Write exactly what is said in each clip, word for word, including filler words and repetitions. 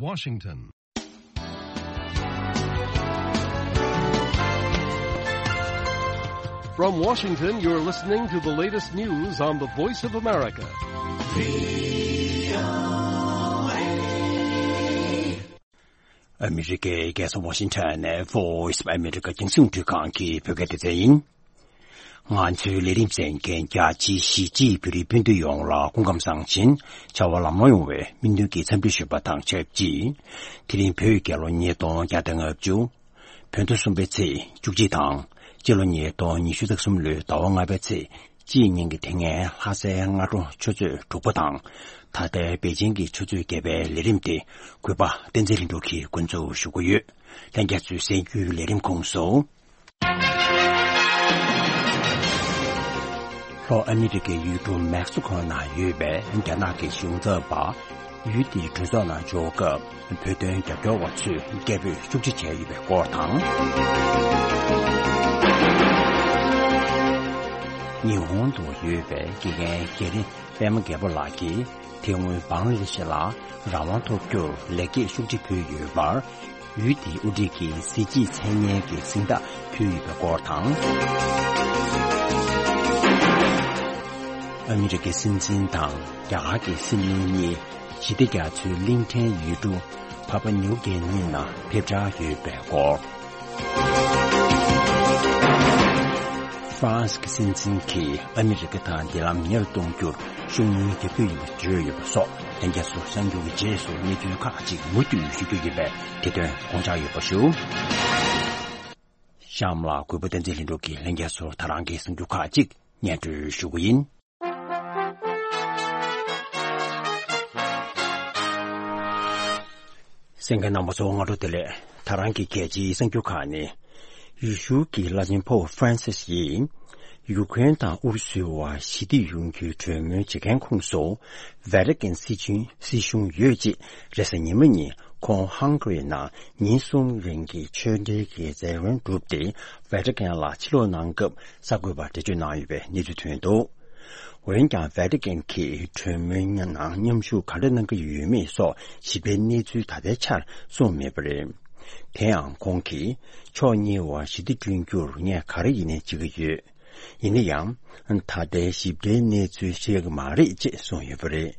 Washington. From Washington, you're listening to the latest news on the Voice of America. ཨ་མི་རི་ཀའི་རྒྱལ་ས་ཝ་ཤིང་ཊོན་ནས་Voice of America རྒྱང་སྲིང་རླུང་འཕྲིན་ཁང་གི་བོད་སྐད་སྡེ་ཚན་ཡིན། ང་ཚོའི་ལས་རིམ་གསན་མཁན་རྒྱ་ཆེའི་གཞིས་བྱེས་བོད་རིགས་སྤུན་ཟླ་ཡོངས་ལ་སྐུ་ཁམས་བཟང་ཞིང་བྱ་བ་ལམ་ལྷོང་ཡོང་བའི་སྨོན་འདུན་གྱི་འཚམས་འདྲི་ཞུ་བ་དང་ཆབས་ཅིག་དེ་རིང་བོད་རྒྱལ་ལོ་ཉིས་སྟོང་བརྒྱ་དང་ལྔ་བཅུ། བོད་ཟླ་གསུམ་པའི་ཚེས་བཅུ་གཅིག་དང་། སྤྱི་ལོ་ཉིས་སྟོང་ཉི་ཤུ་རྩ་གསུམ་ལོའི་ཟླ་བ་ལྔ་པའི་ཚེས་གཅིག་ཉིན་གྱི་དེ་སྔའི་ལྷ་སའི་སྔ་དྲོ་ཆུ་ཚོད་དྲུག་པ་དང་། ད་ལྟའི་པེ་ཅིང་གི་ཆུ་ཚོད་བརྒྱད་པའི་ལས་རིམ་དེ་གུས་པ་བསྟན་འཛིན་ལྷུན་གྲུབ་ཀྱིས་འགོ་འཛུགས་ཞུ་གི་ཡོད། ལྷན་རྒྱས་ཚོས་གསན་རྒྱུའི་ལས་རིམ་ཁོངས་སུ། ལྷོ་ཨ་མི་རི་ཀའི་ཡུལ་གྲུ་མེག་སི་ཁོ་ནང་ཡོད་པའི་རྒྱ་ནག་གི་གཞུང་ཚབ་པ་ཡུལ་དེའི་གྲོས་ཚོགས་ནང་འབྱོར་སྐབས་བོད་དོན་རྒྱབ་སྐྱོར་བ་ཚོས་སྐད་འབོད་ཤུགས་ཆེ་བྱས་ཡོད་པའི་སྐོར་དང་། ཉི་ཧོང་དུ་ཡོད་པའི་དགེ་རྒན་རྒྱ་རི་པད་མ་རྒྱལ་པོ་ལགས་ཀྱིས་དེ་སྔོན་བང་ལ་དེ་ཤི་ལ་རང་དབང་ཐོབ་རྒྱུར་ལེགས་སྐྱེས་ཤུགས་ཆེ་ཕུལ་ཡོད་པར། ཡུལ་དེའི་དབུ་ཁྲིད་ཀྱིས་གཟི་བརྗིད་མཚན་སྙན་གྱི་གཟེངས་རྟགས་ཕུལ་ཡོད་པའི་སྐོར་དང་། ཨ་མི་རི་ཀའི་སྲིད་འཛིན་དང་རྒྱ་གར་གྱི་སྲིད་བློན་གཉིས་ཞི་བདེ་རྒྱ་མཚོའི་གླིང་ཕྲན་ཡུལ་གྲུ་ཕ་པ་ནིའུ་གྷི་ནི་ནང་ཕེབས་འཆར་ཡོད་པའི་སྐོར། ཧྥ་རན་སི་གི་སྲིད་འཛིན་གྱིས་ཨ་མི་རི་ཀ་དང་འབྲེལ་ལམ་ཉེ་རུ་གཏོང་རྒྱུར་ཤུགས་སྣོན་རྒྱག་རྒྱུ་ཡིན་པ་བརྗོད་ཡོད་པ་སོགས་ལྷན་རྒྱས་ཚོ་གསར་འགྱུར་གྱི་རྗེས་སུ་གནས་ཚུལ་ཁག་ཅིག་མུ་མཐུད་ཞུ་རྒྱུ་ཡིན་པས་དེ་དོན་དགོངས་འཇགས་ཡོད་པ་ཞུ། གཤམ་ལ་གུས་པ་བསྟན་འཛིན་ལྷུན་གྲུབ་ཀྱིས་ལྷན་རྒྱས་ཚོར་ད་རང་གི་གསར་འགྱུར་ཁག་ཅིག་སྙན་སྒྲོན་ཞུ་གི་ཡིན། གསན་མཁན་རྣམ་པ་ཚོ་སྔ་དྲོ་བདེ་ལེགས། ད་རང་གི་གལ་ཆེའི་གསར་འགྱུར་ཁག་ནི། ཡེ་ཤུ་གི་བླ་ཆེན་ཕོབ་ཧྥ་རན་སིས་ཡིས། ཡུ་ཀེ་རེན་དང་ཨུ་རུ་སུའི་བར་ཞི་བདེ་ཡོང་རྒྱུའི་གྲོས་མོལ་བྱེད་མཁན་ཁོངས་སུ། ཝེ་ཏི་ཀན་སྲིད་གཞུང་སྲིད་གཞུང་ཡོད་ཅེས་རེས་གཟའ་ཉི་མ་ཉིན་ཁོང་ཧང་གྷ་རི་ནང་ཉིན་གསུམ་རིང་གི་ཆོས་འབྲེལ་གྱི་མཛད་སྒོ་བསྒྲུབས་ཏེ། ཝེ་ཏི་ཀན་ལ་ཕྱིར་ལོག་གནང་སྐབས་གསར་འགོད་པར་འགྲེལ་བརྗོད་གནང་ཡོད་པའི་གནས་ཚུལ་ཐོན་འདུག་འོན་ཀྱང་ཝེ་ཏི་ཀན་གྱིས་གྲོས་མོལ་ནང་མཉམ་ཞུགས་ག་འདྲ་གནང་གི་ཡོད་མེད་སོགས་ཞིབ་ཕྲའི་གནས་ཚུལ་ད་ལྟའི་ཆར་གསུངས་མེད་པ་རེད། དེ་ཡང་ཁོང་གིས་ཕྱོགས་གཉིས་བར་ཞི་བདེ་བསྐྲུན་རྒྱུར་ངས་ག་རེ་ཡིན་ནའི་བྱེད་ཀྱི་ཡོད། ཡིན་ན་ཡང་། ད་ལྟའི་ཞིབ་ཕྲའི་གནས་ཚུལ་ཤེས་ཀྱི་མ་རེད་ཅེས་གསུངས་ཡོད་པ་རེད།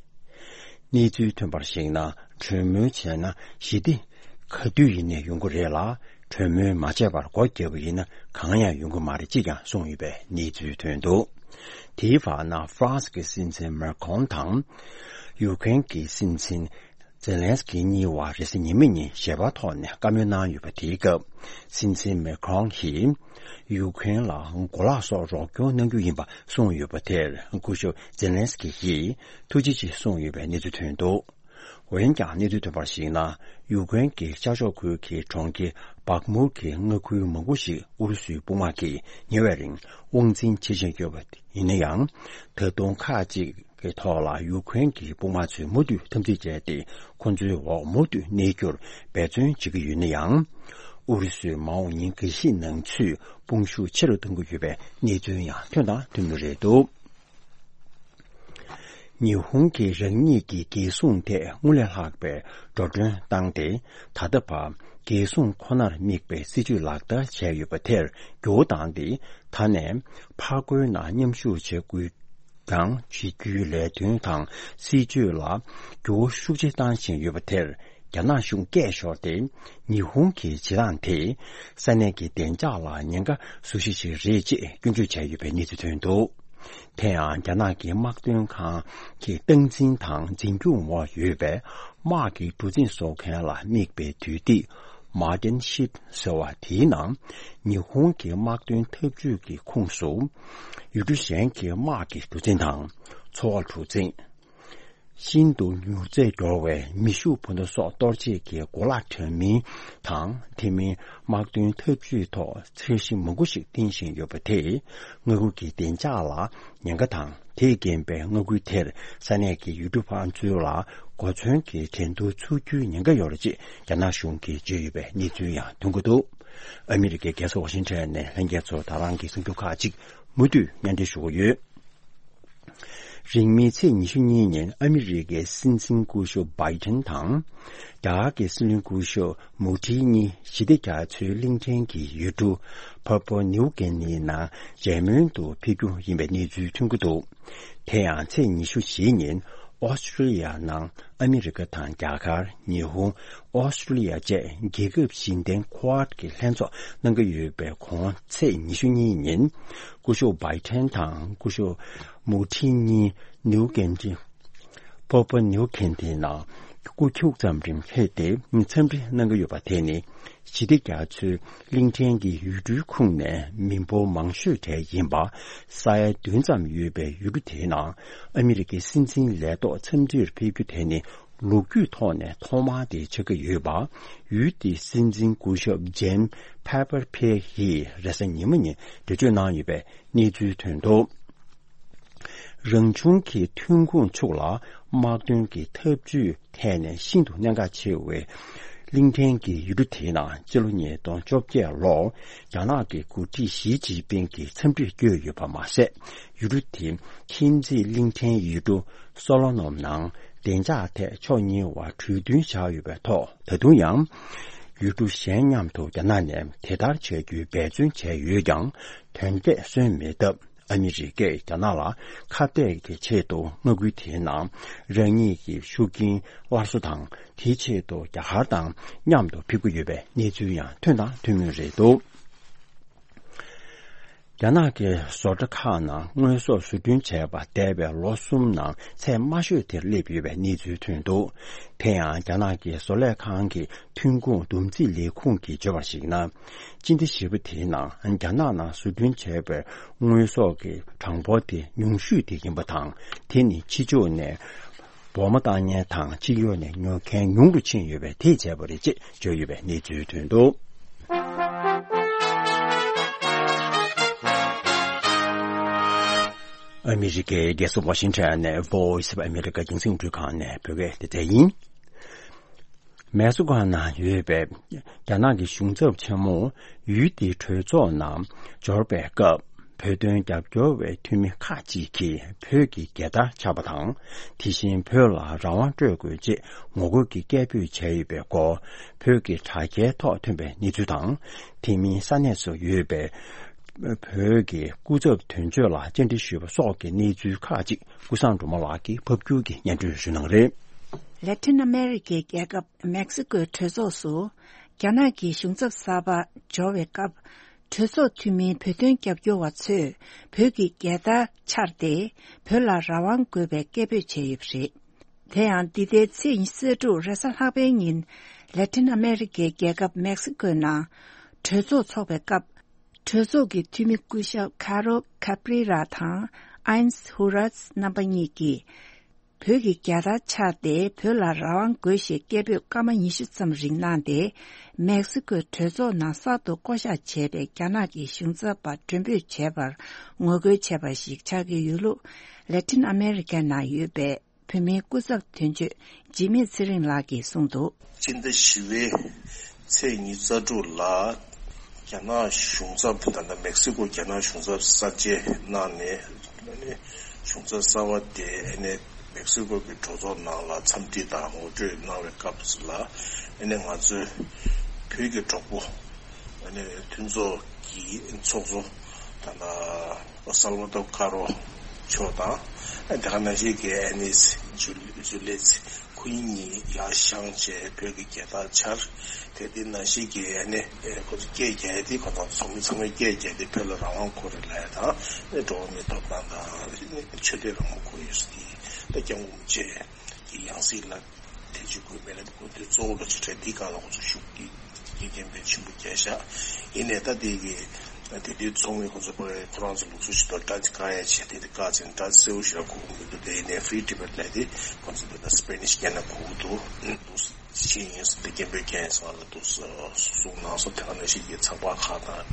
གནས་ཚུལ་ཐོན་པར་གཞིགས་ན། གྲོས་མོལ་བྱས་ན་ཞི་བདེ་ག་དུས་ཡིན་ནའི་ཡོང་གི་རེད་ལ། གྲོས་མོལ་མ་བྱས་པར་སྒོ་བརྒྱབ་པ་ཡིན་ན་གང་ཡང་ཡོང་གི་མ་རེད་ཅེས་ཀྱང་གསུངས་ཡོད་པའི་གནས་ཚུལ་ཐོན་འདུག་དེའི་བར་ན་ཧྥ་རན་སི་གི་སྲིད་འཛིན་མེ་ཁོང་དང་། ཡུ་ཀེ་རེན་གྱི་སྲིད་འཛིན་ཛེ་ལན་སི་ཀི་གཉིས་བར་རེས་གཟའ་ཉི་མ་ཉིན་ཞལ་པར་ཐོག་ནས་བཀའ་མོལ་གནང་ཡོད་པ། དེའི་སྐབས་སྲིད་འཛིན་མེ་ཁོང་གིས་ཡུ་ཀེ་རེན་ལ་གོ་ལག་སོགས་རོགས་སྐྱོར་གནང་རྒྱུ་ཡིན་པ་གསུངས་ཡོད་པ་དེར། སྐུ་ཞབས་ཛེ་ལན་སི་ཀི་ཡིས་ཐུགས་རྗེ་ཆེ་གསུངས་ཡོད་པའི་གནས་ཚུལ་ཐོན་འདུག་འོན་ཀྱང་གནས་ཚུལ་ཐོན་པར་གཞིགས་ན། ཡུ་ཀེ་རེན་གྱི་ཤར་ཕྱོགས་ཁུལ་གྱི་གྲོང་ཁྱེར་བག་མུར་གྱི་མངའ་ཁུལ་མང་པོ་ཞིག་ཨུ་རུ་སུའི་དཔུང་དམག་གིས་ཉེ་བའི་རིང་དབང་འཛིན་བྱེད་བཞིན་ཡོད་པ་ཡིན་ན་ཡང་། ད་དུང་ཁག་ཅིག་གི་ཐོག་ལ་ཡུ་ཀེ་རེན་གྱི་དཔུང་དམག་ཚོས་མུ་མཐུད་འཐབ་འཛིང་བྱས་ཏེ། ཁོ་ཚོའི་འོག་མུ་མཐུད་གནས་རྒྱུར་འབད་བརྩོན་བྱེད་ཀྱི་ཡོད་ན་ཡང་། ཨུ་རུ་སུས་མ་འོངས་ཉིན་འགའ་ཤས་ནང་ཚུད་དཔུང་ཤུགས་ཆེ་རུ་གཏོང་གི་ཡོད་པའི་གནས་ཚུལ་ཡང་ཐོན་དང་ཐོན་མུས་རེད་འདུག་ཉི་ཧོང་གིས་རང་ཉིད་ཀྱི་རྒྱལ་སྲུང་ཐད་སྔར་ལས་ལྷག་པའི་འགྲོ་གྲོན་བཏང་སྟེ། ད་ལྟ་བར་རྒྱལ་སྲུང་ཁོ་ནར་དམིགས་པའི་སྲིད་ཇུས་ལག་བསྟར་བྱས་ཡོད་པ་དེར་འགྱུར་བ་བཏང་སྟེ། ད་ནས་ཕར་རྒོལ་ནང་མཉམ་ཞུགས་བྱེད་དགོས། དང་བྱེད་རྒྱུའི་ལས་དོན་དང་སྲིད་ཇུས་ལ་འགྱུར་བ་ཤུགས་ཆེ་བཏང་བཞིན་ཡོད་པ་དེར། རྒྱ་ནག་གཞུང་སྐད་ཤོར་ཏེ། ཉི་ཧོང་གི་བྱེད་སྟངས་དེས་ས་གནས་ཀྱི་བདེ་འཇགས་ལ་ཉེན་ཁ་བཟོ་གཞི་ཞིག་རེད་ཅེས་སྐྱོན་བརྗོད་བྱས་ཡོད་པའི་གནས་ཚུལ་ཐོན་འདུག་དེ་ཡང་རྒྱ་ནག་གི་དམག་དོན་ཁང་གི་སྟངས་འཛིན་དང་འཛིན་སྐྱོང་འོག་ཡོད་པའི་དམག་གི་གྲུ་གཟིངས་བཟོ་མཁན་ལ་དམིགས་པའི་དུས་ཐིག Mardin Shit ཟེར་བ་དེའི་ནང་། ཉི་ཧོང་གི་དམག་དོན་འཐབ་ཇུས་ཀྱི་ཁོངས་སུ། ཡུལ་གྲུ་གཞན་གྱི་དམག་གི་གྲུ་གཟིངས་དང་། འཚོ་བ་གྲུ་གཟིངས། ཤིན་ཏུ་མྱུར་ཚད་མགྱོགས་པའི་མེ་ཤུགས་འཕུར་མདའ་སོགས་གཏོར་བྱེད་ཀྱི་གོ་ལག་དྲ་མིན་དང་། དེ་མིན་དམག་དོན་འཐབ་ཇུས་ཐོག་འཆར་གཞི་མང་པོ་ཞིག་བཏིང་བཞིན་ཡོད་པ་དེས། མངའ་ཁུལ་གྱི་བདེ་འཇགས་ལ་ཉེན་ཁ་དང་། དེས་རྐྱེན་པས་མངའ་ཁུལ་དེར་ས་གནས་ཀྱི་ཡུལ་གྲུ་ཕར་ཚུར་ལ་གོ་མཚོན་གྱི་འགྲན་བསྡུར་ཚུགས་རྒྱུའི་ཉེན་ཁ་ཡོད་རེད་ཅེས་རྒྱ་ནག་གཞུང་གིས་བརྗོད་ཡོད་པའི་གནས་ཚུལ་ཡང་ཐོན་གྱི་འདུག་ཨ་མི་རི་ཀའི་རྒྱལ་ས་ཝ་ཤིང་ཊོན་ནས་ལྷན་རྒྱས་ཚོར་ད་རང་གི་གསར་འགྱུར་ཁག་ཅིག་མུ་མཐུད་སྙན་སྒྲོན་ཞུ་གི་ཡོད། རིང་མིན་ཚེས་ཉི་ཤུ་གཉིས་ཉིན་ཨ་མི་རི་ཀའི་སྲིད་འཛིན་སྐུ་ཞབས་བྷའི་ཏན་དང་། རྒྱ་གར་གྱི་སྲིད་བློན་སྐུ་ཞབས་མུ་ཁྲི་གཉིས་ཞི་བདེ་རྒྱ་མཚོའི་གླིང་ཕྲན་གྱི་ཡུལ་གྲུ་ཕ་པོ་ནིའུ་གྷི་ནིའི་ནང་མཇལ་མོལ་དུ་ཕེབས་རྒྱུ་ཡིན་པའི་གནས་ཚུལ་ཐོན་གྱི་འདུག་དེ་ཡང་ཚེས་ཉི་ཤུ་བཞི་ཉིན་ཨོ་སི་ཀྲི་ལི་ཡ་ནང་ཨ་མི་རི་ཀ་དང་རྒྱ་གར། ཉི་ཧོང་། ཨོ་སི་ཀྲི་ལི་ཡ་བཅས་རྒྱལ་ཁབ་བཞི་ལྡན་ཁུ་ཝཱཌ་ཀྱི་ལྷན་ཚོགས་གནང་གི་ཡོད་པའི་གོང་ཚེས་ཉི་ཤུ་གཉིས་ཉིན་སྐུ་ཞབས་བྷའི་ཏན་དང་སྐུ་ཞབས་མུ་ཁྲི་གཉིས་ནིའུ་གྷི་ནི་ཕོ་པོ་ནིའུ་གྷི་ནི་ནང་སྐུ་འཁྱུག་ཙམ་རིང་ཕེབས་ཏེ་འཚམས་འདྲི་གནང་གི་ཡོད་པ་དེ་ནི་ཞི་བདེ་རྒྱ་མཚོའི་གླིང་ཕྲན་གྱི་ཡུལ་གྲུའི་ཁོངས་ནས་མི་འབོར་མང་ཤོས་གྲས་ཡིན་པ། ས་ཡ་བདུན་ཙམ་ཡོད་པའི་ཡུལ་གྲུ་དེའི་ནང་ཨ་མི་རི་ཀའི་སྲིད་འཛིན་ལས་ཐོག་འཚམས་འདྲིར་ཕེབས་རྒྱུ་དེ་ནི་ལོ་རྒྱུས་ཐོག་ནས་ཐོག་མ་དེ་ཆགས་ཀྱི་ཡོད་པ། ཡུལ་དེའི་སྲིད་འཛིན་སྐུ་ཞབས་ཇེམ་ཕེ་པར་ཕེ་ཡིས་རེས་གཟའ་ཉི་མ་ཉིན་འགྲེལ་བརྗོད་གནང་ཡོད་པའི་གནས་ཚུལ་ཐོན་འདུག་རང་བྱུང་གི་ཐོན་ཁུངས་ཕྱུག་ལ་དམག་དོན་གྱི་འཐབ་ཇུས་ཐད་ནས་ཤིན་ཏུ་གནད་འགག་ཆེ་བའི་གླིང་ཕྲན་གྱི་ཡུལ་གྲུ་དེའི་ནང་སྤྱི་ལོ་ཉིས་སྟོང་བཅོ་བརྒྱད་ལོར་རྒྱ་ནག་གི་འགོ་ཁྲིད་ཞི་ཅིན་ཕིང་གིས་འཚམས་འདྲིར་བསྐྱོད་ཡོད་པ་མ་ཟད། ཡུལ་གྲུ་དེ་ཁྱིམ་མཚེས་གླིང་ཕྲན་ཡུལ་གྲུ་སོ་ལོ་མོན་ནང་བདེ་འཇགས་ཐད་ཕྱོགས་གཉིས་བར་གྲོས་མཐུན་བཞག་ཡོད་པའི་ཐོག་ད་དུང་ཡང་ཡུལ་གྲུ་གཞན་མཉམ་དུ་རྒྱ་ནག་ནས་དེ་ལྟར་བྱ་རྒྱུའི་འབད་བརྩོན་བྱས་ཡོད་ཀྱང་དོན་འབྲས་སོན་མེད་སྟབས། ཨ་མི་རི་ཀས་རྒྱ་ནག་ལ་ཁ་གཏད་ཀྱི་ཆེད་དུ་མངའ་ཁུལ་དེའི་ནང་རང་ཉིད་ཀྱི་ཤུགས་རྐྱེན་སླར་གསོ་དང་། དེའི་ཆེད་དུ་རྒྱ་གར་དང་མཉམ་དུ་ཕེབས་ཀྱི་ཡོད་པའི་གནས་ཚུལ་ཡང་ཐོན་དང་ཐོན་མུས་རེད་འདུག་རྒྱ་ནག་གི་བཟོ་གྲྭ་ཁག་ནང་དངོས་ཟོག་བཟོ་སྐྲུན་བྱས་པ་འདས་པའི་ལོ་གསུམ་ནང་ཚད་དམའ་ཤོས་དེར་སླེབས་ཡོད་པའི་གནས་ཚུལ་ཐོན་འདུག་དེ་ཡང་རྒྱ་ནག་གི་བཟོ་ལས་ཁང་གི་ཐོན་ཁུངས་བསྡོམས་རྩིས་ལས་ཁུངས་ཀྱིས་བརྗོད་པར་གཞིགས་ན། སྤྱི་ཟླ་བཞི་པ་དེའི་ནང་རྒྱ་ནག་ནང་བཟོ་སྐྲུན་བྱས་པའི་དངོས་ཟོག་གི་གྲངས་འབོར་དེ་ཉུང་ཤོས་དེ་ཡིན་པ་དང་། དེ་ནི་ཕྱི་ཕྱོགས་ནས་འབོར་མ་བཏང་མཁན་དང་སྤྱི་ཡོངས་ནས་ཉོ་མཁན་ཉུང་རུ་ཕྱིན་ཡོད་པས་དེས་བྱས་པ་རེད་ཅེས་བརྗོད་ཡོད་པའི་གནས་ཚུལ་ཐོན་འདུག་ཨ་མི་རི་ཀའི་རྒྱལ་ས་ཝ་ཤིང་ཊོན་ནས་Voice of America་རྒྱང་སྲིང་རླུང་འཕྲིན་ཁང་ནས་བོད་སྐད་སྡེ་ཚན་ཡིན། མེག་སི་ཀོ་ནང་ཡོད་པའི་རྒྱ་ནག་གི་གཞུང་ཚབ་ཆེན་མོ་ཡུལ་དེའི་གྲོས་ཚོགས་ནང་འབྱོར་བའི་སྐབས། བོད་དོན་རྒྱབ་སྐྱོར་བའི་འཐུས་མི་ཁག་ཅིག་གིས་བོད་ཀྱི་རྒྱལ་དར་འཕྱར་བ་དང་། དེ་བཞིན་བོད་ལ་རང་དབང་སྤྲོད་དགོས་ཅེས་ངོ་རྒོལ་གྱི་སྐད་འབོད་བྱས་ཡོད་པའི་སྐོར། བོད་ཀྱི་དྲ་རྒྱའི་ཐོག་ཐོན་པའི་གནས་ཚུལ་དང་། དེ་མིན་ས་གནས་སུ་ཡོད་པའི་བོད་ཀྱི་སྐུ་ཚབ་དོན་གཅོད་ལ་བཅར་འདྲི་ཞུས་པ་སོགས་ཀྱི་གནས་ཚུལ་ཁག་ཅིག་ཀུན་བཟང་སྒྲོལ་མ་ལགས་ཀྱིས་ཕབ་སྒྱུར་གྱིས་སྙན་སྒྲོན་ཞུ་གནང་རེད། ལེ་ཐིན་ཨ་མེ་རི་ཀའི་རྒྱལ་ཁབ་མེག་སི་ཀོའི་གྲོས་ཚོགས་སུ་རྒྱ་ནག་གི་གཞུང་ཚབ་གསར་པ་འབྱོར་བའི་སྐབས། གྲོས་ཚོགས་འཐུས་མིའི་བོད་དོན་རྒྱབ་སྐྱོར་བ་ཚོས་བོད་ཀྱི་རྒྱལ་དར་འཕྱར་ཏེ། བོད་ལ་རང་དབང་དགོས་པའི་སྐད་འབོད་བྱས་ཡོད་པ་རེད། དེ་ཡང་འདི་ཟླའི་ཚེས་ཉི་ཤུ་རྩ་དྲུག་རེས་གཟའ་ལྷག་པའི་ཉིན། ལེ་ཐིན་ཨ་མེ་རི་ཀའི་རྒྱལ་ཁབ་མེག་སི་ཀོའི་ནང་གྲོས་ཚོགས་འཚོགས་པའི་སྐབས། གྲོས་ཚོགས་ཀྱི་འཐུས་མི་སྐུ་ཞབས་ཁ་རོ་ཁ་པྲི་ར་དང་ཨའིན་སི་ཧུ་རཱས་རྣམ་པ་གཉིས་ཀྱིས། བོད་ཀྱི་རྒྱལ་དར་འཕྱར་ཏེ་བོད་ལ་རང་དབང་དགོས་ཞེས་སྐད་འབོད་སྐར་མ་ཉི་ཤུ་ཙམ་རིང་གནང་སྟེ། མེག་སི་ཀོའི་གྲོས་ཚོགས་ནང་གསར་དུ་བསྐོ་གཞག་བྱས་པའི་རྒྱ་ནག་གི་གཞུང་ཚབ་པ་མགྲོན་འབོད་བྱས་པར་ངོ་རྒོལ་བྱས་པ་ཞིག་ཆགས་ཀྱི་ཡོད་ལུགས། ལེ་ཐིན་ཨ་མེ་རི་ཀའི་ནང་ཡོད་པའི་བོད་མིའི་སྐུ་ཚབ་དོན་གཅོད་འཇིགས་མེད་ཚེ་རིང་ལགས་ཀྱིས་གསུངས་འདུག་སྤྱི་ཟླ་བཞི་པའི་ཚེས་ཉི་ཤུ་རྩ་དྲུག་ལ། རྒྱ་ནག་གཞུང་ཚབ་དེ་ད་ལྟ་མེག་སི་ཀོ་རྒྱ་ནག་གཞུང་ཚབ་གསར་བརྗེ་གནང་ནས། གཞུང་ཚབ་གསར་པ་དེ་ཨ་ནི་མེག་སི་ཀོ་གི་གྲོས་ཚོགས་ནང་ལ་འཚམས་འདྲི་དང་ངོ་སྤྲོད་གནང་བའི་སྐབས་སུ་ལ། ཨ་ནི་ང་ཚོའི་བོད་ཀྱི་གྲོགས་པོ་ཨ་ནི་མཐུན་ཚོགས་ཀྱི་ཚོགས་གཙོ་ད་ལྟ་སལ་བ་དོ་ཀ་རོ་མཆོག་དང་། ཨ་དེ་ག་ནང་བཞིན་གྱི་ཨ་ནི་ཇུ་ཇུ་ལེ་ཚི། ཁོ་གཉིས་ཡར་བཞེངས་བྱས་བོད་ཀྱི་རྒྱལ་དར་འཕྱར། དེ་དེ་ནང་བཞིན་གྱི་ཨ་ནི་ཁོ་ཚོ་སྐད་རྒྱག་དེ་ཁོ་ཚོ་ཚོགས་མི་ཚང་མས་སྐད་རྒྱག་དེ་བོད་ལ་རང་དབང་དགོས་རེད་ལབ་ཡ་དང་། ཨ་ནི་འགྲོ་བ་མིའི་ཐོབ་ཐང་དང་ཨ་ནི་ཆོས་དད་རང་དབང་དགོས་ཡོད་ཟེར་དེ་ད་སྐྱབས་མགོན་རིན་པོ་ཆེ་གི་ཡང་སྲིད་ལ་དེ་བྱེད་དགོས་མེད་ལ་དགོས་དེ་གཙོ་བོ་ལ་ཆེ་གྲས་དེ་སྒང་ལ་ཁོ་ཚོ་ཤུགས་ཀྱིས། དགེ་རྒན་པའི་ཆེན་པོ་རྒྱལ་ཤག་ཡིན་ནས་ད་དེ་གི་དེ་དུས་ཚོགས་མི་ཁོ་ཚོ་པ་ཁོ་རང་ཚོ་ལུགས་སྲོལ་ཞིག་ཏུ་ཌ་ཅི་བཀག་ཡ་བྱས་དེ་དེ་བཀག་ཅིང་ཌ་ཅི་གསལ་བོ་ཞིག་ལ་གོ་གི་མི་འདུག་དེ་ཡིན་ནས་Free Tibet་ལབ་དེ་ཁོ་ཚོ་དེ་ད་སི་པེ་ནིཤ་སྐད་ནང་གོ་གི་འདུག་འདུག་ཕྱིན་ཡིན་ཟེར་དེ་རྒན་པའི་རྒན་ཡིན་ཟེར་བ་ལ་འདུག་གསུངས་གནང་སོང་། དེ་ག་ནང་བཞིན་གྱི་ཚགས་པར་ཁག་དང་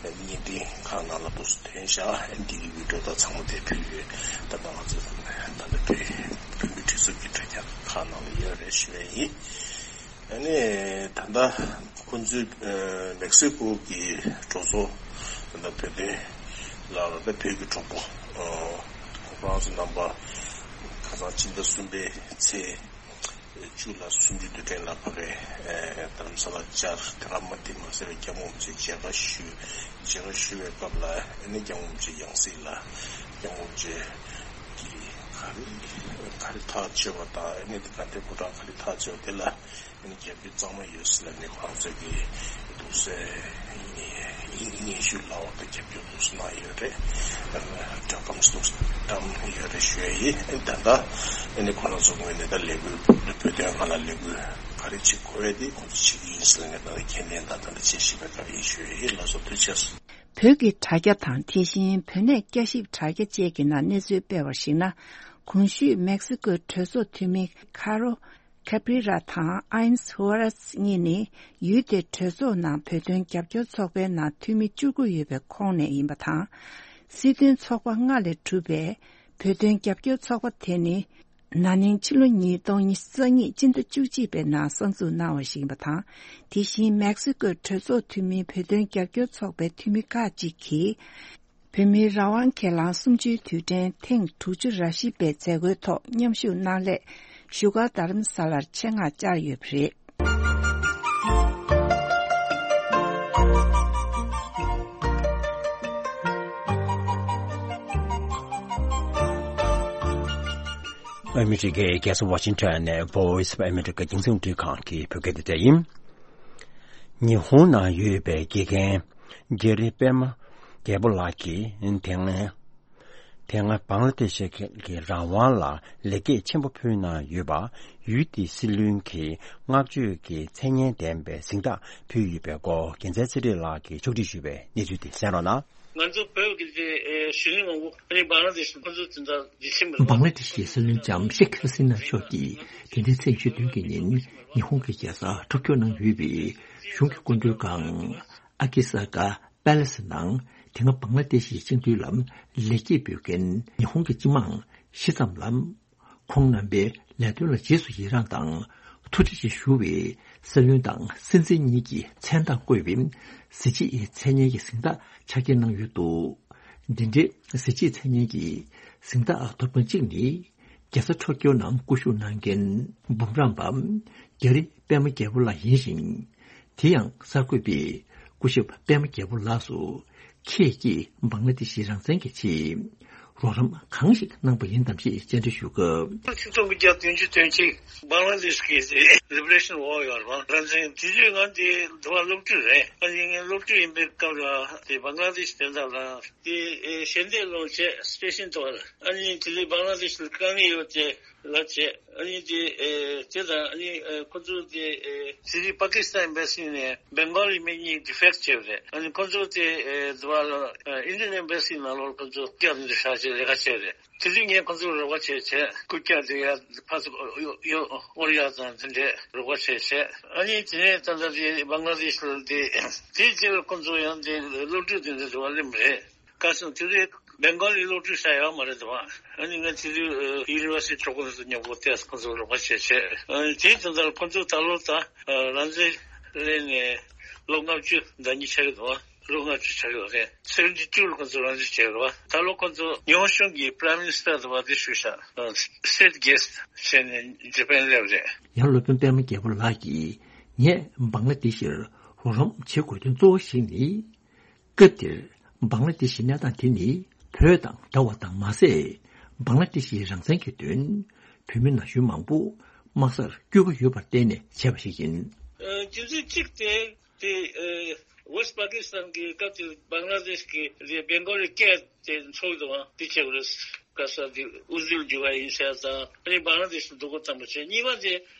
བརྙན་འཕྲིན་ཁག་ནང་ལ་འདུག་ཐོན་ཤག་འདི་གི་བི་ཌིའོ་དང་ཚང་མ་དེ་ཕུལ་ཡོད། ད་ལྟ་ང་ཚོ་ད་ལྟ་བོད་བོད་མི་སྒྲིག་འཛུགས་ཀྱི་དྲ་རྒྱ་ཁག་ནང་ལ་ཡོད་རེད་ཞུ་ཡ་ཡིན། ཨ་ནི་ད་ལྟ་ཁོང་ཚོའི་ཨ་མེག་སི་ཀོ་གི་གྲོས་ཚོགས་ད་ལྟ་བོད་དོན་ལ་ད་ལྟ་བོད་ཀྱི་གྲོགས་པོ་ཨ་ ཁོང་ཚོ་རྣམ་པ་ཁ་སང་ཕྱི་ཟླ་གསུམ་པའི་ཚེས་བཅུ་ལ་སུམ་ཅུ་དུས་དྲན་ལ་ཕ་གིར་ཨེ་རྡ་རམ་ས་ལ་བཅར། དེ་ག་མ་དེ་མ་ཟད་པའི་སྐྱབས་མགོན་རིན་པོ་ཆེ་མཇལ་ཁ་ཞུས། མཇལ་ཁ་ཞུ་བའི་སྐབས་ལ་ཨ་ནི་སྐྱབས་མགོན་རིན་པོ་ཆེ་ཡང་སྲིད་ལ་སྐྱབས་མགོན་རིན་པོ་ཆེ་གིས་ག་རེ་ག་རེ་ཐག་གཅོད་པ་དང་ཨ་ནི་དེ་ག་དེ་སྐུ་དྲག་ག་རེ་ཐག་གཅོད་པ་དེ་ལ། ཨ་ནི་རྒྱབ་སྐྱོར་གཙང་མ་ཡོད་ཟེར་ལབ་ནས་ཁོ་རང་ཚོས་ཀྱི་འདུག་སེ་སྙན་ཞུ་ལབ་པ་དང་རྒྱབ་སྐྱོར་འདུག་སེ་གནང་ཡོད་རེད། སྒྲ་སྒམ་འདུག་སེ་བཀྲམ་ཡོད་རེད་ཞུ་ཡ་ཡིན། ཨ་ནི་ད་ལྟ་ཨ་ནི་ཁོ་རང་ཚོ་ངོས་ནས་ད་ལས་འགུལ་བོད་དོན་སྒང་ལ་ལས་འགུལ་ག་རེ་བྱེད་དགོས་ཡ་དེ་ཁོང་ཚོ་བྱེད་ཀྱི་ཡིན་ཟེར་ལབ་ནས་ད་ལྟ་མཁྱེན་ལན་དང་ད་ལྟ་དཔྱད་ཞིབ་པའི་སྐབས་ཡིན་ཞུ་ཡ་ཡིན། ལགས་སོ། ཐུགས་རྗེ་ཆེ། བོད་ཀྱི་དྲ་རྒྱ་དང་དེ་བཞིན་བོད་གནས་བསྐྱར་ཞིབ་དྲ་རྒྱ་བཅས་ཀྱི་ནང་གནས་ཚུལ་སྤེལ་བར་གཞིགས་ན། གོང་ཞུས་མེག་སི་ཀོའི་གྲོས་ཚོགས་འཐུས་མི་ཁ་རོ། ཁེ་བྷི་ར་དང་ཨ་ཡན་སི་ཧུ་ཝ་ར་སི་གཉིས་ནི་ཡུལ་དེའི་གྲོས་ཚོགས་ནང་བོད་དོན་རྒྱབ་སྐྱོར་ཚོགས་པའི་ནང་འཐུས་མི་བཅུ་དགུ་ཡོད་པའི་ཁོངས་ནས་ཡིན་པ་དང་། སྲིད་དོན་ཚོགས་པ་ལྔ་ལས་གྲུབ་པའི་བོད་དོན་རྒྱབ་སྐྱོར་ཚོགས་པ་དེ་ནི། ན་ནིང་ཕྱི་ལོ་ཉིས་སྟོང་ཉི་ཤུ་རྩ་གཉིས་སྤྱི་ཟླ་བཅུ་གཅིག་པའི་ནང་གསར་འཛུགས་གནང་བ་ཞིག་ཡིན་པ་དང་། དེ་བཞིན་མེག་སི་ཀོའི་གྲོས་ཚོགས་འཐུས་མིའི་བོད་དོན་རྒྱབ་སྐྱོར་ཚོགས་པའི་འཐུས་མི་ཁག་ཅིག་གིས། བོད་མིའི་རང་དབང་སྒེར་ལངས་གསུམ་བཅུའི་དུས་དྲན་ཐེངས་དྲུག་ཅུ་ར་བཞི་པའི་མཛད་སྒོའི་ཐོག་མཉམ་ཞུགས་གནང་སླད་བཞུགས་སྒར་རྡ་རམ་ས་ལར་ཆེད་མངགས་བཅར་ཡོད་པ་རེད། ཨ་མི་རི་ཀའི་རྒྱལ་ས་ཝ་ཤིང་ཊོན་ནས་Voice of America་རྒྱང་སྲིང་རླུང་འཕྲིན་ཁང་གི་བོད་སྐད་སྡེ་ཚན་ཡིན། ཉི་ཧོང་ནང་ཡོད་པའི་དགེ་རྒན་རྒྱ་རི་པད་མ་རྒྱལ་པོ་ལགས་ཀྱིས་དེ་སྔ་དེ་སྔ་བང་ལ་དེ་ཤི་གི་རང་དབང་ལ་ལེགས་སྐྱེས་ཆེན་པོ་ཕུལ་གནང་ཡོད་པ་ཡུལ་དེའི་སྲིད་བློན་གྱིས་བསྔགས་བརྗོད་ཀྱི་མཚན་སྙན་ལྡན་པའི་གཟེངས་རྟགས་ཕུལ་ཡོད་པའི་སྐོར་རྒྱལ་མཚན་ཚེ་རིང་ལགས་ཀྱིས་ཕྱོགས་སྒྲིག་ཞུས་པའི་གནས་ཚུལ་དེ་གསན་རོགས་གནང་། ང་ཚོ་བོད་ཀྱི་དེ་ཨེ་གཞོན་ནུ་མང་པོ་ཨ་ནི་བང་ལ་དེ་ཤི་ཁོ་ཚོ་དེ་འདྲ་ཡིད་ཆེས་མི་འདུག་བང་ལ་དེ་ཤི་སྲིད་བློན་ལྕམ་ཤེག་ཧ་སི་ན་མཆོག་གིས་དེ་འདྲའི་ཚེས་ཉི་ཤུ་བདུན་གྱི་ཉིན་ཉི་ཧོང་གི་རྒྱལ་ས་ཊོ་ཀྱོ་ནང་ཡོད་པའི་གཞུང་གི་སྐུ་མགྲོན་ཁང་ཨ་ཀི་ས་ཀ་པེ་ལེ་སི་ནང་དེ་སྔ་བང་ལ་དེ་ཤི་སྤྱི་འཐུས་ལ་ལེགས་སྐྱེས་འབུལ་མཁན་ཉི་ཧོང་གི་སྤྱི་དམངས་བཞི་ཙམ་ལ། ཁོང་རྣམ་པའི་ལས་དོན་ལ་རྗེས་སུ་ཡི་རངས་དང་ཐུགས་རྗེ་ཆེ་ཞུ་བའི་སྲིད་བློན་དང་སྲིད་འཛིན་གཉིས་ཀྱི་མཚན་རྟགས་བཀོད་པའི་གཟི་བརྗིད་མཚན་སྙན་གྱི་གཟེངས་རྟགས་ཆ་རྐྱེན་གནང་ཡོད་འདུག་འདི་འདྲའི་གཟི་བརྗིད་མཚན་སྙན་གྱི་གཟེངས་རྟགས་ཐོབ་མཁན་གཅིག་ནི་རྒྱལ་ས་ཊོ་ཀྱོ་ནང་སྐུ་བཞུགས་གནང་མཁན་འབུམ་རམས་པ་རྒྱ་རི་པད་མ་རྒྱལ་པོ་ལགས་ཡིན་ཞིང་། དེ་ཡང་གསར་འགོད་པས་སྐུ་ཞབས་པད་མ་རྒྱལ་པོ་ལགས་སུ་ཁྱེད་ཀྱིས་བང་ལ་དེ་ཤི་རང་བཙན་གྱི་ཆེད་རོགས་རམ་གང་ཞིག་གནང་པ་ཡིན་དམ་ཞེས་བཅར་འདྲི་ཞུ་སྐབས། ཆིག་སྟོང་དགུ་བརྒྱ་བདུན་ཅུ་དོན་གཅིག་བང་ལ་དེ་ཤི་གི་Liberation War ཡོད་རེད་བ། རང་བཙན་དེ་དུས་ང་དེ་འདི་བ་སློབ་ཕྲུག་རེད། ཨ་ནི་ངས་སློབ་ཕྲུག་ཡིན་པའི་སྐབས་ལ་དེ་བང་ལ་དེ་ཤི་དོན་དག་ལ་དེ་ཞལ་འདེབས་སློང་བྱས་སི་ཊེ་ཤན་ཐོག་ལ་ཨ་ནི་དེ་དུས་བང་ལ་དེ་ཤི་ལ་དཀའ་ངལ་ཡོད་དེ། ལ་བྱས། ཨ་ནི་དེ་ཨེ་དེ་དང་ཨ་ནི་ཨེ་ཁོ་ཚོ་དེ་ཨེ་དེ་དུས་པ་ཀི་སི་ཐན་ཨེམ་བེ་སི་ནས་བེང་གོལ་ཡིན་མིན་གཉིས་ཌི་ཕེག་བྱས་པ་རེད། ཨ་ནི་ཁོ་ཚོ་དེ་ཨེ་དུ་བ་ལ་ཨེ་ཨིན་ཌི་ཡན་ཨེམ་བེ་སི་ནང་ལོགས་ཁོ་ཚོ་སྐྱབས་འདི་བཞག་བྱས་ལས་ཀ་བྱས་རེད། དེ་དུས་ངས་ཁོ་ཚོར་རོགས་པ་བྱས་བྱས་རྐུབ་བཀྱག་དེ་ཡ་ཕར་ཚུར་གཡོ་གཡོ་གཡོ་ཡ་དང་དེ་འདྲས་རོགས་པ་བྱས་བྱས། ཨ་ནི་དེ་ནས་ད་ལྟ་དེ་བང་ལ་དེ་ཤི་ལ་དེ་དེའི་རྗེས་ལ་ཁོ་ཚོ་ཡང་དེ་སློབ་ཕྲུག་དེ་འདྲ་དུ་བ་སླེབས་པ་རེད། ཁ་སང་དེ་རིང་བེང་གོ་ལི་སློབ་ཕྲུག་ཤ་ཡོད་མ་རེད་དོ། ཨ་ནི་ང་དེ་དུས་ཡུ་ནི་ཝར་སི་ཊི་ཁྲོད་ཁོ་ཚོ་མཉམ་པོ་བལྟས། ཁོ་ཚོ་རོགས་པ་བྱས་བྱས། ཨ་ནི་དེའི་དོན་དག་ཁོ་ཚོ་ད་ལོ་ད་རང་བཙན་ལེན་ནས་ལོ་ལྔ་བཅུ་ཟླ་གཉིས་ཆགས་ཀྱི་འདུག་ལོ་ལྔ་བཅུ་ཆགས་ཀྱི་རེད། སེ་ཝེན་ཊི་ཊུ་ལ་ཁོ་ཚོ་རང་བཙན་བྱས་རེད་བ། ད་ལོ་ཁོ་ཚོ་ཉི་ཧོང་གཞུང་གི་པ་རའི་མི་ནི་སི་ཊར་དུ་བ་དེ་ཞུ་ཤག་སི་ཊེ་ཊི་གེ་སི་ཊི་བྱས་ནས་ཇ་པན་སླེབས་རེད། ཡང་སློབ་དཔོན་པད་མ་རྒྱལ་པོ་ལགས་ཀྱིས་ངས་བང་ལ་དེ་ཤིར་རོགས་རམ་བྱེད་དགོས་དོན་གཙོ་བོ་ཞིག་ནི། སྐབས་དེར་བང་ལ་དེ་ཤི་གནས་སྟངས་དེ་ནི་བོད་དང་འདྲ་བ་དང་མ་ཟད། བང་ལ་དེ་ཤིའི་རང་བཙན་གྱི་དོན་བོད་མི་ན་གཞོན་མང་པོ་དམག་སར་བསྐྱོད་ཀྱི་ཡོད་པར་བརྟེན་ནས་བྱས་པ་ཞིག་ཡིན། རྒྱུ་མཚན་གཅིག་དེ་དེ་ཝེ་སི་པ་ཀི་སི་ཐན་གྱི་སྐབས་དེར་བང་ལ་དེ་ཤི་གི་བེང་གོ་ལི་སྐད་དེ་འཚོགས་འདུག་པ་དེ་བྱས་པ་རེད། ག་ས་དེ་དབུ་འཛུལ་རྒྱུ་བ་ཡིན་ཟེར་དང་ཨ་ནི་བང་ལ་དེ་ཤི་འདུག་གོ་བཏང་པ་བྱས། གཉིས་པ་དེ་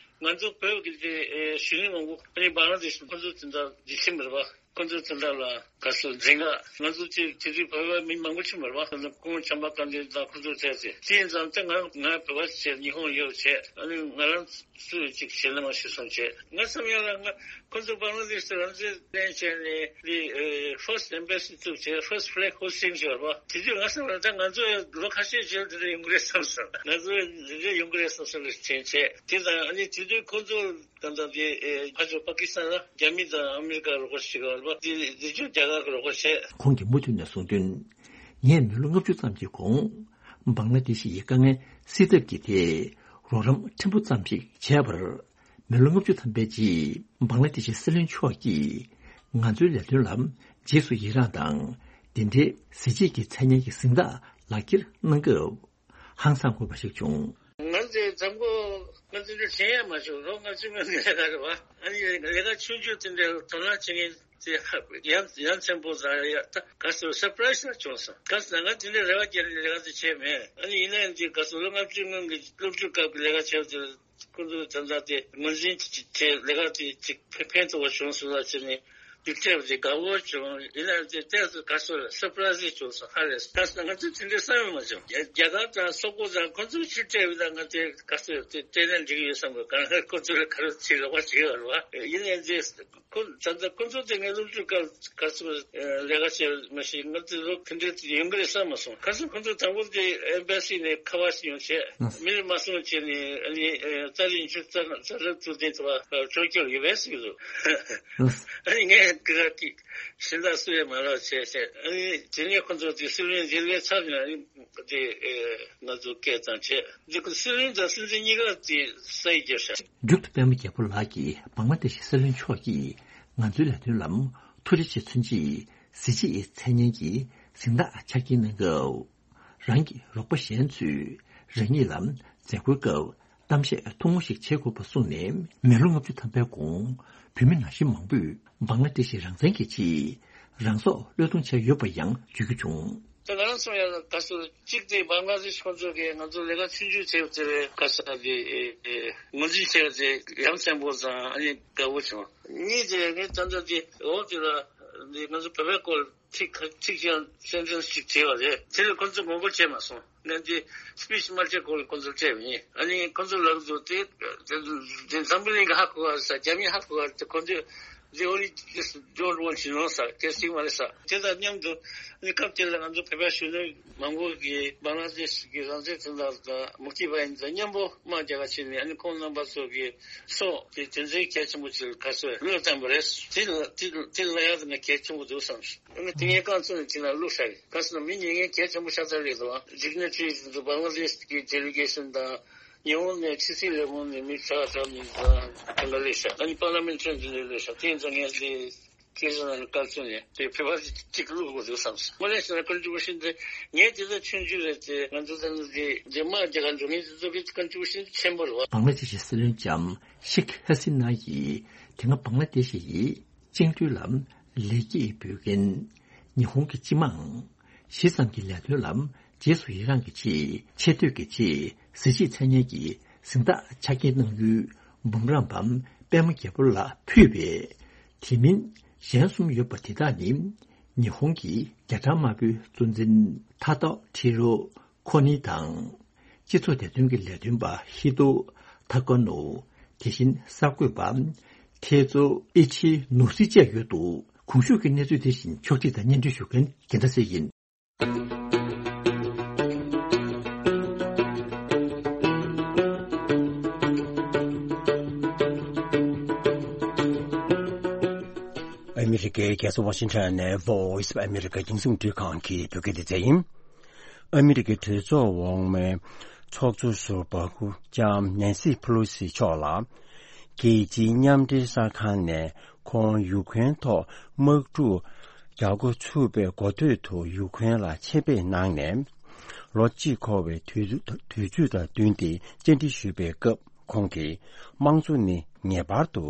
ང་ཚོ་བོད་ཀྱི་དེ་གཞོན་ནུ་མང་པོ་ཨ་ནི་བང་ལ་དེ་ཤི་ཁོ་ཚོ་དེ་འདྲ་རྒྱུ་མཚན་མེད་པ། ཁོ་ཚོ་དེ་འདྲ་ལ་ག་ཚོད་འཛིན་ག་ང་ཚོ་དེ་དེ་དུས་བོད་པ་མི་མང་པོ་ཅིག་མ་རེད་པ། ཁོང་བྱམས་པ་བཀའ་འདུས་དང་ཁོ་ཚོ་བཙལ་ཏེ་དེ་ཡིན་ཙང་ད་ང་ང་བོད་པ་བྱས་ཉི་ཧོང་ཡོད་བྱས་ཨ་ནི་ང་རང་སུ་ཅིག་ཞལ་ལས་མ་ཞུ་སོང་བྱས། ང་བསམ་ཡ་ལ་ང་ཁོ་ཚོ་བང་ལ་དེ་ཤི་རང་བཙན་ལེན་བྱས་ནས་དེ་ཨེ་ཕར་སི་ཊི་ཨེམ་བེ་སི་བཙུགས་བྱས་ཕར་སི་ཊི་ཕི་ལེག་ཧོ་སི་ཊིང་བྱས་པ་དེ་དུས་ང་བསམ་ཡ་ལ་ད་ང་ཚོ་ལོ་ཁ་ཤས་རྗེས་དེ་འདྲ་ཡོང་གི་རེད་བསམ་སོང་། ང་ཚོ་དེ་འདྲ་ཡོང་གི་རེད་བསམ་སོང་ལ་དྲན་བྱས། དེ་དང་ཨ་ནི་དེ་དུས་ཁོ་ཚོ། ད་ལྟ་དེ་ཨེ་ཕར་ཕྱོགས་པ་ཀི་སི་ཐན་ལ་རྒྱ་མི་དང་ཨ་མི་རི་ཀ་རོགས་པ་བྱེད་ཀྱི་ཡོད་རེད་པ། དེ་དེ་ཕྱོགས་རྒྱ་གར་གྱི་རོགས་པ་བྱས། ཁོང་གིས་མུ་མཐུད་ནས་གསུངས་དོན། ངས་མི་ལོ་ལྔ་བཅུ་ཙམ་གྱི་གོང་ བང་ལ་དེ་ཤི་ཡི་དཀའ་ངལ་སེལ་ཐབས་ཀྱི་ཐད་རོགས་རམ་ཕྲན་བུ་ཙམ་ཞིག་བྱས་པར། མི་ལོ་ལྔ་བཅུ་ཐམ་པའི་རྗེས་བང་ལ་དེ་ཤི་སྲིད་བློན་མཆོག་གིས་ང་ཚོའི་ལས་དོན་ལ་རྗེས་སུ་ཡི་རངས་དང་། དེ་འབྲེལ་གཟི་བརྗིད་ཀྱི་མཚན་སྙན་གྱི་གཟེངས་རྟགས་ལག་འཁྱེར་གནང་སྐབས། ཧང་སང་དགོས་པ་ཞིག་བྱུང་། ང་ཚོའི་འཛམ་བུ་གླིང་ང་ཚོའི་འདྲ་བྱེད་ཡ་མ་བྱུང་། ལོ་ལྔ་བཅུ་སྔོན་གྱི་ལས་ཀ་རེད་བ། ཨ་ནི་ལས་ཀ་ཆུང་ཆུང་དེ་འདྲའི་དོ་སྣང་བྱེད་མཁན་དེ་ཧ་ཡ་ཡ་མཚན་པོ་ཙང་ཡ་ད་ག་ཚོད་སར་པ་རའི་ཛི་ལ་བྱུང་སོང་། ག་ཚོད་ང་དེ་འདྲའི་རེ་བ་བརྒྱབ་ནས་ལས་ཀ་དེ་བྱས་མེད། ཨ་ནི་ཡིན་ནའི་འདི་ག་ཚོད་ལོ་ལྔ་བཅུ་སྔོན་གྱི་སློབ་ཕྲུག་སྐབས་ཀྱི་ལས་ཀ་བྱས་དེ་ཁོང་ཚོས་ད་ལྟ་དེ་ངོས་འཛིན་བྱས་ལས་ཀ་དེ་ཅིག་ཕན་ཕན་ཐོགས་པ་བྱུང་སོང་ལ་བྱས་ནས་འདི་འཕྲད་པ་དེ་དགའ་པོ་བྱུང་། ཡིན་ནའི་དེ་ཏོག་ཙམ་ག་ཚོད་སར་པ་རའི་ཛི་བྱུང་སོང་། ཧ་ལས་སོང་། ད་ང་ཚོས་དེ་འདྲའི་བསམ་ཡང་མ་བྱུང་། རྒྱ་རྒྱ་གར་དང་སོག་པོ་དང་ཁོང་ཚོས་ཕྱིར་སྤྲད་པ་དང་ང་དེ་ག་ཚོད་དེ་སྤྲད་ན་འགྲིག་གི་ཡོད་བསམ་གི། གང་ལྟར་ཁོ་ཚོས་ག་རེ་བྱེད་རོགས་པ་བྱེད་ཀྱི་ཡོད་རེད་བ། ཡིན་ནའི་དེ་ཁོ་ད་ལྟ་ཁོ་ཚོ་དེ་ངའི་སློབ་ཕྲུག་སྐབས་ག་ཚོད་ལས་ཀ་བྱས་མ་ཤེས། ང་དེ་ལོ་དེ་འདྲའི་ཡོང་གི་རེད་བསམ་མ་སོང་། ག་ཚོད་ཁོ་ཚོ་དང་པོ་དེ་ཨེམ་བྷ་སི་ནས་ཁ་པར་ཞིག་ཡོང་བྱས། མི་རེ་མ་སོང་བྱས་ནས་ཨ་ནི་ཨ་ཏཱ་ལའི་ཆུ་རྩ་རྩ་རབ་ཚུལ་ལྡན་དུ་བ་ཕྱོགས་སྐྱོར་ཡོད་པས་ཟེར་གི་འདུག་ཨ་ནི་ངས་དེ་ག་ཅིག་གཞན་དག་སུ་ཡང་མ་ལབ་བྱས་བྱས། ཨ་ནི་དེ་ནས་ཁོ་ཚོ་དེ་སྲིད་བློན་མཇལ་བའི་ཚར་ནས་ཨ་ནི་དེ་ཨེ་ང་ཚོ་སྐད་བཏང་བྱས། འདི་ཁོ་སྲིད་བློན་དང་སྲིད་འཛིན་གཉིས་ཀ་དེ་ས་ཡིག་བརྒྱབ་ཤག་མཇུག་ཏུ་པད་མ་རྒྱལ་པོ་ལགས་ཀྱིས་བང་ལ་དེ་ཤི་སྲིད་བློན་མཆོག་གིས་ང་ཚོའི་ལས་དོན་ལམ་ཐུགས་རྗེ་ཆེ་མཚོན་ཆེད་གཟི་བརྗིད་མཚན་སྙན་གྱི་གཟེངས་རྟགས་ཆ་རྐྱེན་གནང་སྐབས། རང་གི་རོགས་པ་གཞན་ཚོས་རང་ཉིད་ལ་མཛད་སྒོའི་སྐབས་གཏམ་བཤད་ཐུང་ངུ་ཞིག་བྱེད་དགོས་པ་གསུངས་ནས། མི་ལོ་ལྔ་བཅུ་ཐམ་པའི་གོང་བོད་མི་ན་གཞོན་མང་པོས་བང་ལ་དེ་ཤི་རང་བཙན་གྱི་ཆེད་རང་སྲོག་བློས་གཏོང་བྱས་ཡོད་པ་ཡང་བརྗོད་རྒྱུ་བྱུང་། ད་ང་རང་ཚོ་ཡང་ག་ཚོད་གཅིག་དེ་བང་ལ་དེ་ཤི་ཁོང་ཚོ་གིས་ང་ཚོ་ལས་ཀ་ཆུང་ཆུང་བྱས་པ་དེ་རེད། ག་ས་དེ་ངོས་འཛིན་བྱས་པ་དེ་ཡ་མཚན་པོ་དང་ཨ་ནི་དགའ་པོ་བྱུང་། གཉིས་དེ་ངས་ད་ལྟ་དེ་འོག་དེ་ལ་འདི་ང་ཚོ་བོད་པའི་སྐོར་ཚིག་ཁ་ཚིག་ཅིག་སེན་ཊེན་སི་ཅིག་བྲིས་པ་རེད། དེ་ལ་ཁོ་ཚོས་ངོ་རྒོལ་བྱས་མ་སོང་། ངས་འདི་སི་པི་ཆི་མ་བྱས་སྐོར་ལ་ཁོ་ཚོར་སྤྲད་པ་ཡིན། ཨ་ནི་ཁོ་ཚོ་ལབ་འདུག་དེ་དེ་འཛམ་བུ་གླིང་གི་ཧ་གོ་བ་ས་རྒྱ་མི་ཧ་གོ་བ་དེ་ཁོ་ཚོས་they only just don't want to know ས་སྐད་ཅིག་མ་རེད་ས། དེ་དང་མཉམ་དུ་ཨ་ནི་སྐབས་དེ་ལ་ང་ཚོ་བོད་པའི་གཞོན་ནུ་མང་པོ་གིས་བང་ལ་དེ་ཤི་གི་རང་བཙན་དོན་དག་དང་མུག་ཏི་བ་ཡིན་དང་མཉམ་པོ་དམག་རྒྱག་ག་ཕྱིན་ནས་ཨ་ནི་ཁོང་རྣམ་པ་ཚོ་གི་སྲོག་དེ་དོན་ཚན་གལ་ཆེན་པོ་ཅིག་ག་ཚོད་བློས་བཏང་པ་རེད། དེ་ལ་དེ་དེ་ལ་ཡང་ང་གལ་ཆེན་པོ་འདུག་བསམ་སོང་། ཨ་ནི་དེ་ངས་རྐང་བཙུགས་ནས་དེ་ན་བླུགས་ཤག་རེད། ག་ཟེར་ན་མི་ཉེས་ངན་གལ་ཆེན་པོ་ཤ་སྟག་རེད་དོ། ཌིག་ནི་ཊི་རི་འདུག་བང་ལ་དེ་ཤི་གི་ཌེ་ལི་གེ་ཤན་དང་ཉི་ཧོང་ནས་ཕྱི་སྲིད་ལས་ཁུངས་ནས་མི་ཁྲ་ཁྲ་མི་དང་དེ་འདྲ་སླེབས་ཤག་ཨ་ནི་པར་ལི་མེན་ཊི་རི་འདི་འདྲ་སླེབས་ཤག་དེ་ཡིན་ཙང་ངས་དེ་སྐད་ཆ་ནང་ལ་བཀའ་བཙུགས་ནས་དེ་ཕེབས་པ་གཅིག་བླུག་དགོས་འདུག་བསམ་སོང་། དངོས་གནས་བྱས་ན་ཀོན་ཊི་བྷུ་ཤན་དེ་ངས་དེ་ཚོ་ཆུང་ཆུང་རེད་དེ་ང་ཚོ་ད་ནི་དེ་དེ་དམག་རྒྱག་གར་འགྲོ་མཁན་དེ་ཚོ་གི་ཀོན་ཊི་བྷུ་ཤན་ཆེན་པོ་རེད་བ། བང་ལ་དེ་ཤི་སྲིད་བློན་ལྕམ་ཤེག་ཧ་སི་ན་ཡིས་དེ་སྔ་བང་ལ་དེ་ཤི་ཡི་བཅིངས་འགྲོལ་ལ་ལེགས་སྐྱེས་འབུལ་མཁན་ཉི་ཧོང་གི་སྤྱི་དམངས་ཞི་བསམ་གྱི་ལས་དོན་ལ་རྗེས་སུ་ཡི་རངས་ཀྱི་ཆེད་ཆེ་བསྟོད་ཀྱི་ཆེད་གཟི་བརྗིད་མཚན་སྙན་གྱི་གཟེངས་རྟགས་ཆ་རྐྱེན་གནང་ཡུལ་འབུམ་རམས་པ་པད་མ་རྒྱལ་པོ་ལ་ཕུལ་བས། དེ་མིན་གཞན་གསུམ་ཡོད་པ་དེ་དག་ནི་ཉི་ཧོང་གི་རྒྱ་གྲམ་དམར་པོའི་གཙོ་འཛིན་ཐ་ཏོ་ཁྲི་རོ་ཁོ་ནི་དང་། སྤྱི་ཚོགས་བདེ་དོན་གྱི་ལས་དོན་པ་ཧི་ཏོ་ཐ་ཀོ་ནོ། དེ་བཞིན་གསར་འགོད་པ་ཐེ་ཙོ་ཨི་ཆི་ནོ་སི་བཅས་ཡོད་འདུག་གོང་ཞུས་ཀྱི་གནས་ཚུལ་དེ་བཞིན་ཕྱོགས་སྒྲིག་དང་སྙན་སྒྲོན་ཞུ་མཁན་རྒྱལ་མཚན་ཡིན། ཨ་མི་རི་ཀའི་རྒྱལ་ས་ཝ་ཤིང་ཊོན་ནས་Voice of America་རྒྱང་སྲིང་རླུང་འཕྲིན་ཁང་གི་བོད་སྐད་སྡེ་ཚན་ཡིན། ཨ་མི་རི་ཀའི་གྲོས་ཚོགས་འོག་མའི་ཚོགས་གཙོ་ཟུར་པ་སྐུ་ལྕམ་ནེན་སི་ཕེ་ལོ་སི་མཆོག་ལ། རྒྱལ་སྤྱིའི་མཉམ་འབྲེལ་གསར་ཁང་ནས་ཁོང་ཡུ་ཁུ་རེན་ཐོག་དམག་འཁྲུག་རྒྱག་འགོ་ཚུགས་པའི་འགོ་སྟོད་དུ་ཡུ་ཁུ་རེན་ལ་ཆེད་ཕེབས་གནང་ནས། ལོ་གཅིག་འཁོར་བའི་དུས་དུས་ཚོད་དང་བསྟུན་ཏེ་བཅར་འདྲི་ཞུས་པའི་སྐབས། ཁོང་གིས་དམངས་གཙོ་ནི་ངེས་པར་དུ་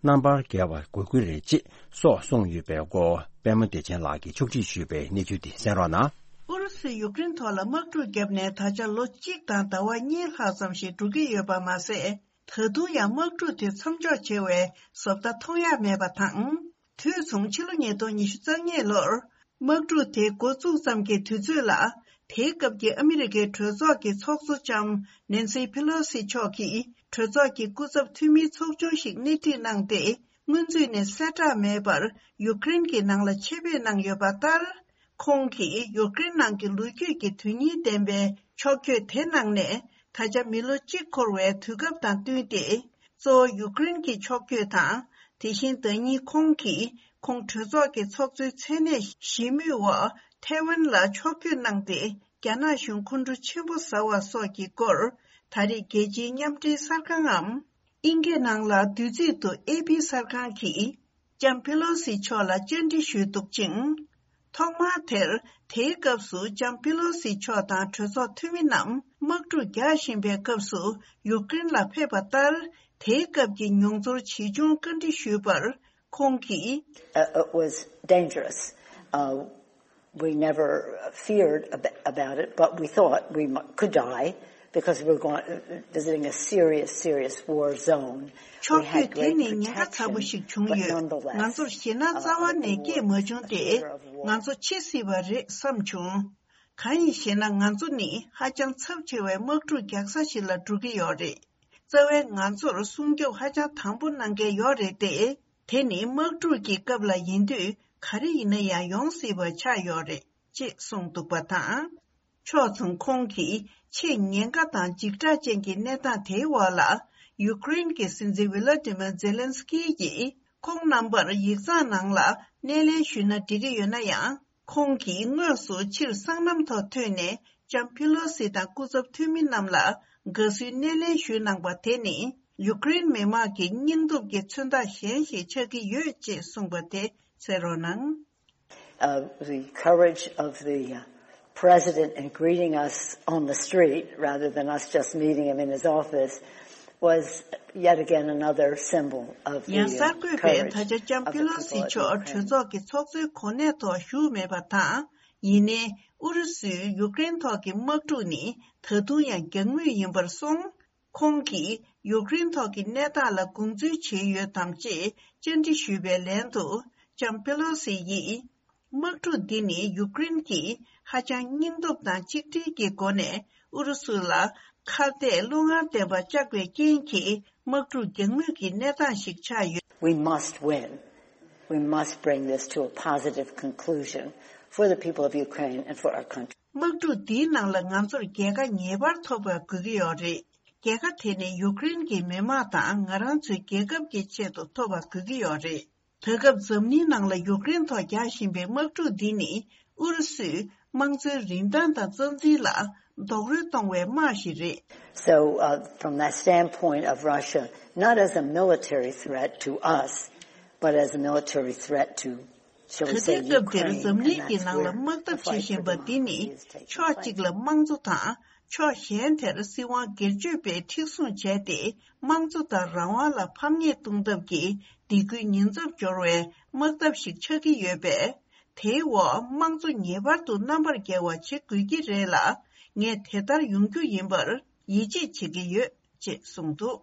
རྣམ་པར་རྒྱལ་བ་དགོས་ཀྱི་རེད་ཅེས་སོགས་གསུངས་ཡོད་པའི་སྐོར་པད་མ་བདེ་ཆེན་ལགས་ཀྱིས་ཕྱོགས་སྒྲིག་ཞུས་པའི་གནས་ཚུལ་དེ་གསན་རོགས་གནང་། ཨུ་རུ་སུས་ཡུཀ་རེན་ཐོག་ལ་དམག་འཁྲུག་བརྒྱབ་ནས་ད་ཆ་ལོ་གཅིག་དང་ཟླ་བ་གཉིས་ལྷག་ཙམ་ཞིག་འགྲོ་གི་ཡོད་པ་མ་ཟད། ད་དུང་ཡང་དམག་འཁྲུག་དེ་མཚམས་འཇོག་བྱེད་པའི་བཟོ་ལྟ་མཐོང་ཡ་མེད་པ་དང་། དུས་མཚུངས་ཕྱི་ལོ་ཉིས་སྟོང་ཉི་ཤུ་རྩ་གཉིས་ལོར། དམག་འཁྲུག་དེ་འགོ་བཙུགས་ཙམ་གྱི་དུས་ཚོད་ལ། དེའི་སྐབས་ཀྱི་ཨ་མི་རི་ཀའི་གྲོས་ཚོགས་ཀྱི་ཚོགས་གཙོ་ལྕམ་ནེན་སི་ཕེ་ལོ་སི་མཆོག་གིས་གྲོས་ཚོགས་ཀྱི་སྐུ་ཚབ་འཐུས་མིའི་ཚོགས་ཆུང་ཞིག་སྣེ་ཁྲིད་གནང་སྟེ། སྔོན་ཚུད་ནས་གསལ་བསྒྲགས་མེད་པར་ཡུཀ་རེན་གྱི་ནང་ལ་ཆེད་ཕེབས་གནང་ཡོད་པ་ལྟར། ཁོང་གིས་ཡུཀ་རེན་ནང་གི་ལོ་རྒྱུས་ཀྱི་དོན་སྙིང་ལྡན་པའི་ཕྱོགས་བསྐྱོད་དེ་གནང་ནས། ད་ཆ་མི་ལོ་གཅིག་འཁོར་བའི་དུས་སྐབས་དང་བསྟུན་ཏེ། གཙོ་བོ་ཡུཀ་རེན་གྱི་ཕྱོགས་བསྐྱོད་དང་། དེ་བཞིན་ཟླ་ཉིན་ཁོང་གིས་ཁོང་གྲོས་ཚོགས་ཀྱི་ཚོགས་གཙོའི་མཚན་གནས་ཞི་མོལ་འོག་ཐའེ་ཝན་ལ་ཕྱོགས་བསྐྱོད་གནང་སྟེ། རྒྱ་ནག་གཞུང་ཁོང་ཁྲོ་ཆེན་པོ་ཟ་བ་སོགས་ཀྱི་སྐོར། ད་རེས་རྒྱལ་སྤྱིའི་མཉམ་འབྲེལ་གསར་ཁང་ངམ། དབྱིན་སྐད་ནང་ལ་བསྡུས་ཚིག་ཏུ་ཨེ་པི་གསར་ཁང་གིས། ལྕམ་པེ་ལོ་སི་མཆོག་ལ་བཅར་འདྲི་ཞུས་འདུག་ཅིང་། ཐོག་མར་དེར། དེའི་སྐབས་སུ་ལྕམ་པེ་ལོ་སི་མཆོག་དང་གྲོས་ཚོགས་འཐུས་མི་རྣམས་དམག་འཁྲུག་རྒྱག་བཞིན་པའི་སྐབས་སུ་ཡུཀ་རེན་ལ་ཕེབས་པ་ལྟར། དེའི་སྐབས་ཀྱི་མྱོང་ཚོར་ཇི་བྱུང་བཀའ་འདྲི་ཞུས་པར། ཁོང་གིས། Uh, it was dangerous. Uh, we never feared ab- about it, but we thought we mu- could die because we were going, visiting a serious, serious war zone. ཕྱོགས་བསྐྱོད་དེ་ནི་ཉེན་ཁ་ཚ་པོ་ཞིག་བྱུང་ཡོད། ང་ཚོར་ཞེད་སྣང་རྩ་བ་ནས་སྐྱེས་མ་བྱུང་སྟེ། ང་ཚོ་འཆི་སྲིད་པ་རེད་བསམ་བྱུང་། གང་ཡིན་ཞེ་ན། ང་ཚོ་ནི་ཧ་ཅང་ཚབས་ཆེ་བའི་དམག་འཁྲུག་རྒྱག་ས་ཞིག་ལ་འགྲོ་གི་ཡོད་རེད། རྩ་བའི་ང་ཚོར་སྲུང་སྐྱོབ་ཧ་ཅང་དམ་པོ་གནང་མཁན་ཡོད་རེད་དེ། དེ་ནི་དམག་འཁྲུག་གི་སྐབས་ལ་ཡིན་དུས་ག་རེ་ཡིན་ན་ཡང་ཡོང་སྲིད་པ་ཆགས་ཡོད་རེད་ཅེས་གསུངས་འདུག་པ་དང་། ཕྱོགས་མཚུངས་ཁོང་གིས་ཆེས་ཉེན་ཁ་དང་འཇིགས་སྐྲག་ཅན་གྱི་གནས་སྟངས་དེའི་འོག་ལ། ཡུཀ་རེན་གྱི་སྲིད་འཛིན་ཝི་ལ་ཏི་མིར་ཛེ་ལན་སི་ཀི་ཡིས་ཁོང་རྣམ་པར་ཡིག་ཚང་ནང་ལ་སྣེ་ལེན་ཞུས་ན་འགྲིག་གི་ཡོད་ན་ཡང་། ཁོང་གིས་དངོས་སུ་ཕྱིར་སྲང་ལམ་ཐོག་ཐོན་ནས་ལྕམ་ཕི་ལོ་སི་དང་སྐུ་ཚབ་འཐུས་མི་རྣམས་ལ་དགའ་བསུའི་སྣེ་ལེན་ཞུས་གནང་པ་དེ་ནི་ཡུཀ་རེན་མི་དམངས་ཀྱི་སྙིང་སྟོབས་ཀྱི་མཚོན་རྟགས་གཞན་ཞིག་ཆགས་ཀྱི་ཡོད་ཅེས་གསུངས་པ་དེ་གསན་རོགས་གནང་། Uh, the courage of the uh, president in greeting us on the street rather than us just meeting him in his office was yet again another symbol of the ཡང་གསར་འགོད་པས་ད་ཆ་ལྕམ་ཕི་ལོ་སི་མཆོག་གྲོས་ཚོགས་ཀྱི་ཚོགས་གཙོའི་གོ་གནས་ཐོག་བཞུགས་མེད་པ་དང་། ཡིན་ནའི་ཨུ་རུ་སུས་ཡུཀ་རེན་ཐོག་གི་དམག་འཁྲུག་ནི་ད་དུང་ཡང་འགྱངས་མུས་ཡིན་པར་སོང་། ཁོང་གིས་ཡུཀ་རེན་ཐོག་གི་གནས་སྟངས་ལ་དགོངས་ཚུལ་ཇི་ཡོད་དམ་ཅེས་བཅར་འདྲི་ཞུས་པའི་ལན་དུ། ལྕམ་པེ་ལོ་སི་ཡིས། དམག་འཁྲུག་འདི་ནི་ཡུཀ་རེན་གྱིས་ཧ་ཅང་སྙིང་སྟོབས་དང་གཅིག་སྒྲིལ་གྱི་སྒོ་ནས་ཨུ་རུ་སུ་ལ་ཁ་གཏད་བློ་ངར་ལྡན་པ་བཅག་པའི་རྐྱེན་གྱིས་དམག་འཁྲུག་འགྱངས་མུས་ཀྱི་གནས་སྟངས་ཤིག་ཆགས་ཡོད། We must win. We must bring this to a positive conclusion for the people of Ukraine and for our country. དམག་འཁྲུག་འདིའི་ནང་ལ་ང་ཚོར་རྒྱལ་ཁ་ངེས་པར་ཐོབ་པ་དགོས་ཀྱི་ཡོད་རེད། རྒྱལ་ཁ་དེ་ནི་ཡུཀ་རེན་གྱི་མི་དམངས་དང་ང་རང་ཚོའི་རྒྱལ་ཁབ་ཀྱི་ཆེད་དུ་ཐོབ་པ་དགོས་ཀྱི་ཡོད་རེད། ད་སྐབས་འཛམ་གླིང་ནང་ལ་ཡུཀ་རེན་ཐོག་རྒྱག་བཞིན་པའི་དམག་འཁྲུག་འདི་ནི་ཨུ་རུ་སུས་དམངས་གཙོའི་རིན་ཐང་དང་རྩ་འཛིན་ལ་རྡོག་རོལ་གཏོང་བའི་དམག་ཞིག་རེད། So, uh, from that standpoint of Russia, not as a military threat to us, but as a military threat to, shall we say, Ukraine, and that's where the fight for democracy is taking place. ད་ལྟའི་སྐབས་འདིར་འཛམ་གླིང་གི་ནང་ལ་དམག་འཐབ་བྱེད་བཞིན་པ་འདི་ནི་ཕྱོགས་གཅིག་ལ་དམངས་གཙོ་དང་། ཕྱོགས་གཞན་དེར་སྲིད་དབང་སྒེར་གཅོད་པས་མཁྲེགས་བཟུང་བྱས་ཏེ་དམངས་གཙོ་དང་རང་དབང་ལ་ཕམ་ཉེས་གཏོང་ཐབས་ཀྱི་སྡིགས་སྐུལ་ཉེན་ཚབས་སྦྱོར་བའི་དམག་འཐབ་ཞིག་ཆགས་ཀྱི་ཡོད་པས། དེའི་འོག་དམངས་གཙོ་ངེས་པར་དུ་རྣམ་པར་རྒྱལ་བ་བྱེད་དགོས་ཀྱི་རེད་ལ། ངས་དེ་ལྟར་ཡོང་རྒྱུ་ཡིན་པར་ཡིད་ཆེས་བྱེད་ཀྱི་ཡོད་ཅེས་གསུངས་འདུག་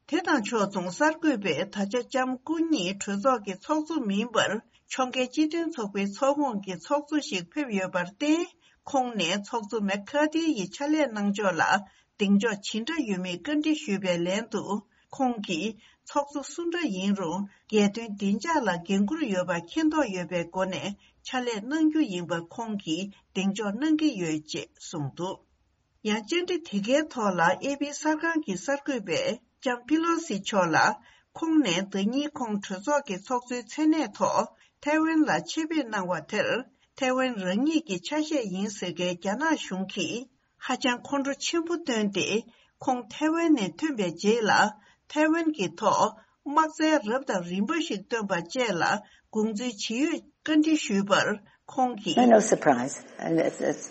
དེ་དང་ཕྱོགས་མཚུངས་གསར་འགོད་པས་ད་ཆ་ལྕམ་སྐུ་ཉིད་གྲོས་ཚོགས་ཀྱི་ཚོགས་གཙོ་མིན་པར་ཕྱོགས་འགལ་སྤྱི་མཐུན་ཚོགས་པའི་ཚོགས་ཁོངས་ཀྱི་ཚོགས་གཙོ་ཞིག་ཕེབས་ཡོད་པར་བརྟེན། ཁོང་ནས་ཚོགས་གཙོ་མེག་ཁ་ཏི་ཡི་ཕྱག་ལས་གནང་ཕྱོགས་ལ་གདེང་འཇོག་ཇི་འདྲ་ཡོད་མེད་བཀའ་འདྲི་ཞུས་པའི་ལན་དུ། ཁོང་གིས་ཚོགས་གཙོ་སུ་འདྲ་ཡིན་རུང་རྒྱལ་དོན་བདེ་འཇགས་ལ་འགན་འཁུར་ཡོད་པ་མཁྱེན་རྟོགས་ཡོད་པའི་སྒོ་ནས་ཕྱག་ལས་གནང་རྒྱུ་ཡིན་པ་ཁོང་གིས་གདེང་འཇོག་གནང་གི་ཡོད་ཅེས་གསུངས་འདུག་ཡང་བཅར་འདྲི་དེ་གའི་ཐོག་ལ་ཨེ་པི་གསར་ཁང་གི་གསར་འགོད་པས་ལྕམ་ཕི་ལོ་སི་མཆོག་ལ། ཁོང་ནས་ཟླ་ཉིན་ཁོང་གྲོས་ཚོགས་ཀྱི་ཚོགས་གཙོའི་མཚན་གནས་ཐོག་ཐའེ་ཝན་ལ་ཆེད་ཕེབས་གནང་བ་དེར། ཐའེ་ཝན་རང་ཉིད་ཀྱི་ཆ་ཤས་ཡིན་ཟེར་མཁན་རྒྱ་ནག་གཞུང་གིས་ཧ་ཅང་ཁོང་ཁྲོ་ཆེན་པོ་བཏོན་ཏེ། ཁོང་ཐའེ་ཝན་ནས་ཐོན་པའི་རྗེས་ལ་ཐའེ་ཝན་གྱི་ཐོག་དམག་རྩལ་རབ་དང་རིམ་པ་ཞིག་བཏོན་པ་བཅས་ལ་དགོངས་ཚུལ་ཇི་ཡོད་བཀའ་འདྲི་ཞུས་པར། ཁོང་གིས། No, no surprise. And it's, it's,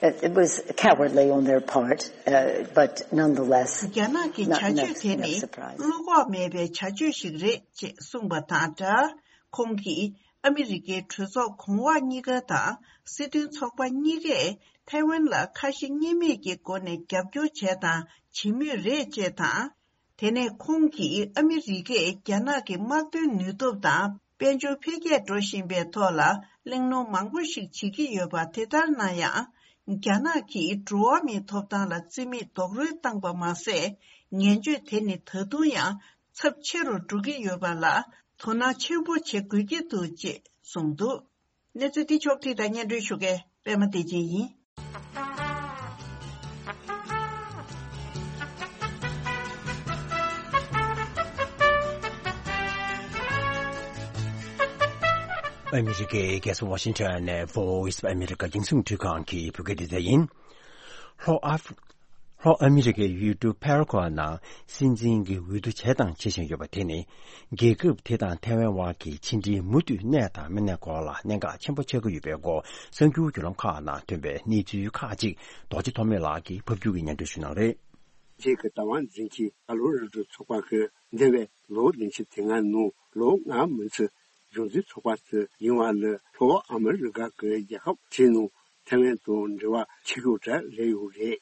it, it was cowardly on their part, uh, but nonetheless, རྒྱ་ནག་གི་བྱ་སྤྱོད་དེ་ནི་བློ་ཁོག་མེད་པའི་བྱ་སྤྱོད་ཞིག་རེད་ཅེས་གསུངས་པ་དང་སྦྲགས། ཁོང་གིས་ཨ་མི་རི་ཀའི་གྲོས་ཚོགས་གོང་འོག་གཉིས་ཀ་དང་སྲིད་དོན་ཚོགས་པ་གཉིས་ཀས་ཐའེ་ཝན་ལ་ཁ་ཞེ་གཉིས་མེད་ཀྱི་སྒོ་ནས་རྒྱབ་སྐྱོར་བྱས་དང་བྱེད་མུས་རེད་ཅེས་དང་། དེ་ནས་ཁོང་གིས་ཨ་མི་རི་ཀས་རྒྱ་ནག་གི་དམག་དོན་ནུས་སྟོབས་དང་དཔལ་འབྱོར་འཕེལ་རྒྱས་འགྲོ་བཞིན་པའི་ཐོག་ལ་གླེང་སློང་མང་པོ་ཞིག་བྱེད་ཀྱི་ཡོད་པ་དེ་ལྟར་ན་ཡང་། རྒྱ་ནག་གིས་འགྲོ་བ་མིའི་ཐོབ་ཐང་ལ་བརྩི་མེད་རྡོག་རོལ་བཏང་པ་མ་ཟད། ངན་སྤྱོད་དེ་ནི་ད་དུང་ཡང་ཚབས་ཆེ་རུ་འགྲོ་གི་ཡོད་པ་ལ་དོ་སྣང་ཆེན་པོ་བྱེད་དགོས་ཀྱི་འདུག་ཅེས་གསུངས་འདུག་གནས་ཚུལ་འདི་ཕྱོགས་བསྒྲིགས་དང་སྙན་སྒྲོན་ཞུ་མཁན་པད་མ་བདེ་ཆེན་ཡིན། ཨ་མི་རི་ཀའི་རྒྱལ་ས་ཝ་ཤིང་ཊོན་ནས་Voice of America་རྒྱང་སྲིང་འཕྲུལ་ཁང་གི་བོད་སྐད་སྡེ་ཚན་ཡིན། ལྷོ་ཨ་ཧྥ། ལྷོ་ཨ་མི་རི་ཀའི་ཡུལ་གྲུ་ཕེ་ར་ཁོ་ནང་སྲིད་འཛིན་གྱི་འོས་བསྡུ་བྱས་དང་བྱེད་བཞིན་ཡོད་པ་དེ་ནི། རྒྱལ་ཁབ་དེ་དང་ཐའེ་ཝན་དབར་གྱི་ཕྱི་འབྲེལ་མུ་མཐུད་གནས་དང་མི་གནས་སྐོར་ལ་གནད་འགག་ཆེན་པོ་ཆགས་ཀྱི་ཡོད་པའི་སྐོར་གསར་འགྱུར་བརྒྱུད་ལམ་ཁག་ནང་ཐོན་པའི་གནས་ཚུལ་ཁག་ཅིག་རྡོ་རྗེ་ཐོགས་མེད་ལགས་ཀྱིས་ཕབ་སྒྱུར་གྱིས་སྙན་སྒྲོན་ཞུ་གནང་རེད། རྒྱ་གར་གྱི་བདག་དབང་འཛིན་གྱི་ཀོ་ལོ་ར་ཌོ་ཚོགས་པ་གིས་འདས་པའི་ལོ་བདུན་ཅུ་དོན་ལྔ་ནང་ལོ་ལྔ་མུ་མཐུད་གཞུང་འཛིན་ཚོགས་པ་དེ་ཡིན་པ་ལ་ལྷོ་ཨ་མི་རི་ཀ་གི་རྒྱལ་ཁབ་དེའི་ནང་ཐའེ་ཝན་དང་འབྲེལ་བ་ཆེ་ཤོས་དེ་རེད་ཡོད་རེད།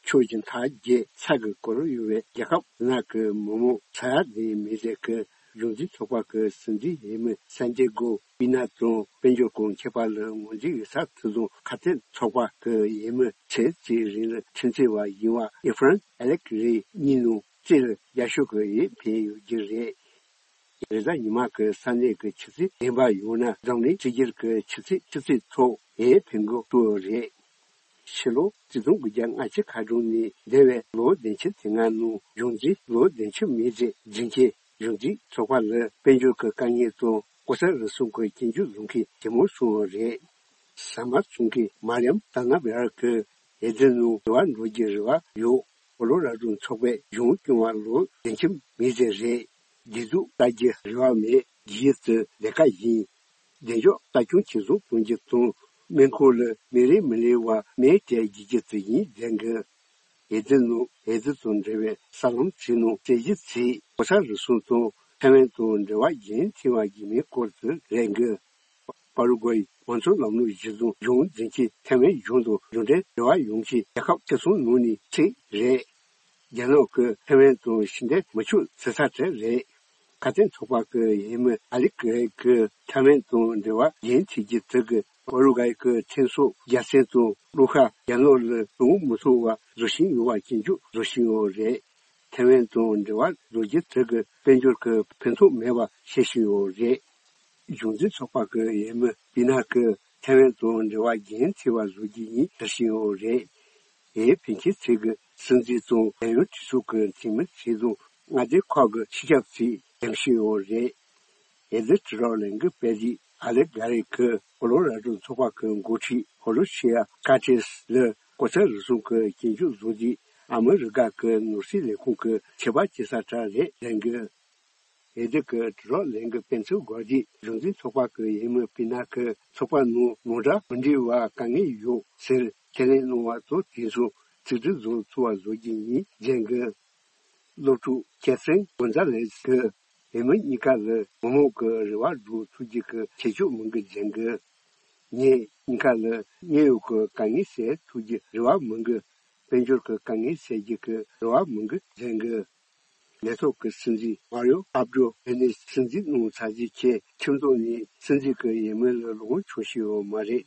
ཕྱོགས་བཞི་མཐའ་བརྒྱད་ས་གི་སྐོར་ཡོད་པའི་རྒྱལ་ཁབ་ནང་གི་མི་མང་ས་ཡ་དེའི་མི་རེ་གིས་གཞུང་འཛིན་ཚོགས་པ་གི་སྲིད་འཛིན་འོས་མི་སན་ཇེ་གོ་པི་ན་དང་དཔལ་འབྱོར་གྱི་མཁས་པ་ལ་ངོས་འཛིན་ཡོད་ས་དེ་དང་ཁ་དན་ཚོགས་པ་གི་འོས་མི་ཚེ་གཅིག་རིང་ལ་ཁྲིམས་རྩོད་པ་ཡིན་པ་ཨི་ཧྥ་རན་ཨ་ལེག་རེ་གཉིས་ནང་རྩིས་ལ་ཡག་ཤོས་ཀྱི་འོས་འཕེན་ཡོད་རྒྱུ་རེད། རེས་གཟའ་ཉི་མ་གི་ས་གནས་ཀྱི་ཆུ་ཚོད་བདུན་པ་ཡོང་ན་འཛམ་གླིང་གཅིག་གྱུར་གྱི་ཆུ་ཚོད་ཆུ་ཚོད་ཐོག་འོས་འཕེན་དགོས་ཐུག་རེད། ཕྱི་ལོ་ཆིག་སྟོང་དགུ་བརྒྱ་ལྔ་བཅུ་ཁ་གྲངས་ནས་འདས་པའི་ལོ་བདུན་ཅུ་དོན་ལྔ་ནང་གཞུང་འཛིན་ལོ་བདུན་ཅུ་མི་རེ་འཛིན་མཁན་གཞུང་འཛིན་ཚོགས་པ་ལ་དཔལ་འབྱོར་གྱི་དཀའ་ངལ་དང་ལྐོག་ཟ་རུལ་སུངས་ཀྱི་སྐྱོན་བརྗོད་བཟོ་མཁན་ཇེ་མང་སོང་བ་རེད། ཟ་མ་བཙོང་མཁན་མར་ཡམ་ཐ་ན་བེ་ར་གིས་འོས་བསྡུ་ནང་འབྲེལ་བ་འགྲོ་རྒྱུའི་རེ་བ་ཡོད། ཀོ་ལོ་ར་ཌོ་ཚོགས་པས་གཞུང་སྐྱོང་བ་ལོ་བདུན་ཅུ་མི་རེ་རེད། བདེ་སྡུག་ལྟ་རྒྱུའི་རེ་བ་མེད། རྒྱུ་ཡུལ་དེ་ལས་ཀ་ཡིན། བདེ་འཇགས་ལྟ་སྐྱོང་ཇེ་བཟང་གཏོང་རྒྱུ་དང་སྨན་ཁང་ལ་མི་རེ་མི་ལུས་པ་མེད་དེ་རྒྱུ་རྒྱུ་དེ་ཡིན་ཟེར་གི། འོས་བསྡུ་ནང་འོས་བསྡུ་དང་འབྲེལ་བའི་གསར་ལམ་ཚོའི་ནང་བཙན་ཤེད་ཚོས་ལྐོག་ཟ་རུལ་སུངས་དང་ཐའེ་ཝན་དང་འབྲེལ་བ་རྒྱུན་མཐུད་པ་ཡིན་མིན་སྐོར་དུ་རེད་གི། པ་རུ་ཀུའེ་དམངས་གཙོའི་ལམ་ལུགས་གཞི་བཟུང་གཞུང་འཛིན་གྱིས་ཐའེ་ཝན་གཞུང་དང་མཇུག་འབྲས་འབྲེལ་བ་ཡོང་ཆེད་རྒྱལ་ཁབ་ཆེ་ཆུང་ནང་ནས་གཅིག་རེད། རྒྱ་ནག་གིས་ཐའེ་ཝན་དང་ཕྱི་འབྲེལ་མི་ཆོག་ཟེར་ས་དེ་རེད། ཁ་དན་ཚོགས་པ་གི་འོས་མི་ཨ་ལི་ཀེ་རེ་གིས་ཐའེ་ཝན་དང་འབྲེལ་བ་རྒྱུན་མཐུད་རྒྱུ་དེ་གིས་པ་རུ་ཀུའེ་གི་ཐོན་ས་རྒྱལ་མཚན་དང་བློ་ཁ་རྒྱ་ནག་ལ་གཏོང་མི་ཐུབ་པ་བཟོ་བཞིན་ཡོད་པ་སྐྱོན་བརྗོད་བཟོ་བཞིན་ཡོད་རེད། ཐའེ་ཝན་དང་འབྲེལ་བ་བཟོ་རྒྱུ་དེ་གིས་དཔལ་འབྱོར་གྱི་ཕན་ཐོགས་མེད་པ་བཤད་བཞིན་ཡོད་རེད། གཞུང་འཛིན་ཚོགས་པ་གི་འོས་མི་པི་ན་གིས་ཐའེ་ཝན་དང་འབྲེལ་བ་རྒྱུན་མཐུད་པ་བཟོ་རྒྱུ་ཡིན་ཟེར་བཞིན་ཡོད་རེད། འོས་འཕེན་མཁན་ཚོས་ཀྱི་སྲིད་འཛིན་དང་རྒྱལ་ཡོངས་གྲོས་ཚོགས་ཀྱི་འཐུས་མི་ཚོས་དང་མངའ་སྡེ་ཁག་གི་སྤྱི་ཁྱབ་ཚོས་འགྲེམས་བཞིན་ཡོད་རེད། འོས་བསྡུ་དྲི་རོགས་ལེན་གྱི་དཔོན་རིགས་ཨ་ལེག་གྷ་རེ་གིས་ཀོ་ལོ་ར་ཌོ་ཚོགས་པ་གི་འགོ་ཁྲིད་ཧོ་ལོ་ཤི་ཡ་ཀ་ཏྲེས་ལ་ལྐོག་ཟ་རུལ་སུངས་ཀྱི་སྐྱོན་བརྗོད་བཟོས་རྗེས་ཨ་མི་རི་ཀ་གི་ནོར་སྲིད་ལས་ཁུངས་ཀྱི་ཆད་པ་བཅད་ས་དེ་རེད་ཟེར་གི། འོས་བསྡུ་གི་དྲི་རོགས་ལེན་གྱི་དཔོན་ཚོགས་འགོ་ཁྲིད་གཞུང་འཛིན་ཚོགས་པ་གི་འོས་མི་པི་ན་གིས་ཚོགས་པ་ནང་མི་འདྲ་མི་འདྲ་བ་དཀའ་ངལ་ཡོད་ཟེར་ཁས་ལེན་གནང་བ་དང་དེ་ཚོ་ཚིག་འབྲུ་བཟོ་ཐུབ་པ་བཟོ་རྒྱུ་ཡིན་ཟེར་གི། སློབ་ཕྲུག་ཁེ་སན་གོན་ཛ་ལེས་ཀྱིས་འོས་མི་གཉིས་ཀ་ལ་མི་མང་གི་རེ་བ་སྒྲུབ་ཐུབ་རྒྱུ་གི་ཁྱད་ཆོས་མང་གི་ཟེར་གི། ངས་གཉིས་ཀ་ལ་དངོས་ཡོད་ཀྱི་དཀའ་ངལ་སེལ་ཐུབ་རྒྱུའི་རེ་བ་མང་གི། དཔལ་འབྱོར་གྱི་དཀའ་ངལ་སེལ་རྒྱུ་གི་རེ་བ་མང་གི་ཟེར་གི། ལས་ཐོག་གི་སྲིད་འཛིན་མ་རིའོ་ཨབ་ཏྲོ་ཨེ་ནེ་སྲིད་འཛིན་གནང་ཚར་རྗེས་ཁྱེད་ཁྲིམས་ཐོག་ནས་སྲིད་འཛིན་གྱི་འོས་མི་ལ་ལོངས་སྤྱོད་ཤེས་ཡོད་མ་རེད།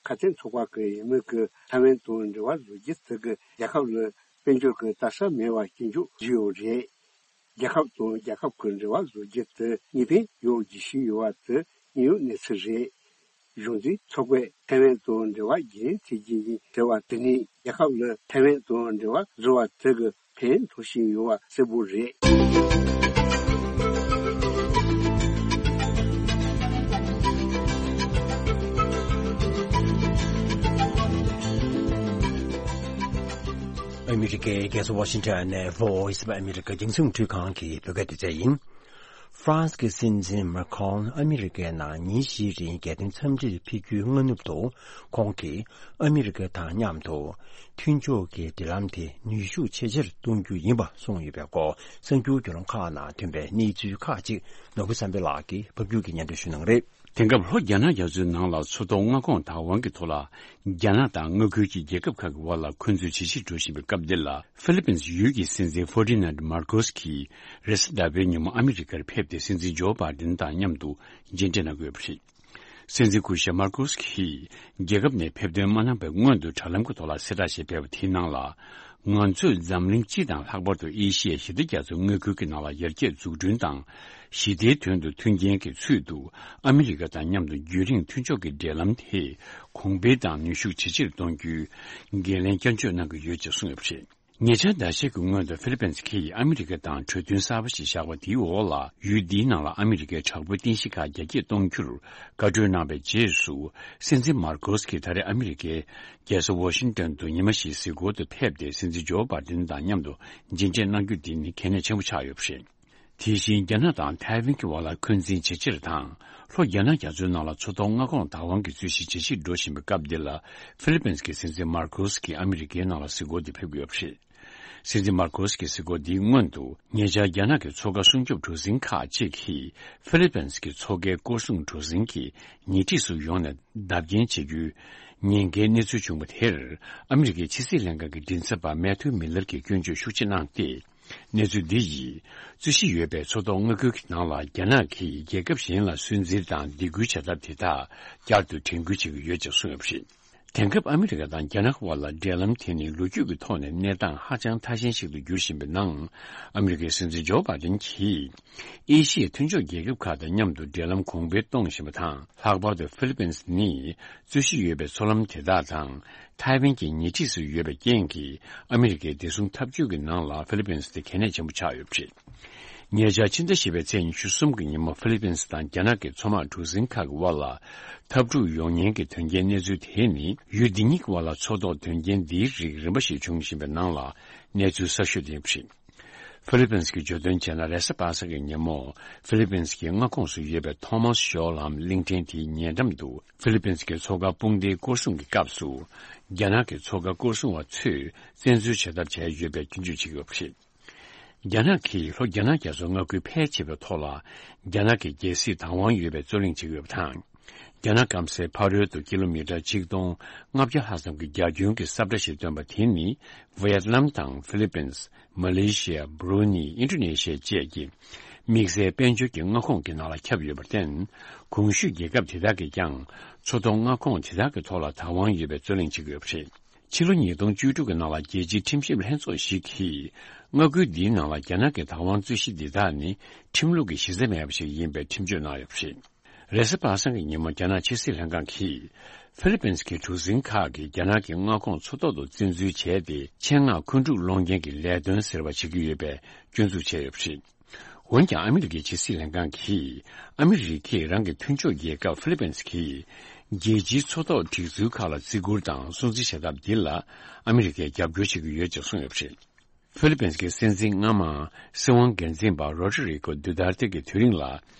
ཁ་དན་ཚོགས་པ་གི་འོས་མི་གིས་ཐའེ་ཝན་དང་འབྲེལ་བ་བཟོ་རྒྱུ་དེ་གིས་རྒྱལ་ཁབ་ལ་དཔལ་འབྱོར་གྱི་ལྟ་ས་མེད་པ་སྐྱོན་བརྗོད་བཟོས་ཡོད་རེད། རྒྱལ་ཁབ་དང་རྒྱལ་ཁབ་ཀྱི་འབྲེལ་བ་བཟོ་རྒྱུ་དེ་གནད་དོན་ཡོད་རྒྱུ་ཞིག་ཡོད་པ་དེ་དངོས་ཡོད་གནས་ཚུལ་རེད། གཞུང་འཛིན་ཚོགས་པས་ཐའེ་ཝན་དང་འབྲེལ་བ་རྒྱུན་མཐུད་རྒྱུ་ཡིན་ཟེར་བ་དེ་ནི་རྒྱལ་ཁབ་ལ་ཐའེ་ཝན་དང་འབྲེལ་བ་བཟོ་བ་དེ་གི་ཕན་ཐོགས་བཞིན་ཡོད་པ་གསལ་པོ་རེད། ཨ་མི་རི་ཀའི་རྒྱལ་ས་ཝ་ཤིང་ཊོན་ནས་Voice of America་རྒྱང་སྲིང་འཕྲུལ་ཁང་གི་བོད་སྐད་སྡེ་ཚན་ཡིན། ཧྥ་རན་སི་གི་སྲིད་འཛིན་མཱ་ཁྲོན་ཨ་མི་རི་ཀའི་ནང་ཉིན་བཞིའི་རིང་རྒྱལ་དོན་འཚམས་འདྲིར་ཕེབས་རྒྱུའི་སྔ་ནུབ་ཏུ་ཁོང་གིས་ཨ་མི་རི་ཀ་དང་མཉམ་དུ་མཐུན་ཕྱོགས་ཀྱི་འབྲེལ་ལམ་དེ་ནུས་ཤུགས་ཇེ་ཆེར་གཏོང་རྒྱུ་ཡིན་པ་གསུངས་ཡོད་པའི་སྐོར་གསར་འགྱུར་བརྒྱུད་ལམ་ཁག་ནང་ཐོན་པའི་གནས་ཚུལ་ཁག་ཅིག་ནོར་བུ་བསམ་འཕེལ་ལགས་ཀྱིས་ཕབ་སྒྱུར་གྱིས་སྙན་སྒྲོན་ཞུ་གནང་གི་རེད། དེང་སྐབས་ལྷོ་རྒྱ་ནག་རྒྱ་མཚོའི་ནང་ལ་མཚོ་ཐོག་མངའ་ཁོངས་དང་དབང་གི་ཐོག་ལ་རྒྱ་ནག་དང་མངའ་ཁུལ་གྱི་རྒྱལ་ཁབ་ཁག་གི་བར་ལ་འཁོན་འཛིན་ཇེ་ཆེར་འགྲོ་བཞིན་པའི་སྐབས་འདིར་ལ། ཧྥི་ལི་པིན་ཡུལ་གྱི་སྲིད་འཛིན་ཧྥར་ཌི་ནན་མར་ཀོས་ཀྱིས་རེས་གཟའ་ཟླ་བའི་ཉིན་མོ་ཨ་མི་རི་ཀར་ཕེབས་ཏེ་སྲིད་འཛིན་ཇོ་བྷའི་ཌེན་དང་མཉམ་དུ་མཇལ་འཕྲད་གནང་དགོས་པ་རེད། སྲིད་འཛིན་སྐུ་ཞབས་མར་ཀོས་ཀྱིས་རྒྱལ་ཁབ་ནས་ཕེབས་ཐོན་མ་གནང་བའི་སྔོན་དུ་དྲ་ལམ་གྱི་ཐོག་ལ་གསལ་བསྒྲགས་ཤིག་སྤེལ་བ་དེའི་ནང་ལ། ང་ཚོས་འཛམ་གླིང་སྤྱི་དང་ལྷག་པར་དུ་ཨེ་ཤི་ཡའི་ཞི་བདེ་རྒྱ་མཚོའི་མངའ་ཁུལ་གྱི་ནང་ལ་ཡར་རྒྱས་འཛུགས་སྐྲུན་དང་། ཞི་བདེའི་དོན་དུ་མཐུན་རྐྱེན་གྱི་ཚུལ་དུ་ཨ་མི་རི་ཀ་དང་མཉམ་དུ་རྒྱུན་རིང་མཐུན་ཕྱོགས་ཀྱི་འབྲེལ་ལམ་དེ་གོང་འཕེལ་དང་ནུས་ཤུགས་ཇེ་ཆེར་གཏོང་རྒྱུའི་འགན་ལེན་བསྐྱར་བརྗོད་གནང་གི་ཡོད་ཅེས་གསུངས་ཡོད་པ་རེད། ཉེ་ཆར་ཟླ་ཤས་ཀྱི་སྔོན་དུ་ཧྥི་ལི་པིན་སི་གིས་ཨ་མི་རི་ཀ་དང་གྲོས་མཐུན་གསར་པ་ཞིག་བཞག་པ་དེའི་འོག་ལ། ཡུལ་འདིའི་ནང་ལ་ཨ་མི་རི་ཀའི་དྲག་པོའི་རྟེན་གཞི་ཁག་རྒྱ་སྐྱེད་གཏོང་རྒྱུར་བཀའ་འཁྲོལ་གནང་བའི་རྗེས་སུ། སྲིད་འཛིན་མར་ཀོ་སི་གིས་ད་རེས་ཨ་མི་རི་ཀའི་རྒྱལ་ས་ཝ་ཤིང་ཏོན་དུ་ཉི་མ་ཞིག་གཟིགས་སྐོར་དུ་ཕེབས་ཏེ། སྲིད་འཛིན་ཇོ་བྷའི་ཏིན་དང་མཉམ་དུ་མཇལ་འཕྲད་གནང་རྒྱུ་དེ་ནི་གལ་གནད་ཆེན་པོ་ཆགས་ཡོད་པ་རེད། དེ་བཞིན་རྒྱ་ནག་དང་ཐའེ་ཝན་གྱི་བར་ལ་འཁོན་འཛིན་ཇེ་ཆེར་དང་། ལྷོ་རྒྱ་ནག་རྒྱ་མཚོའི་ནང་ལ་མཚོ་ཐོག་མངའ་ཁོངས་བདག་དབང་གི་རྩོད་གཞི་ཇེ་ཆེར་འགྲོ་བཞིན་པའི་སྐབས་འདི་ལ། ཧྥི་ལི་པིན་སི་གི་སྲིད་འཛིན་མར་ཀོ་སི་ཀྱིས་ཨ་མི་རི་ཀའི་ནང་ལ་གཟིགས་སྐོར་དུ་ཕེབས་ཀྱི་ཡོད་པ་རེད། སྲིད་འཛིན་མར་ཀོ་སི་ཀྱི་གཟིགས་སྐོར་འདིའི་སྔོན་དུ། ཉེ་ཆར་རྒྱ་ནག་གི་མཚོ་ཁ་སྲུང་སྐྱོབ་གྲུ་གཟིངས་ཁག་ཅིག་གིས་ཧྥི་ལི་པིན་སི་གི་མཚོ་ཁའི་སྐོར་སྲུང་གྲུ་གཟིངས་ཀྱི་ཉེ་འཁྲིས་སུ་ཡོང་ནས་བརྡབ་སྐྱོན་བྱེད་རྒྱུའི་ཉེན་ཁའི་གནས་ཚུལ་བྱུང་བ་དེར། ཨ་མི་རི་ཀའི་ཕྱི་སྲིད་ལྷན་ཁང་གི་མགྲིན་ཚབ་པ་མེ་ཐུ་མི་ལར་གྱིས་སྐྱོན་བརྗོད་ཤུགས་ཆེ་གནང་སྟེ། གནས་ཚུལ་འདི་ཡིས་རྩོད་གཞི་ཡོད་པའི་མཚོ་ཐོག་མངའ་ཁུལ་གྱི་ནང་ལ་རྒྱ་ནག་གིས་རྒྱལ་ཁབ་གཞན་ལ་སུན་གཙེར་དང་སྡིགས་སྐུལ་བྱ་ཐབས་དེ་དག་བསྐྱར་དུ་དྲན་སྐུལ་བྱེད་ཀྱི་ཡོད་ཅེས་གསུངས་ཡོད་པ་རེད། དེང་སྐབས་ཨ་མི་རི་ཀ་དང་རྒྱ་ནག་དབར་ལ་འབྲེལ་ལམ་དེ་ནི་ལོ་རྒྱུས་ཀྱི་ཐོག་ནས་གནས་སྟངས་ཧ་ཅང་ཐ་ཞན་ཞིག་ཏུ་འགྱུར་བཞིན་པའི་ནང་། ཨ་མི་རི་ཀའི་སྲིད་འཛིན་ཇོ་བྷའི་ཏིན་གྱིས་ཨེ་ཤི་ཡའི་མཐུན་ཕྱོགས་རྒྱལ་ཁབ་ཁག་དང་མཉམ་དུ་འབྲེལ་ལམ་གོང་འཕེལ་གཏོང་བཞིན་པ་དང་། ལྷག་པར་དུ་ཧྥི་ལི་པིན་སི་ནི་རྩོད་གཞི་ཡོད་པའི་མཚོ་ལམ་དེ་དག་དང་། ཐའེ་ཝན་གྱི་ཉེ་འཁྲིས་སུ་ཡོད་པའི་རྐྱེན་གྱིས། ཨ་མི་རི་ཀའི་བདེ་སྲུང་འཐབ་ཇུས་ཀྱི་ནང་ལ་ཧྥི་ལི་པིན་སི་དེ་གལ་གནད་ཆེན་པོ་ཆགས་ཡོད་པ་རེད། ཉེ་ཆར་ཕྱི་ཟླ་བཞི་པའི་ཚེས་ཉི་ཤུ་གསུམ་གྱི་ཉིན་མོ། ཧྥི་ལི་པིན་སི་དང་རྒྱ་ནག་གི་མཚོ་དམག་གྲུ་གཟིངས་ཁག་གི་དབར་ལ་འཐབ་འཁྲུག་ཡོང་ཉེན་གྱི་དོན་རྐྱེན་གནས་ཚུལ་དེ་ནི། ཡུལ་འདི་གཉིས་ཀྱི་དབར་ལ་མཚོ་ཐོག་དོན་རྐྱེན་འདིའི་རིགས་རིམ་པ་ཞིག་བྱུང་བཞིན་པའི་ནང་ལ་གནས་ཚུལ་གསར་ཤོས་དེ་ཡིན་པ་རེད། ཧྥི་ལི་པིན་སི་གི་བརྗོད་དོན་བྱས་ན། རེས་གཟའ་པ་སངས་ཀྱི་ཉིན་མོ། ཧྥི་ལི་པིན་སི་གི་མངའ་ཁོངས་སུ་ཡོད་པའི་ཐོ་མཱས་ཤོར་ལམ་གླིང་ཕྲན་དེའི་ཉེ་འགྲམ་དུ། ཧྥི་ལི་པིན་སི་གི་མཚོ་ཁ་དཔུང་སྡེའི་སྐོར་སྲུང་གི་སྐབས་སུ། རྒྱ་ནག་གི་མཚོ་ཁ་སྐོར་སྲུང་བ་ཚོས་བཙན་འཛུལ་བྱ་ཐབས་བྱས་ཡོད་པའི་སྐྱོན་བརྗོད་བྱེད་ཀྱི་ཡོད་པ་རེད། རྒྱ་ནག་གིས་ལྷོ་རྒྱ་ནག་རྒྱ་མཚོའི་མངའ་ཁུལ་ཕལ་ཆེ་བའི་ཐོག་ལ། རྒྱ་ནག་གི་རྒྱལ་སྲིད་བདག་དབང་ཡོད་པའི་རྩོད་གླེང་བྱེད་ཀྱི་ཡོད་པ་དང་། རྒྱ་ནག་སྐམ་སའི་ཕ་རོལ་དུ་ཀི་ལོ་མི་ཊར་ཆིག་སྟོང་ལྔ་བརྒྱ་ལྷག་ཙམ་གྱི་རྒྱ་ཁྱོན་གྱི་ས་ཁྲ་ཞིག་བཏོན་པ་དེ་ནི། ཝེ་ཡེད་ནམ་དང་ཧྥི་ལི་པིན། མ་ལེ་ཤི་ཡ། བྷུ་རུ་ནི། ཨིན་ཌོ་ནེ་ཤི་ཡ་བཅས་ཀྱི་དམིགས་བསལ་དཔལ་འབྱོར་གྱི་མངའ་ཁོངས་ཀྱི་ནང་ལ་ཁྱབ་ཡོད་པར་བརྟེན། གོང་ཞུས་རྒྱལ་ཁབ་དེ་དག་གིས་ཀྱང་མཚོ་ཐོག་མངའ་ཁོངས་དེ་དག་གི་ཐོག་ལ་བདག་དབང་ཡོད་པའི་རྩོད་གླེང་བྱེད་ཀྱི་ཡོད་པ་རེད། ཕྱི་ལོ་ཉིས་སྟོང་བཅུ་དྲུག་གི་ནང་ལ། རྒྱལ་སྤྱིའི་ཁྲིམས་ཞིབ་ལྷན་ཚོགས་ཤིག་གིས། མངའ་ཁུལ་འདིའི་ནང་ལ་རྒྱ་ནག་གི་བདག་དབང་རྩོད་གཞི་འདི་དག་ནི། ཁྲིམས་ལུགས་ཀྱི་གཞི་རྩ་མེད་པ་ཞིག་ཡིན་པའི་ཁྲིམས་གཅོད་གནང་ཡོད་པ་རེད། རེས་གཟའ་པ་སངས་ཀྱི་ཉིན་མོ། རྒྱ་ནག་ཕྱི་སྲིད་ལྷན་ཁང་གིས། ཧྥི་ལི་པིན་སི་གི་གྲུ་གཟིངས་ཁག་གིས་རྒྱ་ནག་གི་མངའ་ཁོངས་མཚོ་ཐོག་ཏུ་བཙན་འཛུལ་བྱས་ཏེ། ཆེད་མངགས་འཁོན་འཁྲུག་སློང་མཁན་གྱི་ལས་དོན་ཟེར་བ་བྱེད་ཀྱི་ཡོད་པའི་སྐྱོན་འཛུགས་བྱས་ཡོད་པ་རེད། འོན་ཀྱང་། ཨ་མི་རི་ཀའི་ཕྱི་སྲིད་ལྷན་ཁང་གིས། ཨ་མི་རི་ཀས་རང་གི་མཐུན་ཕྱོགས་རྒྱལ་ཁབ་ཧྥི་ལི་པིན་སི་གིས། རྒྱལ་སྤྱིའི་མཚོ་ཐོག་སྒྲིག་འཛུགས་ཁག་ལ་བརྩི་བཀུར་དང་སྲུང་བརྩི་བྱ་ཐབས་འདི་ལ། ཨ་མི་རི་ཀས་རྒྱབ་སྐྱོར་བྱེད་ཀྱི་ཡོད་ཅེས་གསུངས་ཡོད་པ་རེད། ཧྥི་ལི་པིན་སི་གི་སྲིད་འཛིན་སྔ་མ། སྲིད་དབང་སྒེར་འཛིན་པ་རོ་ཌི་རི་ཀོ་དུ་ཏར་ཏེ་གྱི་དུས་རིང་ལ།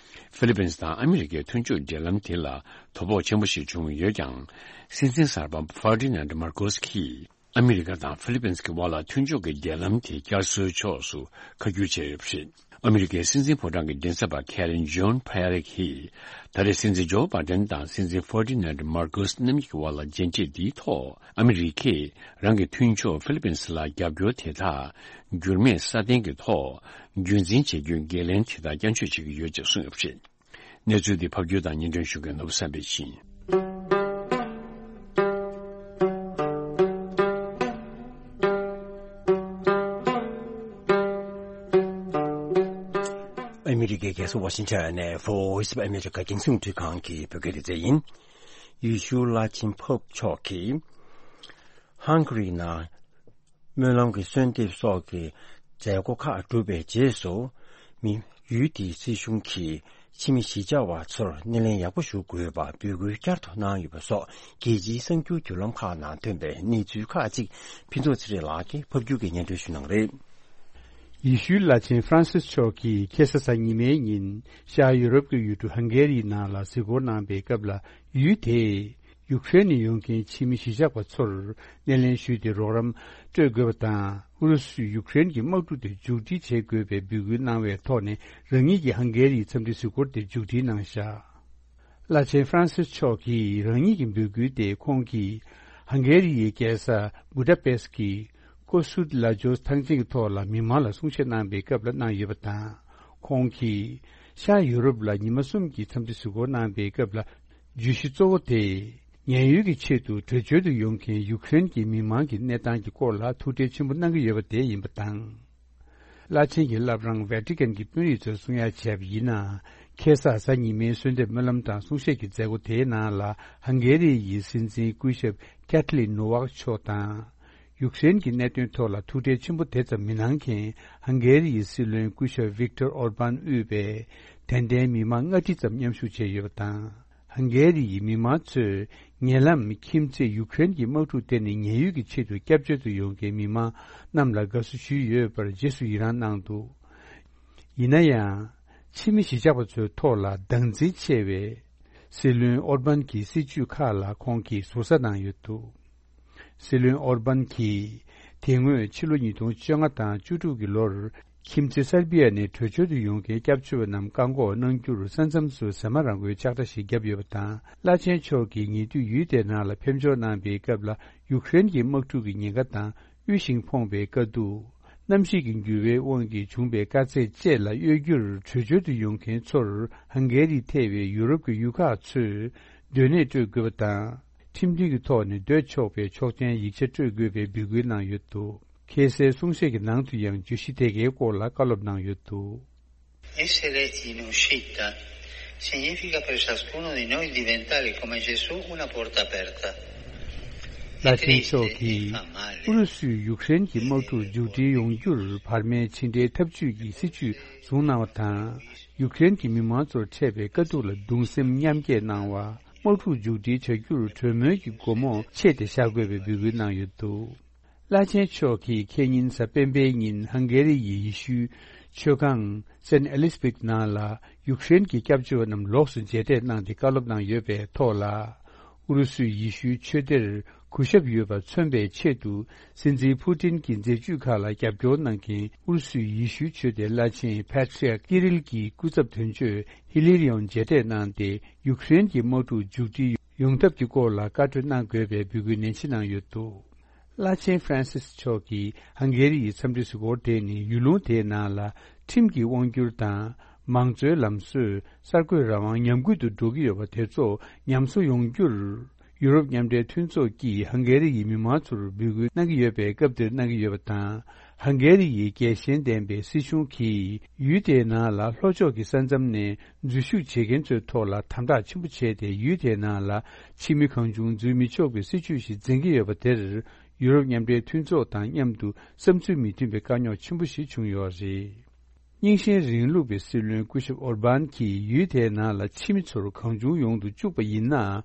ཧྥི་ལི་པིན་སི་དང་ཨ་མི་རི་ཀའི་མཐུན་ཕྱོགས་འབྲེལ་ལམ་དེ་ལ་དོ་ཕོག་ཆེན་པོ་ཞིག་བྱུང་ཡོད་ཀྱང་། སྲིད་འཛིན་གསར་པ་ཧྥར་ཌི་ནན་མར་ཀོ་སི་གིས། ཨ་མི་རི་ཀ་དང་ཧྥི་ལི་པིན་སི་གི་དབར་ལ་མཐུན་ཕྱོགས་ཀྱི་འབྲེལ་ལམ་དེ་བསྐྱར་གསོའི་ཕྱོགས་སུ་ཁ་བསྒྱུར་བྱས་ཡོད་པ་རེད། ཨ་མི་རི་ཀའི་སྲིད་འཛིན་ཕོ་བྲང་གི་མགྲིན་ཚབ་པ་ཁེ་རན་ཇོན་ཕ་ཡ་རེ་གིས། ད་རེས་སྲིད་འཛིན་ཇོ་བྷའི་ཏན་དང་སྲིད་འཛིན་ཧྥར་ཌི་ནན་མར་ཀོ་སི་རྣམ་གཉིས་ཀྱི་དབར་ལ་མཇལ་འཕྲད་འདིའི་ཐོག་ཨ་མི་རི་ཀས་རང་གི་མཐུན་ཕྱོགས་ཧྥི་ལི་པིན་སི་ལ་རྒྱབ་སྐྱོར་དེ་དག་འགྱུར་མེད་སྲ་བརྟན་གྱི་ཐོག་རྒྱུན་འཛིན་བྱེད་རྒྱུའི་འགན་ལེན་དེ་དག་བསྐྱར་བཅོས་བྱེད་ཀྱི་ཡོད་ཅེས་གསུངས་ཡོད་པ་རེད། གནས་ཚུལ་འདི་ཕབ་སྒྱུར་དང་སྙན་སྒྲོན་ཞུ་མཁན་ནོར་བུ་བསམ་འཕེལ་ཡིན། ཨ་མི་རི་ཀའི་རྒྱལ་ས་ཝ་ཤིང་ཊོན་ནས་Voice of America་རྒྱང་སྲིང་རླུང་འཕྲིན་ཁང་གི་བོད་སྐད་སྡེ་ཚན་ཡིན། ཡེ་ཤུ་བླ་ཆེན་པོབ་མཆོག་གིས་ཧང་ག་རིའི་ནང་སྨོན་ལམ་གྱི་གསོལ་འདེབས་སོགས་ཀྱི་མཛད་སྒོ་ཁག་གྲུབ་པའི་རྗེས་སུ། མི་ཡུལ་དེའི་སྲིད་གཞུང་གིས་ཕྱི་མི་གཞིས་ཆགས་པ་ཚོར་སྣེ་ལེན་ཡག་པོ་ཞུ་དགོས་པ་འབོད་སྐུལ་བསྐྱར་དུ་གནང་ཡོད་པ་སོགས། རྒྱལ་སྤྱིའི་གསར་འགྱུར་བརྒྱུད་ལམ་ཁག་ནང་ཐོན་པའི་གནས་ཚུལ་ཁག་ཅིག་ཕུན་ཚོགས་ཚེ་རིང་ལགས་ཀྱིས་ཕབ་སྒྱུར་གྱིས་སྙན་སྒྲོན་ཞུ་གནང་རེད། ཡེ་ཤུའི་བླ་ཆེན་ཧྥ་རན་སིས་མཆོག་གིས་ཁ་སང་གཟའ་ཉི་མའི་ཉིན་ཤར་ཡུ་རོབ་ཀྱི་ཡུལ་གྲུ་ཧང་གེ་རིའི་ནང་ལ་གཟིགས་སྐོར་གནང་པའི་སྐབས་ལ། ཡུལ་དེས་ཡུ་ཀེ་རེན་ནས་ཡོང་མཁན་ཕྱི་མི་གཞིས་ཆགས་པ་ཚོར་སྣེ་ལེན་ཞུས་ཏེ་རོགས་རམ་སྤྲོད་དགོས་པ་དང་། ཨུ་རུ་སུས་ཡུ་ཀེ་རེན་གྱི་དམག་འཁྲུག་དེ་མཇུག་སྒྲིལ་བྱེད་དགོས་པའི་འབོད་སྐུལ་གནང་བའི་ཐོག་ནས། རང་ཉིད་ཀྱིས་ཧང་གེ་རིའི་འཚམས་འདྲི་གཟིགས་སྐོར་དེ་མཇུག་སྒྲིལ་གནང་བཞག་བླ་ཆེན་ཧྥ་རན་སིས་མཆོག་གིས་རང་ཉིད་ཀྱི་འབོད་སྐུལ་དེ། ཁོང་གིས་ཧང་གེ་རི་ཡི་རྒྱལ་ས་བུ་ད་པེ་སི་ཀྱི་ཀོ་སུད་ལ་ཇོས་ཐང་ཆེན་གྱི་ཐོག་ལ་མི་མང་ལ་གསུང་བཤད་གནང་པའི་སྐབས་ལ་གནང་ཡོད་པ་དང་། ཁོང་གིས་ཤར་ཡུ་རོབ་ལ་ཉི་མ་གསུམ་གྱི་འཚམས་འདྲི་གཟིགས་སྐོར་གནང་པའི་སྐབས་ལ། བརྗོད་གཞི་གཙོ་བོ་དེ། ཉེན་གཡོལ་གྱི་ཆེད་དུ་བྲོས་བྱོལ་དུ་ཡོང་མཁན་ཡུ་ཀེ་རེན་གྱི་མི་མང་གི་གནས་སྟངས་ཀྱི་སྐོར་ལ་ཐུགས་ཁྲལ་ཆེན་པོ་གནང་གི་ཡོད་པ་དེ་ཡིན་པ་དང་། བླ་ཆེན་གྱི་བླ་བྲང་ཝེ་ཏི་ཀན་གྱི་དཔོན་རིགས་ཚོས་གསུང་ཡ་བྱས་པ་ཡིན་ན། ཁ་སང་གཟའ་ཉི་མའི་གསོལ་འདེབས་སྨོན་ལམ་དང་གསུང་བཤད་ཀྱི་མཛད་སྒོ་དེའི་ནང་ལ། ཧང་གེ་རི་ཡི་སྲིད་འཛིན་སྐུ་ཞབས་ཀེ་ཐ་ལིན་ནོ་ཝག་མཆོག་དང་། ཡུཀ་རེན་གྱི་གནད་དོན་ཐོག་ལ་ཐུགས་ཁྲལ་ཆེན་པོ་དེ་ཙམ་མི་གནང་མཁན་ཧང་གེ་རི་ཡི་སྲིད་བློན་སྐུ་ཞབས་ཝིག་ཏོར་ཨོར་པཱན་དབུས་པའི་དད་ལྡན་མི་མང་ལྔ་ཁྲི་ཙམ་མཉམ་ཞུགས་བྱས་ཡོད་པ་དང་། ཧང་གེ་རི་ཡི་མི་མང་ཚོས་ཉེ་ལམ་ཁྱིམ་མཚེས་ཡུཀ་རེན་གྱི་དམག་འཁྲུག་དེ་ནི་ཉེན་གཡོལ་གྱི་ཆེད་དུ་སྐྱབས་བཅོལ་དུ་ཡོང་མཁན་མི་མང་རྣམས་ལ་དགའ་བསུ་ཞུས་ཡོད་པར་རྗེས་སུ་ཡི་རངས་གནང་འདུག་ཡིན་ན་ཡང་། ཕྱི་མི་གཞིས་ཆགས་པ་ཚོའི་ཐོག་ལ་སྡང་འཛིན་ཆེ་བའི་སྲིད་བློན་ཨོར་པཱན་གྱི་སྲིད་ཇུས་ཁག་ལ་ཁོང་གིས་ཟུར་ཟ་གནང་ཡོད་འདུག་སྲིད་བློན་ཨོར་པཱན་གྱིས་དེ་སྔོན་ཕྱི་ལོ་ཉིས་སྟོང་བཅོ་ལྔ་དང་བཅུ་དྲུག་གི་ལོར་ཁྱིམ་མཚེས་སར་བྷི་ཡ་ནས་བྲོས་བྱོལ་དུ་ཡོང་མཁན་སྐྱབས་བཅོལ་བ་རྣམས་བཀག་འགོག་གནང་རྒྱུར་ས་མཚམས་སུ་ཟ་མ་རང་འགུལ་ལྕགས་དྲ་ཞིག་བརྒྱབ་ཡོད་པ་དང་། བླ་ཆེན་མཆོག་གིས་ཉེ་དུས་ཡུལ་དེའི་ནང་ལ་ཕེབས་འབྱོར་གནང་པའི་སྐབས་ལ་ཡུཀ་རེན་གྱི་དམག་འཁྲུག་གི་ཉེན་ཁ་དང་དབུལ་ཞིང་ཕོངས་པའི་དཀའ་སྡུག་གནམ་གཤིས་ཀྱི་འགྱུར་བའི་དབང་གིས་བྱུང་པའི་དཀའ་ཚེགས་བཅས་ལ་གཡོལ་རྒྱུར་བྲོས་བྱོལ་དུ་ཡོང་མཁན་ཚོར་ཧང་གེ་རི་ཐེ་བའི་ཡུ་རོབ་ཀྱི་ཡུལ་ཁག་ཚོས་སྡོད་གནས་སྤྲོད་དགོས་པ་དང་། ཁྲིམས་མཐུན་གྱི་ཐོག་ནས་སྡོད་ཆོག་པའི་ཆོག་མཆན་ཡིག་ཆ་སྤྲོད་དགོས་པའི་འབོད་སྐུལ་གནང་ཡོད་འདུག་ཁ་སའི་གསུང་བཤད་ཀྱི་ནང་དུ་ཡང་བརྗོད་གཞི་དེ་གའི་སྐོར་ལ་བཀའ་སློབ་གནང་ཡོད་འདུག Essere in uscita significa per ciascuno di noi diventare come Gesù una porta aperta. བླ་ཆེན་མཆོག་གིས་ཨུ་རུ་སུས་ཡུཀ་རེན་གྱི་དམག་འཁྲུག་མཇུག་སྒྲིལ་ཡོང་རྒྱུར་བར་མའི་ཕྱི་འབྲེལ་འཐབ་ཇུས་ཀྱི་སྲིད་ཇུས་བཟུང་གནང་བ་དང་། ཡུཀ་རེན་གྱི་མི་མང་ཚོར་འཕྲད་པའི་དཀའ་སྡུག་ལ་གདུང་སེམས་མཉམ་སྐྱེད་གནང་བ། དམག་འཁྲུག་མཇུག་སྒྲིལ་བྱ་རྒྱུར་གྲོས་མོལ་གྱི་སྒོ་མོ་ཕྱེ་སྟེ་བཞག་དགོས་པའི་འབོད་སྐུལ་གནང་ཡོད་འདུག་བླ་ཆེན་མཆོག་གིས་ཁེ་ཉིན་གཟའ་སྤེན་པའི་ཉིན་ཧང་གེ་རི་ཡི་ཡེ་ཤུའི་ཆོས་ཁང་སན་ཨེ་ལིས་བྷིག་ནང་ལ་ཡུཀ་རེན་གྱི་སྐྱབས་བཅོལ་བ་རྣམས་ལོགས་སུ་མཇལ་འཕྲད་གནང་སྟེ་བཀའ་སློབ་གནང་ཡོད་པའི་ཐོག་ལ། ཨུ་རུ་སུས་ཡེ་ཤུའི་ཆོས་སྡེར་གུས་ཞབས་ཡོད་པ་མཚོན་པའི་ཆེད་དུ་སྲིད་འཛིན་ཕུ་ཏིན་གྱི་མཛད་ཇུས་ཁག་ལ་རྒྱབ་སྐྱོར་གནང་མཁན་ཨུ་རུ་སུའི་ཡེ་ཤུའི་ཆོས་སྡེ་བླ་ཆེན་པ་ཏྲི་ཡག་ཀི་རིལ་གྱི་སྐུ་ཚབ་དོན་གཅོད་ཧི་ལི་རི་ཡོན་མཇལ་འཕྲད་གནང་སྟེ་ཡུཀ་རེན་གྱི་དམག་འཁྲུག་མཇུག་སྒྲིལ་ཡོང་ཐབས་ཀྱི་སྐོར་ལ་བཀའ་གྲོས་གནང་དགོས་པའི་འབོད་སྐུལ་ནན་ཆེ་གནང་ཡོད་འདུག་བླ་ཆེན་ཧྥ་རན་སིས་མཆོག་གིས་ཧང་གེ་རི་ཡི་འཚམས་འདྲི་གཟིགས་སྐོར་དེ་ནི་ཡུལ་ལུང་དེའི་ནང་ལ་ཁྲིམས་ཀྱི་དབང་སྒྱུར་དང་མང་གཙོའི་ལམ་སྲོལ་གསར་འགོད་རང་དབང་ཉམས་རྒུད་དུ་འགྲོ་གི་ཡོད་པ་དེ་ཚོ་ཉམས་གསོ་ཡོང་རྒྱུར་ཡུ་རོབ་མཉམ་འབྲེལ་མཐུན་ཚོགས་ཀྱིས་ཧང་གེ་རི་ཡི་མི་མང་ཚོར་འབོད་སྐུལ་གནང་གི་ཡོད་པའི་སྐབས་འདིར་གནང་གི་ཡོད་པ་དང་། ཧང་གེ་རི་ཡི་རྒྱལ་ཞེན་ལྡན་པའི་སྲིད་གཞུང་གིས་ཡུལ་དེའི་ནང་ལ་ལྷོ་ཕྱོགས་ཀྱི་ས་མཚམས་ནས་འཛུལ་ཞུགས་བྱེད་མཁན་ཚོའི་ཐོག་ལ་དམ་དྲག་ཆེན་པོ་བྱས་ཏེ་ཡུལ་དེའི་ནང་ལ་ཕྱི་མི་གང་བྱུང་འཛུལ་མི་ཆོག་པའི་སྲིད་ཇུས་ཤིག་འཛིན་གྱི་ཡོད་པ་དེར་ཡུ་རོབ་མཉམ་འབྲེལ་མཐུན་ཚོགས་དང་མཉམ་དུ་བསམ་ཚུལ་མི་མཐུན་པའི་དཀའ་རྙོག་ཆེན་པོ་ཞིག་བྱུང་ཡོད་རེད། རྙིང་ཞེན་རིང་ལུགས་པའི་སྲིད་བློན་སྐུ་ཞབས་ཨོར་བཱན་གྱིས་ཡུལ་དེའི་ནང་ལ་ཕྱི་མི་ཚོར་གང་བྱུང་ཡོང་དུ་བཅུག་པ་ཡིན་ན།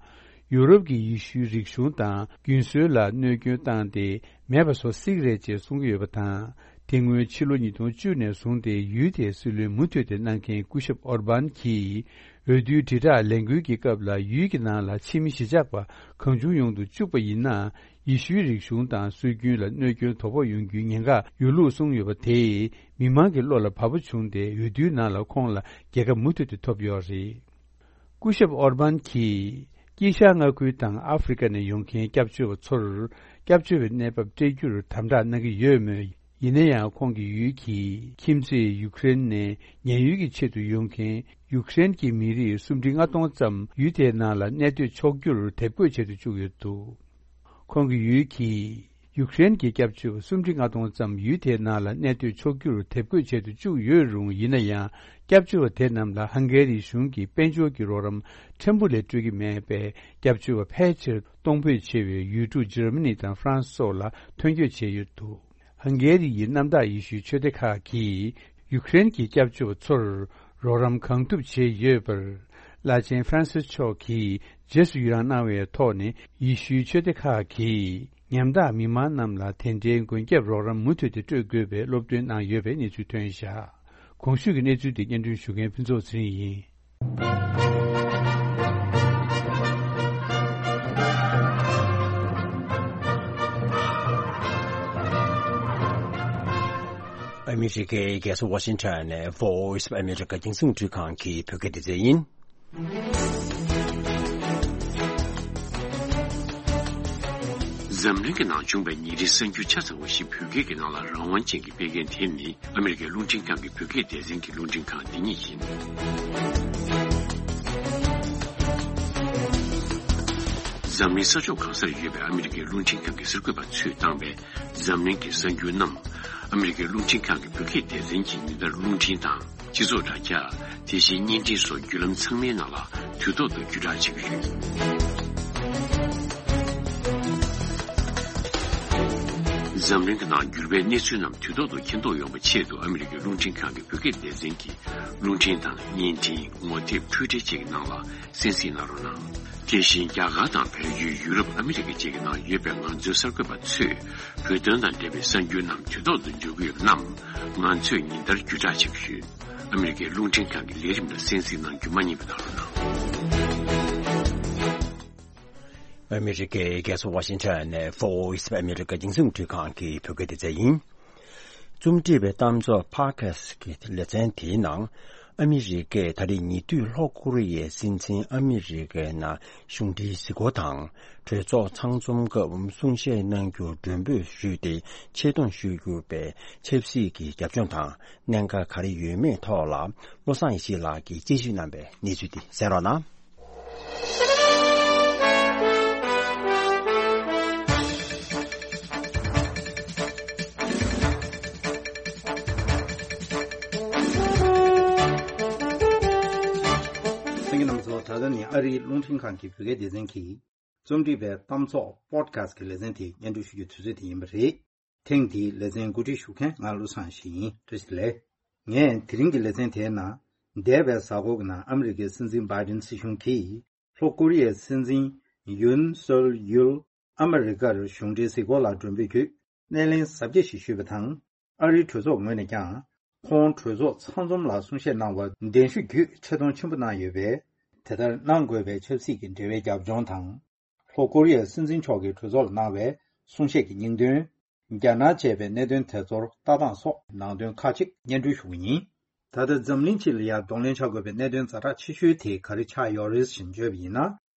ཡུ་རོབ་ཀྱི་ཡེ་ཤུའི་རིག་གཞུང་དང་རྒྱུན་སྲོལ་ལ་གནོད་སྐྱོན་བཏང་སྟེ་མེད་པ་བཟོ་སྲིད་རེད་ཅེས་གསུང་གི་ཡོད་པ་དང་། དེ་སྔོན་ཕྱི་ལོ་ཉིས་སྟོང་བཅུ་ནས་བཟུང་སྟེ་ཡུལ་དེའི་སྲིད་བློན་མུ་མཐུད་དེ་གནང་མཁན་སྐུ་ཞབས་ཨོར་བཱན་གྱིས་འོས་བསྡུའི་དྲིལ་བསྒྲགས་ལས་འགུལ་གྱི་སྐབས་ལ་ཡུལ་གྱི་ནང་ལ་ཕྱི་མི་གཞིས་ཆགས་པ་གང་བྱུང་ཡོང་དུ་བཅུག་པ་ཡིན་ན། ཡེ་ཤུའི་རིག་གཞུང་དང་སྲོལ་རྒྱུན་ལ་གནོད་སྐྱོན་དོ་ཕོག་ཡོང་རྒྱུའི་ཉེན་ཁ་ཡོད་ལུགས་གསུངས་ཡོད་པ་དེས་མི་མང་གི་བློ་ལ་བབས་པ་བྱུང་སྟེ་འོས་བསྡུའི་ནང་ལ་ཁོང་ལ་རྒྱལ་ཁ་མུ་མཐུད་དེ་ཐོབ་ཡོད་རེད། སྐུ་ཞབས་ཨོར་བཱན་གྱིས་དཀྱིལ་ཤར་མངའ་ཁུལ་དང་ཨ་ཧྥེ་རི་ཁ་ནས་ཡོང་མཁན་སྐྱབས་བཅོལ་བ་ཚོར་སྐྱབས་བཅོལ་བའི་གནས་བབ་སྤྲད་རྒྱུར་དམ་དྲག་གནང་གི་ཡོད་མོད། ཡིན་ན་ཡང་ཁོང་གི་ཡུལ་གྱི་ཁྱིམ་མཚེས་ཡུཀ་རེན་ནས་ཉེན་གཡོལ་གྱི་ཆེད་དུ་ཡོང་མཁན་ཡུཀ་རེན་གྱི་མི་རིགས་སུམ་ཁྲི་ལྔ་སྟོང་ཙམ་ཡུལ་དེའི་ནང་ལ་གནས་སྡོད་ཆོག་རྒྱུར་དེབ་འགོད་བྱེད་དུ་བཅུག་ཡོད་འདུག་ཁོང་གི་ཡུལ་གྱིས་ཡུཀ་རེན་གྱི་སྐྱབས་བཅོལ་བ་སུམ་ཁྲི་ལྔ་སྟོང་ཙམ་ཡུལ་དེའི་ནང་ལ་གནས་སྡོད་ཆོག་རྒྱུར་དེབ་འགོད་བྱེད་དུ་བཅུག་ཡོད་རུང་། ཡིན་ན་ཡང་སྐྱབས་བཅོལ་བ་དེ་རྣམས་ལ་ཧང་གེ་རི་གཞུང་གིས་དཔལ་འབྱོར་གྱི་རོགས་རམ་ཕྲན་བུ་ལས་སྤྲོད་ཀྱི་མེད་པས། སྐྱབས་བཅོལ་བ་ཕལ་ཆེར་གཏོང་ཕོད་ཆེ་བའི་ཡུལ་གྲུ་འཇར་མ་ནི་དང་ཧྥ་རན་སི་སོགས་ལ་ཐོན་སྐྱོད་བྱས་ཡོད་འདུག་ཧང་གེ་རི་ཡི་གནམ་བདག་ཡེ་ཤུའི་ཆོས་སྡེ་ཁག་གིས་ཡུཀ་རེན་གྱི་སྐྱབས་བཅོལ་བ་ཚོར་རོགས་རམ་གང་ཐུབ་བྱས་ཡོད་པར། བླ་ཆེན་ཧྥ་རན་སིས་མཆོག་གིས་རྗེས་སུ་ཡི་རངས་གནང་བའི་ཐོག་ནས། ཡེ་ཤུའི་ཆོས་སྡེ་ཁག་གིས་ཉམ་ཐག་མི་མང་རྣམས་ལ་དེ་འབྲེལ་མགོན་སྐྱབས་རོགས་རམ་མུ་མཐུད་དེ་སྤྲོད་དགོས་པའི་སློབ་སྟོན་གནང་ཡོད་པའི་གནས་ཚུལ་ཐོན་བཞག་གོང་ཞུས་ཀྱི་གནས་ཚུལ་དེ་སྙན་སྒྲོན་ཞུ་མཁན་ཕུན་ཚོགས་ཚེ་རིང་ཡིན། ཨ་མི་རི་ཀའི་རྒྱལ་ས་ཝ་ཤིང་ཊོན་ནས་Voice of America རྒྱང་སྲིང་རླུང་འཕྲིན་ཁང་གི་བོད་སྐད་སྡེ་ཚན་ཡིན། འཛམ་གླིང་གི་ནང་བྱུང་བའི་ཉིན་རེའི་གསར་འགྱུར་ཆ་ཚང་བ་ཞིག་བོད་སྐད་ཀྱི་ནང་ལ་རང་དབང་ཅན་གྱིས་སྤེལ་མཁན་དེ་ནི་ཨ་མི་རི་ཀའི་རླུང་འཕྲིན་ཁང་གི་བོད་སྐད་སྡེ་ཚན་གྱི་རླུང་འཕྲིན་ཁང་འདི་ཉིད་ཡིན། འཛམ་གླིང་ས་ཕྱོགས་གང་སར་ཡོད་པའི་ཨ་མི་རི་ཀའི་རླུང་འཕྲིན་ཁང་གི་གསར་འགོད་པ་ཚོས་བཏང་བའི་འཛམ་གླིང་གི་གསར་འགྱུར་རྣམས། ཨ་མི་རི་ཀའི་རླུང་འཕྲིན་ཁང་གི་བོད་སྐད་སྡེ་ཚན་གྱིས་ཉིན་ལྟར་རླུང་འཕྲིན་དང་། སྤྱི་ཚོགས་དྲ་རྒྱ། དེ་བཞིན་བརྙན་འཕྲིན་སོགས་བརྒྱུད་ལམ་ཚང་མའི་ནང་ལ་དུས་ཐོག་ཏུ་བརྒྱུད་བསྒྲགས་བྱེད་ཀྱི་ཡོད། འཛམ་གླིང་གི་ནང་འགྱུར་བའི་གནས་ཚུལ་རྣམས་དུས་ཐོག་ཏུ་མཁྱེན་རྟོགས་ཡོང་བའི་ཆེད་དུ། ཨ་མི་རི་ཀའི་རླུང་འཕྲིན་ཁང་གི་བོད་སྐད་སྡེ་ཚན་གྱིས་རླུང་འཕྲིན་དང་བརྙན་འཕྲིན། ངོ་དེབ། འཕྲུལ་འཕྲིན་བཅས་ཀྱི་ནང་ལ་གསན་གཟིགས་གནང་རོགས་གནང་། དེ་བཞིན་རྒྱ་གར་དང་བལ་ཡུལ། ཡུ་རོབ། ཨ་མི་རི་ཀ་བཅས་ཀྱི་ནང་ཡོད་པའི་ང་ཚོའི་གསར་འགོད་པ་ཚོས་བོད་དོན་དང་འབྲེལ་བའི་གསར་འགྱུར་རྣམས་དུས་ཐོག་ཏུ་འབྱོར་གྱི་ཡོད་པ་རྣམས་ང་ཚོས་ཉིན་ལྟར་བརྒྱུད་བསྒྲགས་བྱེད་ཀྱི་ཡོད། ཨ་མི་རི་ཀའི་རླུང་འཕྲིན་ཁང་གི་ལས་རིམ་ལ་གསན་གཟིགས་གནང་རྒྱུ་མ་བསྙེལ་བ་གནང་རོགས་གནང་། ཨ་མི་རི་ཀའི་རྒྱལ་ས་ཝ་ཤིང་ཊོན་ནས་Voice of America རྒྱང་སྲིང་རླུང་འཕྲིན་ཁང་གི་བོད་སྐད་སྡེ་ཚན་ཡིན། རྩོམ་སྒྲིག་པའི་གཏམ་ཚོགས་Podcast གི་ལེ་ཚན་དེའི་ནང་། ཨ་མི་རི་ཀས་ད་རེས་ཉེ་དུས་ལྷོ་ཀོ་རི་ཡའི་སྲིད་འཛིན་ཨ་མི་རི་ཀའི་ནང་གཞུང་འབྲེལ་གཟིགས་སྐོར་དང་། གྲོས་ཚོགས་ཚང་འཛོམས་སྐབས་གསུང་བཤད་གནང་རྒྱུར་མགྲོན་འབོད་ཞུས་ཏེ་ཆེད་གཏོང་ཞུས་གྱུར་པའི་ཆབ་སྲིད་ཀྱི་རྒྱབ་ལྗོངས་དང་གནད་འགག་ག་རེ་ཡོད་མེད་ཐོག་ལ་བློ་བཟང་ཡེ་ཤེས་ལགས་ཀྱིས་དཔྱད་ཞིབ་གནང་པའི་གནས་ཚུལ་དེ་གསན་རོགས་གནང་། གསན་མཁན་རྣམ་པ་ཚོ། ད་ལྟ་ནི་ཨ་རིའི་རླུང་འཕྲིན་ཁང་གི་བོད་སྐད་སྡེ་ཚན་གྱིས་རྩོམ་སྒྲིག་པའི་གཏམ་ཚོགས་Podcast གི་ལེ་ཚན་དེ་སྙན་སྒྲོན་ཞུ་རྒྱུའི་དུས་ཚོད་དེ་ཡིན་པ་རེད། ཐེངས་འདིའི་ལེ་ཚན་གོ་སྒྲིག་ཞུ་མཁན་ང་བློ་བཟང་ཡེ་ཤེས་ཡིན། བཀྲ་ཤིས་བདེ་ལེགས། ངས་དེ་རིང་གི་ལེ་ཚན་དེའི་ནང་། འདས་པའི་གཟའ་འཁོར་གྱི་ནང་ཨ་མི་རི་ཀའི་སྲིད་འཛིན་བྷའི་ཌེན་སྲིད་གཞུང་གིས་ལྷོ་ཀོ་རི་ཡའི་སྲིད་འཛིན་ཡུན་སོལ་ཡུལ་ཨ་མི་རི་ཀར་གཞུང་འབྲེལ་གཟིགས་སྐོར་ལ་མགྲོན་འབོད་བརྒྱུད། སྣེ་ལེན་གཟབ་རྒྱས་ཤིག་ཞུས་པ་དང་། ཨ་རིའི་གྲོས་ཚོགས་ངོས་ནས་ཀྱང་ཁོང་གྲོས་ཚོགས་ཚང་འཛོམས་ལ་གསུང་བཤད་གནང་བར་གདན་ཞུ་བརྒྱུད་ཆེ་མཐོང་ཆེན་པོ་གནང་ཡོད་པས། དེ་ལྟར་གནང་དགོས་པའི་ཆབ་སྲིད་ཀྱི་འབྲེལ་བའི་རྒྱབ་ལྗོངས་དང་། ལྷོ་ཀོ་རི་ཡའི་སྲིད་འཛིན་མཆོག་གིས་གྲོས་ཚོགས་ལ་གནང་བའི་གསུང་བཤད་ཀྱི་སྙིང་དོན། རྒྱ་ནག་བཅས་པའི་གནད་དོན་དེ་ཚོར་ལྟ་སྟངས་སོགས་ནང་དོན་ཁག་ཅིག་སྙན་སྒྲོན་ཞུ་གི་ཡིན། ད་ལྟ་འཛམ་གླིང་སྤྱི་ལ་ཡང་གདོང་ལེན་བྱ་དགོས་པའི་གནད་དོན་ཛ་དྲག་ཆེ་ཤོས་དེ་ག་རེ་ཆགས་ཡོད་རེད་ཅེས་བརྗོད་པ་ཡིན་ན།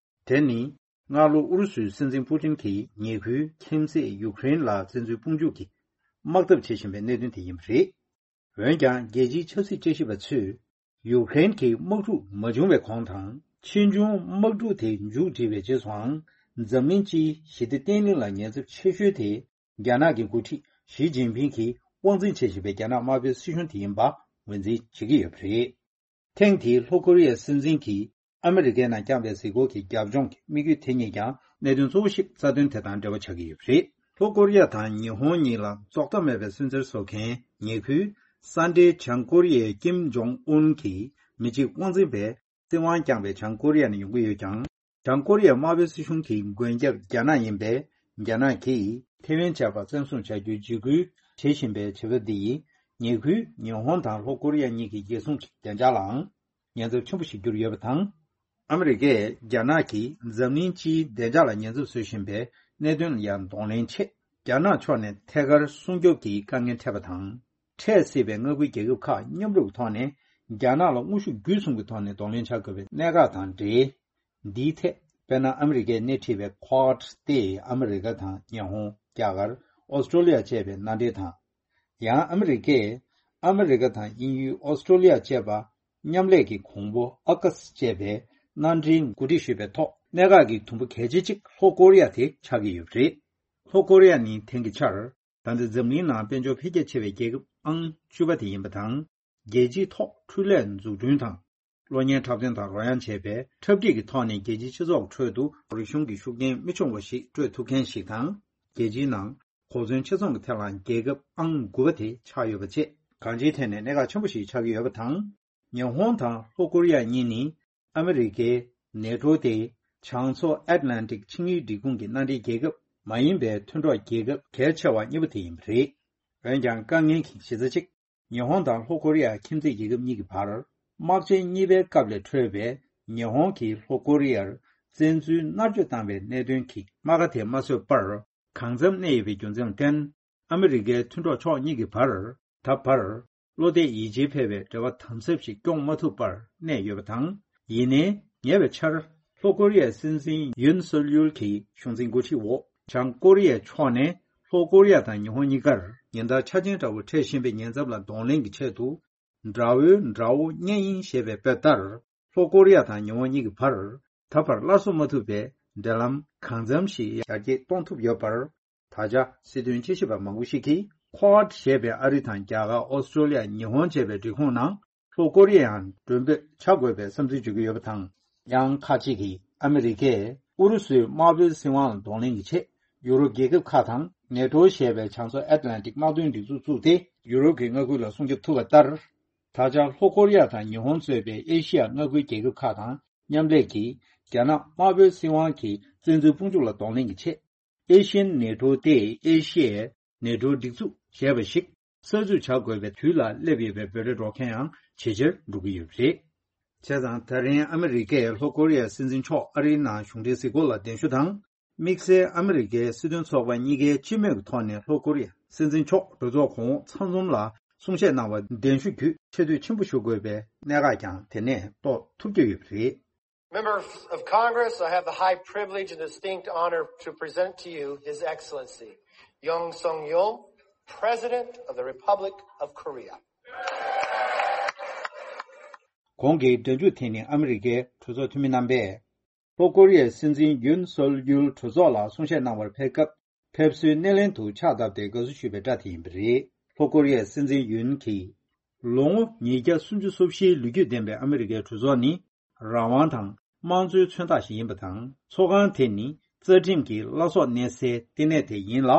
དེ་ནི། སྔ་ལོ་ཨུ་རུ་སུའི་སྲིད་འཛིན་པུ་ཏིན་གྱིས་ཉེ་ཁུལ་ཁྱིམ་མཚེས་ཡུཀ་རེན་ལ་བཙན་འཛུལ་དཔུང་འཇུག་གི་དམག་འཐབ་བྱེད་བཞིན་པའི་གནད་དོན་དེ་ཡིན་པ་རེད། འོན་ཀྱང་། རྒྱལ་སྤྱིའི་ཆབ་སྲིད་དཔྱད་ཞིབ་པ་ཚོས། ཡུཀ་རེན་གྱི་དམག་འཁྲུག་མ་བྱུང་བའི་གོང་དང་། ཕྱིས་འབྱུང་དམག་འཁྲུག་དེ་མཇུག་སྒྲིལ་བའི་རྗེས་སུའང་། འཛམ་གླིང་སྤྱིའི་ཞི་བདེ་བརྟན་ལྷིང་ལ་ཉེན་ཚབས་ཆེ་ཤོས་དེ། རྒྱ་ནག་གི་འགོ་ཁྲིད་ཞི་ཅིན་ཕིང་གིས་དབང་འཛིན་བྱེད་བཞིན་པའི་རྒྱ་ནག་དམར་པོའི་སྲིད་གཞུང་དེ་ཡིན་པ་ངོས་འཛིན་བྱེད་ཀྱི་ཡོད་པ་རེད། ཐེངས་འདིའི་ལྷོ་ཀོ་རི་ཡའི་སྲིད་འཛིན་གྱིས་ཨ་མི་རི་ཀའི་ནང་བསྐྱངས་པའི་གཟིགས་སྐོར་གྱི་རྒྱབ་ལྗོངས་ཀྱི་དམིགས་ཡུལ་དེ་གཉིས་ཀྱང་གནད་དོན་གཙོ་བོ་ཞིག་རྩ་དོན་དེ་དང་འབྲེལ་བ་ཆགས་ཀྱི་ཡོད་པ་རེད། ལྷོ་ཀོ་རི་ཡ་དང་ཉི་ཧོང་གཉིས་ལ་རྫོགས་མཐའ་མེད་པའི་སུན་གཙེར་བཟོ་མཁན་ཉེ་ཁུལ་ས་འབྲེལ་བྱང་ཀོ་རི་ཡའི་ཀིམ་ཇོང་ཨུན་གྱི་མི་གཅིག་དབང་འཛིན་པས་སྲིད་དབང་བསྐྱངས་པའི་བྱང་ཀོ་རི་ཡ་ནས་ཡོང་གི་ཡོད་ཀྱང་། བྱང་ཀོ་རི་ཡའི་དམར་པོའི་སྲིད་གཞུང་གི་མགོན་སྐྱབས་རྒྱ་ནག་ཡིན་པས། རྒྱ་ནག་གིས་ཐེ་ཝན་བཅས་པ་བཙན་བཟུང་བྱ་རྒྱུའི་འཇིགས་སྐུལ་བྱེད་བཞིན་པའི་བྱེད་པ་འདི་ཡིས། ཉེ་ཁུལ་ཉི་ཧོང་དང་ལྷོ་ཀོ་རི་ཡ་གཉིས་ཀྱི་རྒྱལ་སྲུང་གི་བདེ་འཇགས་ལའང་ཉེན་ཚབས་ཆེན་པོ་ཞིག་གྱུར་ཡོད་པ་དང་། ཨ་མི་རི་ཀས་རྒྱ་ནག་གིས་འཛམ་གླིང་སྤྱིའི་བདེ་འཇགས་ལ་ཉེན་ཚབས་བཟོ་བཞིན་པའི་གནད་དོན་ལ་ཡང་གདོང་ལེན་ཆེད། རྒྱ་ནག་ཕྱོགས་ནས་ཐད་ཀར་སྲུང་སྐྱོབ་ཀྱི་དཀའ་ངལ་འཕྲད་པ་དང་། འཕྲད་སྲིད་པའི་མངའ་ཁུལ་རྒྱལ་ཁབ་ཁག་མཉམ་རུབ་ཀྱི་ཐོག་ནས་རྒྱ་ནག་ལ་དངོས་ཤུགས་བརྒྱུད་གསུམ་གྱི་ཐོག་ནས་གདོང་ལེན་བྱ་དགོས་པའི་གནད་འགག་དང་འབྲེལ། འདིའི་ཐད་དཔེར་ན་ཨ་མི་རི་ཀས་སྣེ་ཁྲིད་པའི་Quad སྟེ་ཨ་མི་རི་ཀ་དང་ཉི་ཧོང་། རྒྱ་གར། ཨོ་སི་ཀྲོ་ལི་ཡ་བཅས་པའི་མནའ་འབྲེལ་དང་། ཡང་ཨ་མི་རི་ཀས་ཨ་མི་རི་ཀ་དང་དབྱིན་ཡུལ། ཨོ་སི་ཀྲོ་ལི་ཡ་བཅས་པ་མཉམ་ལས་ཀྱི་གོང་བུ་ཨ་ཀཱས་བཅས་པའི་མནའ་འབྲེལ་གོ་སྒྲིག་ཞུས་པའི་ཐོག་གནད་འགག་གི་དུམ་བུ་གལ་ཆེ་གཅིག་ལྷོ་ཀོ་རི་ཡ་དེ་ཆགས་ཀྱི་ཡོད་པ་རེད། ལྷོ་ཀོ་རི་ཡ་ནི་དེང་གི་ཆར་ད་ལྟ་འཛམ་གླིང་ནང་དཔལ་འབྱོར་འཕེལ་རྒྱས་ཆེ་བའི་རྒྱལ་ཁབ་ཨང་བཅུ་པ་དེ་ཡིན་པ་དང་། རྒྱལ་སྤྱིའི་ཐོག་འཕྲུལ་ལས་འཛུགས་སྐྲུན་དང་། གློག་བརྙན་འཁྲབ་སྟོན་དང་རོལ་དབྱངས་བཅས་པའི་འཁྲབ་ཁྲིད་ཀྱི་ཐོག་ནས་རྒྱལ་སྤྱིའི་སྤྱི་ཚོགས་ཁྲོད་དུ་རིག་གཞུང་གི་ཤུགས་རྐྱེན་མི་ཆུང་བ་ཞིག་སྤྲོད་ཐུབ་མཁན་ཞིག་དང་། རྒྱལ་སྤྱིའི་ནང་གོ་མཚོན་ཆེ་ཚང་གི་ཐད་ལ་རྒྱལ་ཁབ་ཨང་དགུ་པ་དེ་ཆགས་ཡོད་པ་བཅས། གང་ཅིའི་ཐད་ནས་གནད་འགག་ཆེན་པོ་ཞིག་ཆགས་ཀྱི་ཡོད་པ་དང་། ཉི་ཧོང་དང་ལྷོ་ཀོ་རི་ཡ་གཉིས་ནི་ཨ་མི་རི་ཀའི་ནེ་ཊོ་སྟེ་བྱང་མཚོ་ཨེཊ་ལན་ཊིག་ཆིངས་ཡིག་སྒྲིག་ཁོངས་ཀྱི་མནའ་འབྲེལ་རྒྱལ་ཁབ་མ་ཡིན་པའི་མཐུན་གྲོགས་རྒྱལ་ཁབ་གལ་ཆེ་བ་གཉིས་པོ་དེ་ཡིན་པ་རེད། འོན་ཀྱང་དཀའ་ངལ་གྱི་གཞི་རྩ་གཅིག་ཉི་ཧོང་དང་ལྷོ་ཀོ་རི་ཡ་ཁྱིམ་མཚེས་རྒྱལ་ཁབ་གཉིས་ཀྱི་བར་དམག་ཆེན་གཉིས་པའི་སྐབས་ལས་འཕྲོས་པའི་ཉི་ཧོང་གིས་ལྷོ་ཀོ་རི་ཡར་བཙན་འཛུལ་མནར་གཅོད་བཏང་བའི་གནད་དོན་གྱི་རྨ་ཁ་དེ་མ་བཟོད་པར་གང་འཚམ་གནས་ཡོད་པའི་རྒྱུ་མཚན་ལ་བརྟེན། ཨ་མི་རི་ཀའི་མཐུན་གྲོགས་ཕྱོགས་གཉིས་ཀྱི་བར་ད་བར་བློ་གཏད་ཡིད་ཆེས་འཕེར་བའི་འབྲེལ་བ་དམ་ཟབ་ཞིག་སྐྱོང་མ་ཐུབ་པར་གནས་ཡོད་པ་དང་། ཡིན་ནའི་ཉེ་བའི་ཆར་ལྷོ་ཀོ་རི་ཡའི་སྲིད་འཛིན་ཡུན་སོལ་ཡུལ་གྱི་གཞུང་འཛིན་འགོ་ཁྲིད་འོག་བྱང་ཀོ་རི་ཡའི་ཕྱོགས་ནས་ལྷོ་ཀོ་རི་ཡ་དང་ཉི་ཧོང་གཉིས་ཀར་ཉིན་ལྟར་འཆར་ཅན་འདྲ་བོ་འཕྲད་བཞིན་པའི་ཉེན་ཚབས་ལ་གདོང་ལེན་གྱི་ཆེད་དུ། དགྲ་བོའི་དགྲ་བོ་གཉེན་ཡིན་ཞེས་པའི་དཔེ་ལྟར། ལྷོ་ཀོ་རི་ཡ་དང་ཉི་ཧོང་གཉིས་ཀྱི་བར་ད་བར་སླར་གསོ་མ་ཐུབ་པའི་འབྲེལ་ལམ་གང་འཚམ་ཞིག་ཡར་རྒྱས་གཏོང་ཐུབ་ཡོད་པར། ད་ཆ་སྲིད་དོན་དཔྱད་ཞིབ་པ་མང་པོ་ཞིག་གིས། Quad ཞེས་པའི་ཨ་རི་དང་རྒྱ་གར། ཨོ་སི་ཀྲོ་ལི་ཡ། ཉི་ཧོང་བཅས་པའི་སྒྲིག་ཁོངས་ནང་ལྷོ་ཀོ་རི་ཡའང་མགྲོན་འབོད་བྱ་དགོས་པའི་བསམ་ཚུལ་བརྗོད་ཀྱི་ཡོད་པ་དང་། ཡང་ཁག་ཅིག་གིས་ཨ་མི་རི་ཀས་ཨུ་རུ་སུའི་དམར་པོའི་སྲིད་དབང་ལ་གདོང་ལེན་གྱི་ཆེད། ཡུ་རོབ་རྒྱལ་ཁབ་ཁག་དང་ནེ་ཊོ་ཞེས་པའི་བྱང་མཚོ་ཨེཊ་ལན་ཊིག་དམག་དོན་སྒྲིག་འཛུགས་བཙུགས་ཏེ། ཡུ་རོབ་ཀྱི་མངའ་ཁུལ་ལ་སྲུང་སྐྱོབ་ཐུབ་པ་ལྟར། ད་ཆ་ལྷོ་ཀོ་རི་ཡ་དང་ཉི་ཧོང་གཙོས་པའི་ཨེ་ཤི་ཡ་མངའ་ཁུལ་རྒྱལ་ཁབ་ཁག་དང་མཉམ་ལས་ཀྱིས། རྒྱ་ནག་དམར་པོའི་སྲིད་དབང་གི་བཙན་འཛུལ་དཔུང་འཇུག་ལ་གདོང་ལེན་གྱི་ཆེད། ཨེ་ཤི་ཡན་ནེ་ཊོ་སྟེ། ཨེ་ཤི་ཡའི་ནེ་ཊོ་སྒྲིག་འཛུགས་ཞེས་པ་ཞིག་གསར་འཛུགས་བྱ་དགོས་པའི་དུས་ལ་སླེབས་ཡོད་པའི་འབོད་སྒྲ་སྒྲོག་མཁན་ཡང་ཇེ་ཆེར་འགྲོ་གི་ཡོད་པ་རེད། བྱས་ཙང་། ད་རིང་ཨ་མི་རི་ཀས་ལྷོ་ཀོ་རི་ཡའི་སྲིད་འཛིན་མཆོག་ཨ་རིའི་ནང་གཞུང་འབྲེལ་གཟིགས་སྐོར་ལ་གདན་ཞུ་དང་། དམིགས་བསལ་ཨ་མི་རི་ཀའི་སྲིད་དོན་ཚོགས་པ་གཉིས་ཀའི་སྤྱི་མོས་ཀྱི་ཐོག་ནས་ལྷོ་ཀོ་རི་ཡ་སྲིད་འཛིན་མཆོག་གྲོས་ཚོགས་གོང་འོག་ཚང་འཛོམས་ལ་གསུང་བཤད་གནང་བར་གདན་ཞུ་བརྒྱུད་ཆེ་བསྟོད་ཆེན་པོ་ཞུ་དགོས་པའི་གནད་འགག་ཀྱང་དེ་ནས་རྟོགས་ཐུབ་ཀྱི་ཡོད་པ་རེད། Members of Congress, I have the high privilege and distinct honor to present to you His Excellency Yoon Suk Yeol, President of the Republic of Korea. གོང་གི་སྒྲ་འཇུག་དེ་ནི་ཨ་མི་རི་ཀའི་གྲོས་ཚོགས་འཐུས་མི་རྣམ་པས། ལྷོ་ཀོ་རི་ཡའི་སྲིད་འཛིན་ཡུན་སོལ་ཡུལ་གྲོས་ཚོགས་ལ་གསུང་བཤད་གནང་བར་ཕེབས་སྐབས། ཕེབས་བསུའི་སྣེ་ལེན་དུ་ཕྱག་བཏབ་སྟེ་དགའ་བསུ་ཞུས་པའི་སྒྲ་དེ་ཡིན་པ་རེད། ལྷོ་ཀོ་རི་ཡའི་སྲིད་འཛིན་ཡུན་གྱིས། ལོ་ངོ་ཉིས་བརྒྱ་སུམ་ཅུ་སོ་བཞིའི་ལོ་རྒྱུས་ལྡན་པའི་ཨ་མི་རི་ཀའི་གྲོས་ཚོགས་ནི། རང་དབང་དང་དམངས་གཙོའི་མཚོན་རྟགས་ཤིག་ཡིན་པ་དང་། ཚོགས་ཁང་དེ་ནི་རྩ་ཁྲིམས་ཀྱི་བླ་སྲོག་གནས་སའི་ལྟེ་གནས་དེ་ཡིན་ལ།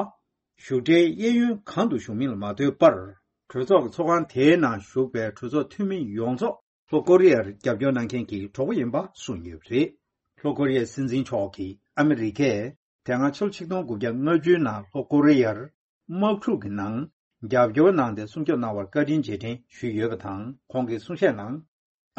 བཞུགས་གྲལ་གཡས་གཡོན་གང་དུ་བཞུགས་མིན་ལ་མ་ལྟོས་པར། གྲོས་ཚོགས་ཀྱི་ཚོགས་ཁང་དེའི་ནང་བཞུགས་པའི་གྲོས་ཚོགས་འཐུས་མི་ཡོངས་རྫོགས། ལྷོ་ཀོ་རི་ཡར་རྒྱབ་སྐྱོར་གནང་མཁན་གྱི་གྲོགས་པོ་ཡིན་པ་གསུངས་ཡོད་པ་རེད། ལྷོ་ཀོ་རི་ཡའི་སྲིད་འཛིན་མཆོག་གིས་ཨ་མི་རི་ཀས་དེ་སྔ་ཕྱི་ལོ་ཆིག་སྟོང་དགུ་བརྒྱ་ལྔ་བཅུའི་ནང་ལྷོ་ཀོ་རི་ཡར་དམག་འཁྲུག་གི་ནང་རྒྱབ་སྐྱོར་གནང་སྟེ་སྲུང་སྐྱོབ་གནང་བར་བཀའ་དྲིན་རྗེས་དྲན་ཞུས་ཡོད་པ་དང་། ཁོང་གིས་གསུང་བཤད་ནང་།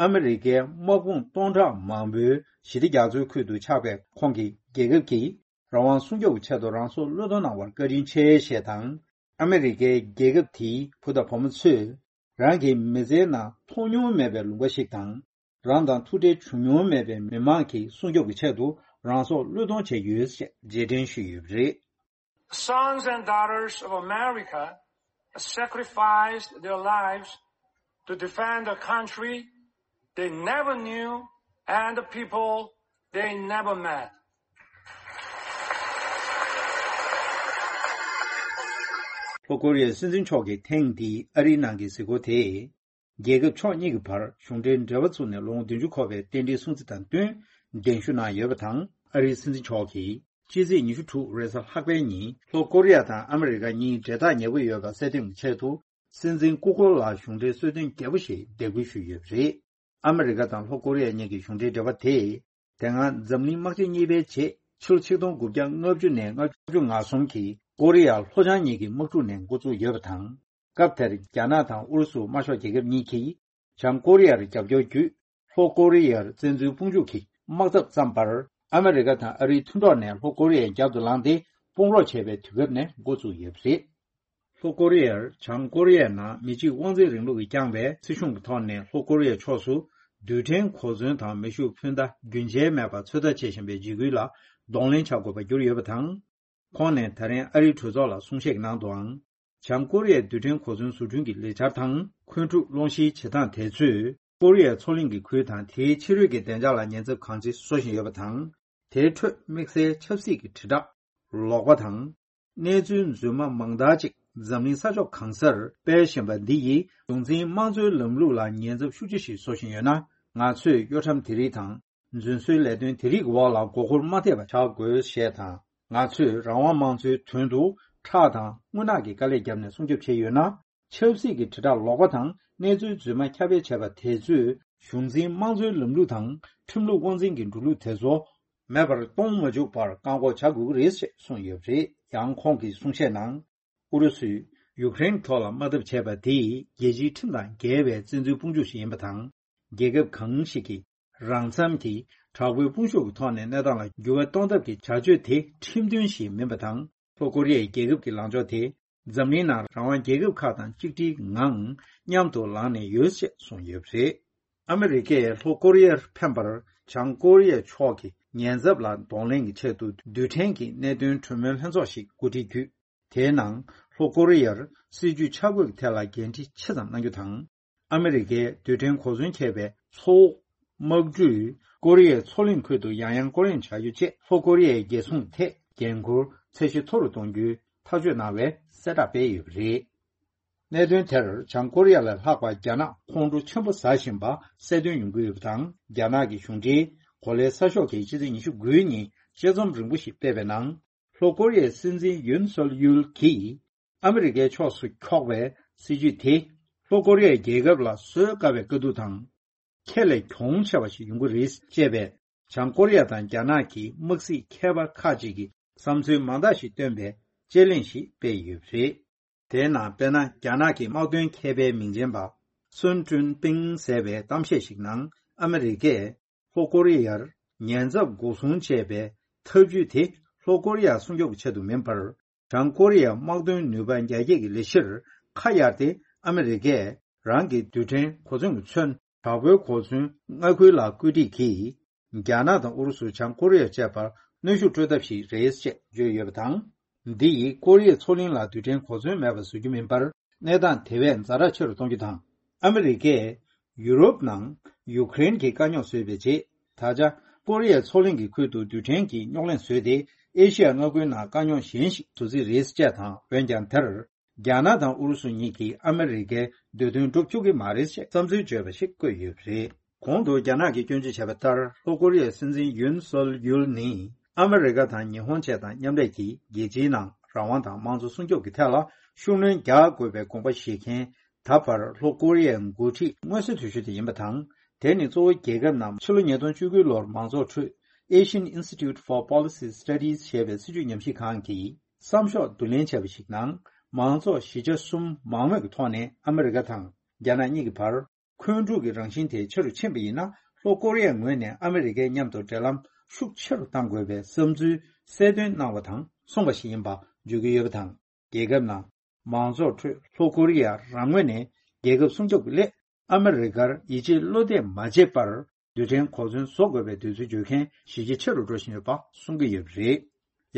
ཨ་མི་རི་ཀའི་དམག་དཔུང་སྟོང་ཕྲག་མང་པོའི་ཞི་བདེ་རྒྱ་མཚོའི་ཁུལ་དུ་ཆགས་པའི་ཁོང་གི་རྒྱལ་ཁབ་ཀྱིས། རང་དབང་སྲུང་སྐྱོབ་ཀྱི་ཆེད་དུ་རང་སྲོག་བློས་གཏོང་གནང་བར་བཀའ་དྲིན་ཆེ་ཞེས་དང་། ཨ་མི་རི་ཀའི་རྒྱལ་ཁབ་དེའི་བུ་དང་བུ་མོ་ཚོས་རང་གི་མི་ཚེའི་ནང་མཐོང་མྱོང་མེད་པའི་ལུང་པ་ཞིག་དང་། རང་དང་ཐུག་འཕྲད་བྱུང་མྱོང་མེད་པའི་མི་མང་གི་སྲུང་སྐྱོབ་ཀྱི་ཆེད་དུ་རང་སྲོག་བློས་གཏོང་བྱས་ཡོད་ཅེས་རྗེས་དྲན་ཞུས་ཡོད་པ་རེད། Sons and daughters of America sacrificed their lives to defend a country they never knew and the people they never met. ལྷོ་ཀོ་རི་ཡའི་སྲིད་འཛིན་མཆོག་གིས་ཐེངས་འདིའི་ཨ་རིའི་ནང་གི་གཟིགས་སྐོར་དེས། རྒྱལ་ཁབ་ཕྱོགས་གཉིས་ཀྱི་བར་གཞུང་འབྲེལ་འབྲེལ་བ་བཙུགས་ནས་ལོ་ངོ་བདུན་ཅུ་འཁོར་བའི་རྟེན་འབྲེལ་སྲུང་བརྩི་དང་བསྟུན་གདན་ཞུ་གནང་ཡོད་པ་དང་། ཨ་རིའི་སྲིད་འཛིན་མཆོག་གིས་ཕྱི་ཚེས་ཉི་ཤུ་དྲུག་རེས་གཟའ་ལྷག་པའི་ཉིན་ལྷོ་ཀོ་རི་ཡ་དང་ཨ་མི་རི་ཀ་གཉིས་འབྲེལ་ཐག་ཉེ་པོ་ཡོད་པ་གསལ་སྟོན་གྱི་ཆེད་དུ། སྲིད་འཛིན་སྐུ་འཁོར་ལ་གཞུང་འབྲེལ་གསོལ་སྟོན་རྒྱས་པོ་ཞིག་འདེགས་འབུལ་ཞུས་ཡོད་པ་རེད། ཨ་མི་རི་ཀ་དང་ལྷོ་ཀོ་རི་ཡ་གཉིས་ཀྱི་གཞུང་འབྲེལ་འབྲེལ་བ་དེས། དེ་སྔ་འཛམ་གླིང་དམག་ཆེན་གཉིས་པའི་རྗེས་ཕྱི་ལོ་ཆིག་སྟོང་དགུ་བརྒྱ་ལྔ་བཅུ་ནས་ལྔ་བཅུ་ང་གསུམ་གྱི་ཀོ་རི་ཡ་ལྷོ་བྱང་གཉིས་ཀྱི་དམག་འཁྲུག་ནས་འགོ་བཙུགས་ཡོད་པ་དང་། སྐབས་དེར་རྒྱ་ནག་དང་ཨུ་རུ་སུ་དམར་ཤོག་རྒྱལ་ཁབ་གཉིས་ཀྱིས་བྱང་ཀོ་རི་ཡར་རྒྱབ་སྐྱོར་བརྒྱུད། ལྷོ་ཀོ་རི་ཡར་བཙན་འཛུལ་དཔུང་འཇུག་གི་དམག་འཐབ་བརྩམས་པར། ཨ་མི་རི་ཀ་དང་ཨ་རིའི་མཐུན་གྲོགས་ནས་ལྷོ་ཀོ་རི་ཡའི་རྒྱབ་ཏུ་ལངས་ཏེ་དཔུང་རོགས་བྱས་པའི་དུས་སྐབས་ནས་འགོ་བཙུགས་ཡོད་པ་རེད། ལྷོ་ཀོ་རི་ཡར་བྱང་ཀོ་རི་ཡའི་ནང་མི་གཅིག་དབང་འཛིན་རིང་ལུགས་ཀྱིས་བསྐྱངས་པའི་སྲིད་གཞུང་གི་ཐོག་ནས་ལྷོ་ཀོ་རི་ཡའི་ཕྱོགས་སུ་རྡུལ་ཕྲན་གོ་མཚོན་དང་མེ་ཤུགས་འཕུར་མདའ་རྒྱུན་ཆད་མེད་པར་ཚོད་ལྟ་བྱེད་བཞིན་པའི་འཇིགས་སྐུལ་ལ་གདོང་ལེན་བྱ་དགོས་པར་གྱུར་ཡོད་པ་དང་། ཁོང་ནས་ད་རིང་ཨ་རིའི་གྲོས་ཚོགས་ལ་གསུང་བཤད་ཀྱི་ནང་དུའང་། བྱང་ཀོ་རི་ཡའི་རྡུལ་ཕྲན་གོ་མཚོན་བཟོ་སྐྲུན་གྱི་ལས་འཆར་དང་འཁོན་འཁྲུག་སློང་གཞིའི་བྱེད་སྟངས་དེ་ཚོས་ཀོ་རི་ཡའི་མཚོ་གླིང་གི་ཁུལ་དང་དེའི་ཕྱི་རོལ་གྱི་བདེ་འཇགས་ལ་ཉེན་ཚབས་གང་ཆེ་བཟོ་བཞིན་ཡོད་པ་དང་། དེའི་ཁྲོད་དམིགས་བསལ་ཆབ་སྲིད་ཀྱི་དྲིལ་བསྒྲགས་ལོག་པ་དང་། གནས་ཚུལ་རྫུན་མ་མང་དག་ཅིག་འཛམ་གླིང་ས་ཕྱོགས་གང་སར་སྤེལ་བཞིན་པ་འདི་ཡིས་གཞུང་འཛིན་དམངས་གཙོའི་ལམ་ལུགས་ལ་ཉེན་ཚབས་ཤུགས་ཆེ་ཞིག་བཟོ་བཞིན་ཡོད་ན། ང་ཚོས་གཡོ་ཁྲམ་དེ་རིགས་དང་། རྫུན་བཟོའི་ལས་དོན་དེ་རིགས་ཀྱི་འོག་ལ་མགོ་འཁོར་མ་ཐེབས་པ་བྱ་དགོས་ཞེས་དང་། ང་ཚོས་རང་དབང་དམངས་གཙོའི་དོན་དུ་ཁྲག་དང་རྔུལ་ནག་གི་དཀའ་ལས་བརྒྱབ་ནས་སྲུང་སྐྱོབ་བྱས་ཡོད་ན། ཆབ་སྲིད་ཀྱི་དྲིལ་བསྒྲགས་ལོག་པ་དང་གནས་ཚུལ་རྫུན་མ་ཁྱབ་སྤེལ་བྱས་པ་དེ་ཚོས་གཞུང་འཛིན་དམངས་གཙོའི་ལམ་ལུགས་དང་ཁྲིམས་ལུགས་དབང་འཛིན་གྱི་འགྲོ་ལུགས་དེ་ཚོ་མེད་པར་གཏོང་མ་བཅུག་པར་བཀག་འགོག་བྱ་དགོས་ཀྱི་རེད་ཅེས་གསུངས་ཡོད་པ་རེད། ཡང་ཁོང་གིས་གསུང་བཤད་ནང་། ཨུ་རུ་སུས་ཡུཀ་རེན་ཐོག་ལ་དམག་འཐབ་བྱས་པ་དེ་རྒྱལ་སྤྱིའི་ཁྲིམས་དང་འགལ་བའི་བཙན་འཛུལ་དཔུང་འཇུག་ཞིག་ཡིན་པ་དང་། རྒྱལ་ཁབ་གང་ཞིག་གིས་རང་འཚམ་གྱིས་དྲག་པོའི་དཔུང་ཤུགས་ཀྱི་ཐོག་ནས་གནས་སྟངས་ལ་འགྱུར་བ་གཏོང་ཐབས་ཀྱི་བྱ་སྤྱོད་དེ་ཁྲིམས་མཐུན་ཞིག་མིན་པ་དང་། ལྷོ་ཀོ་རི་ཡའི་རྒྱལ་ཁབ་ཀྱི་ལངས་ཕྱོགས་དེ་འཛམ་གླིང་ནང་རང་དབང་རྒྱལ་ཁབ་ཁག་དང་གཅིག་སྒྲིལ་ངང་མཉམ་དུ་ལངས་ནས་ཡོད་ཅེས་གསུངས་ཡོད་པ་རེད། ཨ་མི་རི་ཀས་ལྷོ་ཀོ་རི་ཡར་ཕན་པར་བྱང་ཀོ་རི་ཡ་ཕྱོགས་ཀྱི་ཉེན་ཚབས་ལ་གདོང་ལེན་གྱི་ཆེད་དུ་རྡུལ་ཕྲན་གྱི་གནད་དོན་གྲོས་མོལ་ལྷན་ཚོགས་ཤིག་གོ་སྒྲིག་བརྒྱུད། དེའི་ནང་ལྷོ་ཀོ་རི་ཡར་སྲིད་ཇུས་ཆ་བགོས་ཀྱི་ཐད་ལ་འགན་འཁྲི་ཆེ་ཙམ་གནང་རྒྱུ་དང་། ཨ་མི་རི་ཀའི་རྡུལ་ཕྲན་གོ་མཚོན་ཁྱེར་བའི་མཚོ་དབུགས་དམག་གྲུས་ཀོ་རི་ཡའི་མཚོ་གླིང་ཁུལ་དུ་ཡང་ཡང་སྐོར་གླེང་བྱ་རྒྱུ་བཅས་ལྷོ་ཀོ་རི་ཡའི་རྒྱལ་སྲུང་ཐད་འགན་འཁུར་ཚད་གཞི་མཐོ་རུ་གཏོང་རྒྱུའི་ཐག་གཅོད་གནང་བའི་གསལ་བསྒྲགས་སྤེལ་ཡོད་པ་རེད། གནད་དོན་དེར་བྱང་ཀོ་རི་ཡ་ལས་ལྷག་པར་རྒྱ་ནག་ཁོང་ཁྲོ་ཆེན་པོ་ཟ་བཞིན་པ་གསལ་སྟོན་ཡོང་གི་ཡོད་པ་དང་། རྒྱ་ནག་གི་གཞུང་འབྲེལ་གོ་ལའི་གསར་ཤོག་གིས་ཕྱི་ཚེས་ཉི་ཤུ་དགུའི་ཉིན་དཔྱད་རྩོམ་རིང་པོ་ཞིག་སྤེལ་བའི་ནང་། ལྷོ་ཀོ་རི་ཡའི་སྲིད་འཛིན་ཡུན་སོལ་ཡུལ་གྱིས་ཨ་མི་རི་ཀའི་ཕྱོགས་སུ་འཁྱོག་པའི་སྲིད་ཇུས་དེ་ལྷོ་ཀོ་རི་ཡའི་རྒྱལ་ཁབ་ལ་བཟོད་དཀའ་བའི་དཀའ་སྡུག་དང་། ཁེ་ལས་གྱོང་ཆེ་བ་ཞིག་ཡོང་གི་རེད་ཅེས་པའི་བྱང་ཀོ་རི་ཡ་དང་རྒྱ་ནག་གི་དམག་སྲིད་མཁས་པ་ཁག་ཅིག་གིས་བསམ་ཚུལ་མང་དག་ཞིག་བཏོན་པའི་དཔྱད་གླེང་ཞིག་སྤེལ་ཡོད་པ་རེད། དེའི་ནང་དཔེར་ན་རྒྱ་ནག་གི་དམག་དོན་མཁས་པའི་མིང་ཅན་པ་སུན་ཀྲུན་པིང་ཟེར་བའི་གཏམ་བཤད་ཞིག་ནང་ཨ་མི་རི་ཀས་ལྷོ་ཀོ་རི་ཡར་ཉེན་ཚབས་འགོག་སྲུང་ཅེས་པའི་ཐབས་ཇུས་དེ་ལྷོ་ཀོ་རི་ཡ་སྲུང་སྐྱོབ་ཀྱི་ཆེད་དུ་མིན་པར། བྱང་ཀོ་རི་ཡའི་དམག་དོན་ནུས་པ་རྒྱ་སྐྱེད་ཀྱི་ལས་གཞིར་ཁ་གཡར་ཏེ་ཨ་མི་རི་ཀས་རང་གི་རྡུལ་ཕྲན་གོ་མཚོན་གྱི་མཚོན་དྲག་པོའི་གོ་མཚོན་མངའ་ཁུལ་ལ་བཀོད་སྒྲིག་གིས། རྒྱ་ནག་དང་ཨུ་རུ་སུ་བྱང་ཀོ་རི་ཡ་བཅས་པར་གནོན་ཤུགས་སྤྲོད་ཐབས་ཤིག་རེད་ཅེས་བརྗོད་ཡོད་པ་དང་། འདི་ཡིས་ཀོ་རི་ཡའི་མཚོ་གླིང་ལ་རྡུལ་ཕྲན་གོ་མཚོན་མེད་པར་བཟོ་རྒྱུ་མིན་པར། གནས་སྟངས་དེ་བས་ཛ་དྲག་ཆེ་རུ་གཏོང་རྒྱུ་དང་། ཨ་མི་རི་ཀས་ཡུ་རོབ་ནང་ཡུ་ཀེ་རེན་གྱི་དཀའ་རྙོག་བཟོས་པའི་རྗེས། ད་ཆ་ཀོ་རི་ཡའི་མཚོ་གླིང་གི་ཁུལ་དུ་རྡུལ་ཕྲན་གྱི་རྙོག་གླེང་བཟོས་ཏེ། ཨེ་ཤི་ཡ་མངའ་ཁུལ་ནང་དཀའ་རྙོག་གཞན་ཞིག་བཟོ་རྩིས་རེད་ཅེས་དང་། འོན་ཀྱང་དེར། རྒྱ་ནག་དང་ཨུ་རུ་སུ་གཉིས་ཀྱིས་ཨ་མི་རི་ཀའི་འདོད་དོན་སྒྲུབ་བཅུག་གི་མ་རེད་ཅེས་བསམ་ཚུལ་བརྗོད་པ་ཞིག་བཀོད་ཡོད་པ་རེད། གོང་དུ་རྒྱ་ནག་གིས་སྐྱོན་བརྗོད་བྱས་པ་ལྟར། ལྷོ་ཀོ་རི་ཡའི་སྲིད་འཛིན་ཡུན་སོལ་ཡུལ་ནི་ཨ་མི་རི་ཀ་དང་ཉི་ཧོང་བཅས་དང་མཉམ་ལས་ཀྱིས་རྒྱལ་སྤྱིའི་ནང་རང་དབང་དང་དམངས་གཙོ་སྲུང་སྐྱོབ་ཀྱི་ཐད་ལ་ཤུགས་སྣོན་རྒྱག་དགོས་པའི་དགོངས་པ་བཞེས་མཁན། ད་བར་ལྷོ་ཀོ་རི་ཡའི་འགོ་ཁྲིད་མངོན་གསལ་དོད་ཤོས་དེ་ཡིན་པ་དང་། དེ་ནི་གཙོ་བོ་རྒྱལ་ཁབ་རྣམས་ཕྱི་ལོ་ཉིས་སྟོང་བཅུ་དགུ་ལོར་མང་ཚོགས་ཁྲོད་Asian Institute for Policy Studies ཞེས་པའི་སྲིད་བྱུས་ཉམས་ཞིབ་ཁང་གིས་བསམ་ཤོག་བསྡུ་ལེན་བྱས་པ་ཞིག་ནང་། མང་ཚོགས་བཞི་ཆ་གསུམ་མང་མོས་ཀྱི་ཐོག་ནས་ཨ་མི་རི་ཀ་དང་རྒྱ་ནག་གཉིས་ཀྱི་བར་འཁོན་འཁྲུག་གི་རང་བཞིན་དེ་ཆེ་རུ་ཕྱིན་པ་ཡིན་ན། ལྷོ་ཀོ་རི་ཡའི་ངོས་ནས་ཨ་མི་རི་ཀའི་མཉམ་དུ་འབྲེལ་ལམ་ཤུགས་ཆེ་རུ་གཏང་དགོས་པའི་བསམ་ཚུལ་གསལ་སྟོན་གནང་བ་དང་གསུངས་པ་ཞིག་ཡིན་པ་བརྗོད་ཀྱི་ཡོད་པ་དང་། རྒྱལ་ཁབ་ནང་མང་ཚོགས་ཁྲོད་ལྷོ་ཀོ་རི་ཡ་རང་ངོས་ནས་རྒྱལ་ཁབ་སྲུང་སྐྱོབ་ཀྱི་སླད། ཨ་མི་རི་ཀར་ཡིད་ཆེས་བློ་གཏད་མ་བྱས་པར། རྡུལ་ཕྲན་གོ་མཚོན་བཟོ་དགོས་པའི་འདོད་ཚུལ་བརྗོད་མཁན་གཞི་རྒྱ་ཆེ་རུ་འགྲོ་བཞིན་ཡོད་པ་གསུང་གི་ཡོད་པ་རེད།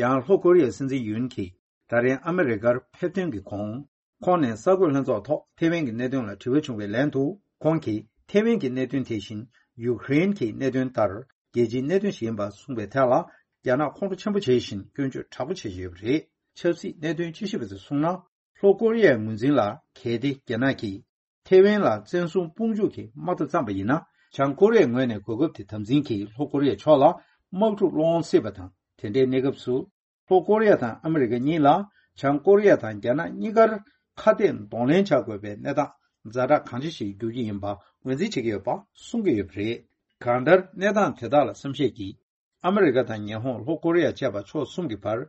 ཡང་ལྷོ་ཀོ་རི་ཡའི་སྲིད་འཛིན་ཡུན་གྱིས་ད་རིང་ཨ་མི་རི་ཀར་ཕེབས་ཐོན་གྱི་གོང་། ཁོང་ནས་གསར་འགོད་ལྷན་ཚོགས་ཐོག་ཐེ་ཝན་གྱི་གནད་དོན་ལ་དྲི་བ་བྱུང་བའི་ལན་དུ། ཁོང་གིས་ཐེ་ཝན་གྱི་གནད་དོན་དེ་བཞིན་ཡུ་ཀེ་རེན་གྱི་གནད་དོན་ལྟར་རྒྱལ་སྤྱིའི་གནད་དོན་ཞིག་ཡིན་པ་གསུངས་པའི་ཐད་ལ། རྒྱ་ནག་ཁོང་ཁྲོ་ཆེན་པོ་བྱེད་བཞིན་སྐྱོན་བརྗོད་དྲག་པོ་བྱེད་བཞིན་ཡོད་པ་རེད། ཆབ་སྲིད་གནད་དོན་དཔྱད་ཞིབ་པ་ཚོས་གསུངས་ན། ལྷོ་ཀོ་རི་ཡའི་ངོས་འཛིན་ལ་གལ་ཏེ་རྒྱ་ནག་གིས་ཐེ་ཝན་ལ་བཙན་བཟུང་དཔུང་འཇུག་གི་དམག་འཐབ་བརྩམས་པ་ཡིན་ན། བྱང་ཀོ་རི་ཡའི་ངོས་ནས་གོ་སྐབས་དེ་དམ་འཛིན་གྱིས་ལྷོ་ཀོ་རི་ཡའི་ཕྱོགས་ལ་དམག་འཁྲུག་སློང་སྲིད་པ་དང་། དེ་འདྲའི་གནས་སྐབས་སུ། ལྷོ་ཀོ་རི་ཡ་དང་ཨ་མི་རི་ཀ་གཉིས་ལ་བྱང་ཀོ་རི་ཡ་དང་རྒྱ་ནག་གཉིས་ཀར་ཁ་གཏད་གདོང་ལེན་བྱ་དགོས་པའི་གནས་སྟངས་ཛ་དྲག་གང་ཆེ་ཞིག་འགྱུར་གྱི་ཡིན་པ་ངོས་འཛིན་བྱེད་ཀྱི་ཡོད་པ་གསུང་གི་ཡོད་པ་རེད། གང་ལྟར་གནས་སྟངས་དེ་དག་ལ་བསམ་ཤེས་ཀྱིས། ཨ་མི་རི་ཀ་དང་ཉི་ཧོང་། ལྷོ་ཀོ་རི་ཡ་བཅས་པ་ཕྱོགས་གསུམ་གྱི་བར།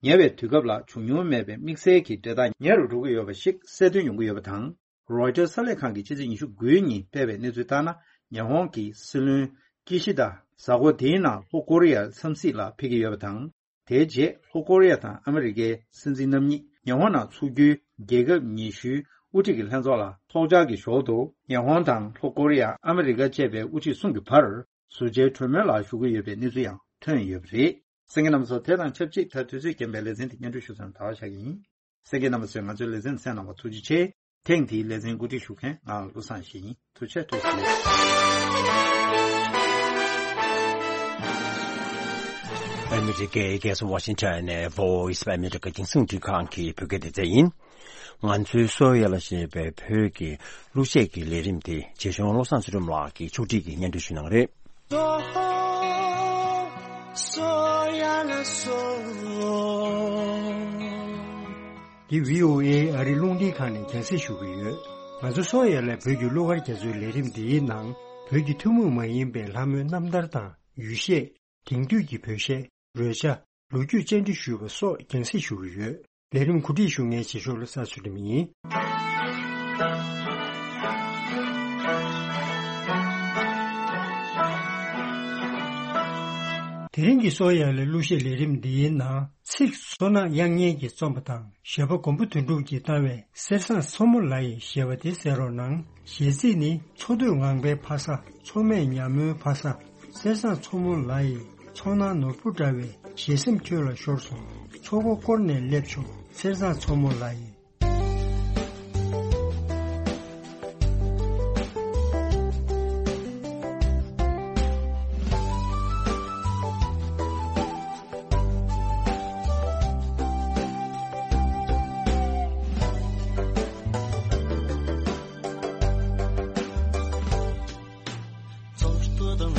ཉེ་བའི་དུས་སྐབས་ལ་བྱུང་མྱོང་མེད་པའི་དམིགས་བསལ་གྱི་འབྲེལ་ཐག་ཉེ་རུ་འགྲོ་གི་ཡོད་པ་ཞིག་གསལ་སྟོན་ཡོང་གི་ཡོད་པ་དང་། རོའི་ཊར་གསར་ལས་ཁང་གིས་ཕྱི་ཚེས་ཉི་ཤུ་དགུའི་ཉིན་སྤེལ་བའི་གནས་ཚུལ་ལྟར་ན། ཉི་ཧོང་གི་སྲིད་བློན་ཀི་ཤི་དཱ་གཟའ་འཁོར་འདིའི་ནང་ལྷོ་ཀོ་རི་ཡར་འཚམས་གཟིགས་ལ་ཕེབས་ཀྱི་ཡོད་པ་དང་། དེའི་རྗེས་ལྷོ་ཀོ་རི་ཡ་དང་ཨ་མི་རི་ཀའི་སྲིད་འཛིན་རྣམ་གཉིས་ཉི་ཧོང་ནང་འཚོགས་རྒྱུའི་རྒྱལ་ཁབ་ཉི་ཤུའི་དབུ་ཁྲིད་ཀྱི་ལྷན་ཚོགས་ལ་ཚོགས་བཅར་གྱི་ཞོར་དུ། ཉི་ཧོང་དང་ལྷོ་ཀོ་རི་ཡ། ཨ་མི་རི་ཀ་བཅས་པའི་དབུ་ཁྲིད་གསུམ་གྱི་བར་ཟུར་མཇལ་གྲོས་མོལ་ལ་ཞུགས་ཀྱི་ཡོད་པའི་གནས་ཚུལ་ཡང་ཐོན་ཡོད་པ་རེད། གསན་མཁན་རྣམ་པ་ཚོ། དེ་དང་ཆབས་ཅིག་ད་དུས་ཚོད་རྐྱེན་པས་ལེ་ཚན་འདི་སྙན་སྒྲོན་ཞུ་མཚམས་ད་བར་བཞག་གི་ཡིན། གསན་མཁན་རྣམ་པ་ཚོས་ང་ཚོའི་ལེ་ཚན་གསན་གནང་བར་ཐུགས་རྗེ་ཆེ། ཐེངས་འདིའི་ལེ་ཚན་གོ་སྒྲིག་ཞུ་མཁན་ང་བློ་བཟང་ཡེ་ཤེས་ཡིན། ཐུགས་རྗེ་ཆེ། ཐུགས་རྗེ་ཆེ། ཨ་མི་རི་ཀའི་རྒྱལ་ས་ཝ་ཤིང་ཊོན་ནས་Voice of America རྒྱང་སྲིང་རླུང་འཕྲིན་ཁང་གི་བོད་སྐད་སྡེ་ཚན་ཡིན། ང་ཚོའི་སོ་ཡ་ལ་ཞེས་པའི་བོད་ཀྱི་གླུ་གཞས་ཀྱི་ལས་རིམ་དེ་རྗེ་གཞུང་བློ་བཟང་ཚུལ་ཁྲིམས་ལགས་ཀྱིས་ཕྱོགས་སྒྲིག་གིས་སྙན་སྒྲོན་ཞུ་གནང་རེད། འདི་བྷི་ཨོ་ཨེ་ཨ་རི་རླུང་འཕྲིན་ཁང་ནས་རྒྱང་སྲིང་ཞུ་གི་ཡོད། ང་ཚོ་སོ་ཡ་ལ་བོད་ཀྱི་གླུ་གར་རྒྱ་མཚོའི་ལས་རིམ་འདིའི་ནང་བོད་ཀྱི་ཐུན་མོང་མ་ཡིན་པའི་ལྷ་མོའི་རྣམ་ཐར་དང་ཡུལ་གཞས། དེང་དུས་ཀྱི་བོད་གཞས། རོལ་ཆ། ལོ་རྒྱུས་བཅར་འདྲི་ཞུས་པ་སོགས་རྒྱང་སྲིང་ཞུ་གི་ཡོད། ལས་རིམ་གོ་སྒྲིག་ཞུ་མཁན་རྗེ་གཞུང་བློ་བཟང་ཚུལ་ཁྲིམས་ཡིན། དེ་རིང་གི་སོ་ཡ་ལ་གླུ་གཞས་ལས་རིམ་འདིའི་ནང་ཚིག་མཚོ་ནག་དབྱངས་སྙན་གྱིས་རྩོམ་པ་དང་། གཞས་པ་མགོན་པོ་དོན་གྲུབ་ཀྱིས་བཏང་བའི་གསེར་བཟང་མཚོ་མོ་ལ་ཡི་ཞེས་པ་དེ་གསན་རོགས་གནང་། གཞས་ཚིག་ནི། འཚོ་སྡོད་ངང་པའི་ཕ་ས། འཚོ་མེད་ཉ་མོའི་ཕ་ས། གསེར་བཟང་མཚོ་མོ་ལ་ཡི། ཚོར་སྣང་ནོར་བུ་འདྲ་བའི་ཞལ་སེམས་ཁྱོད་ལ་ཤོར་སོང་། ཚོགས་འཁོར་བསྐོར་ནས་སླེབས་ཆོག་གསེར་བཟང་མཚོ་མོ་ལ་ཡི། ཚོགས་འཁོར་དང་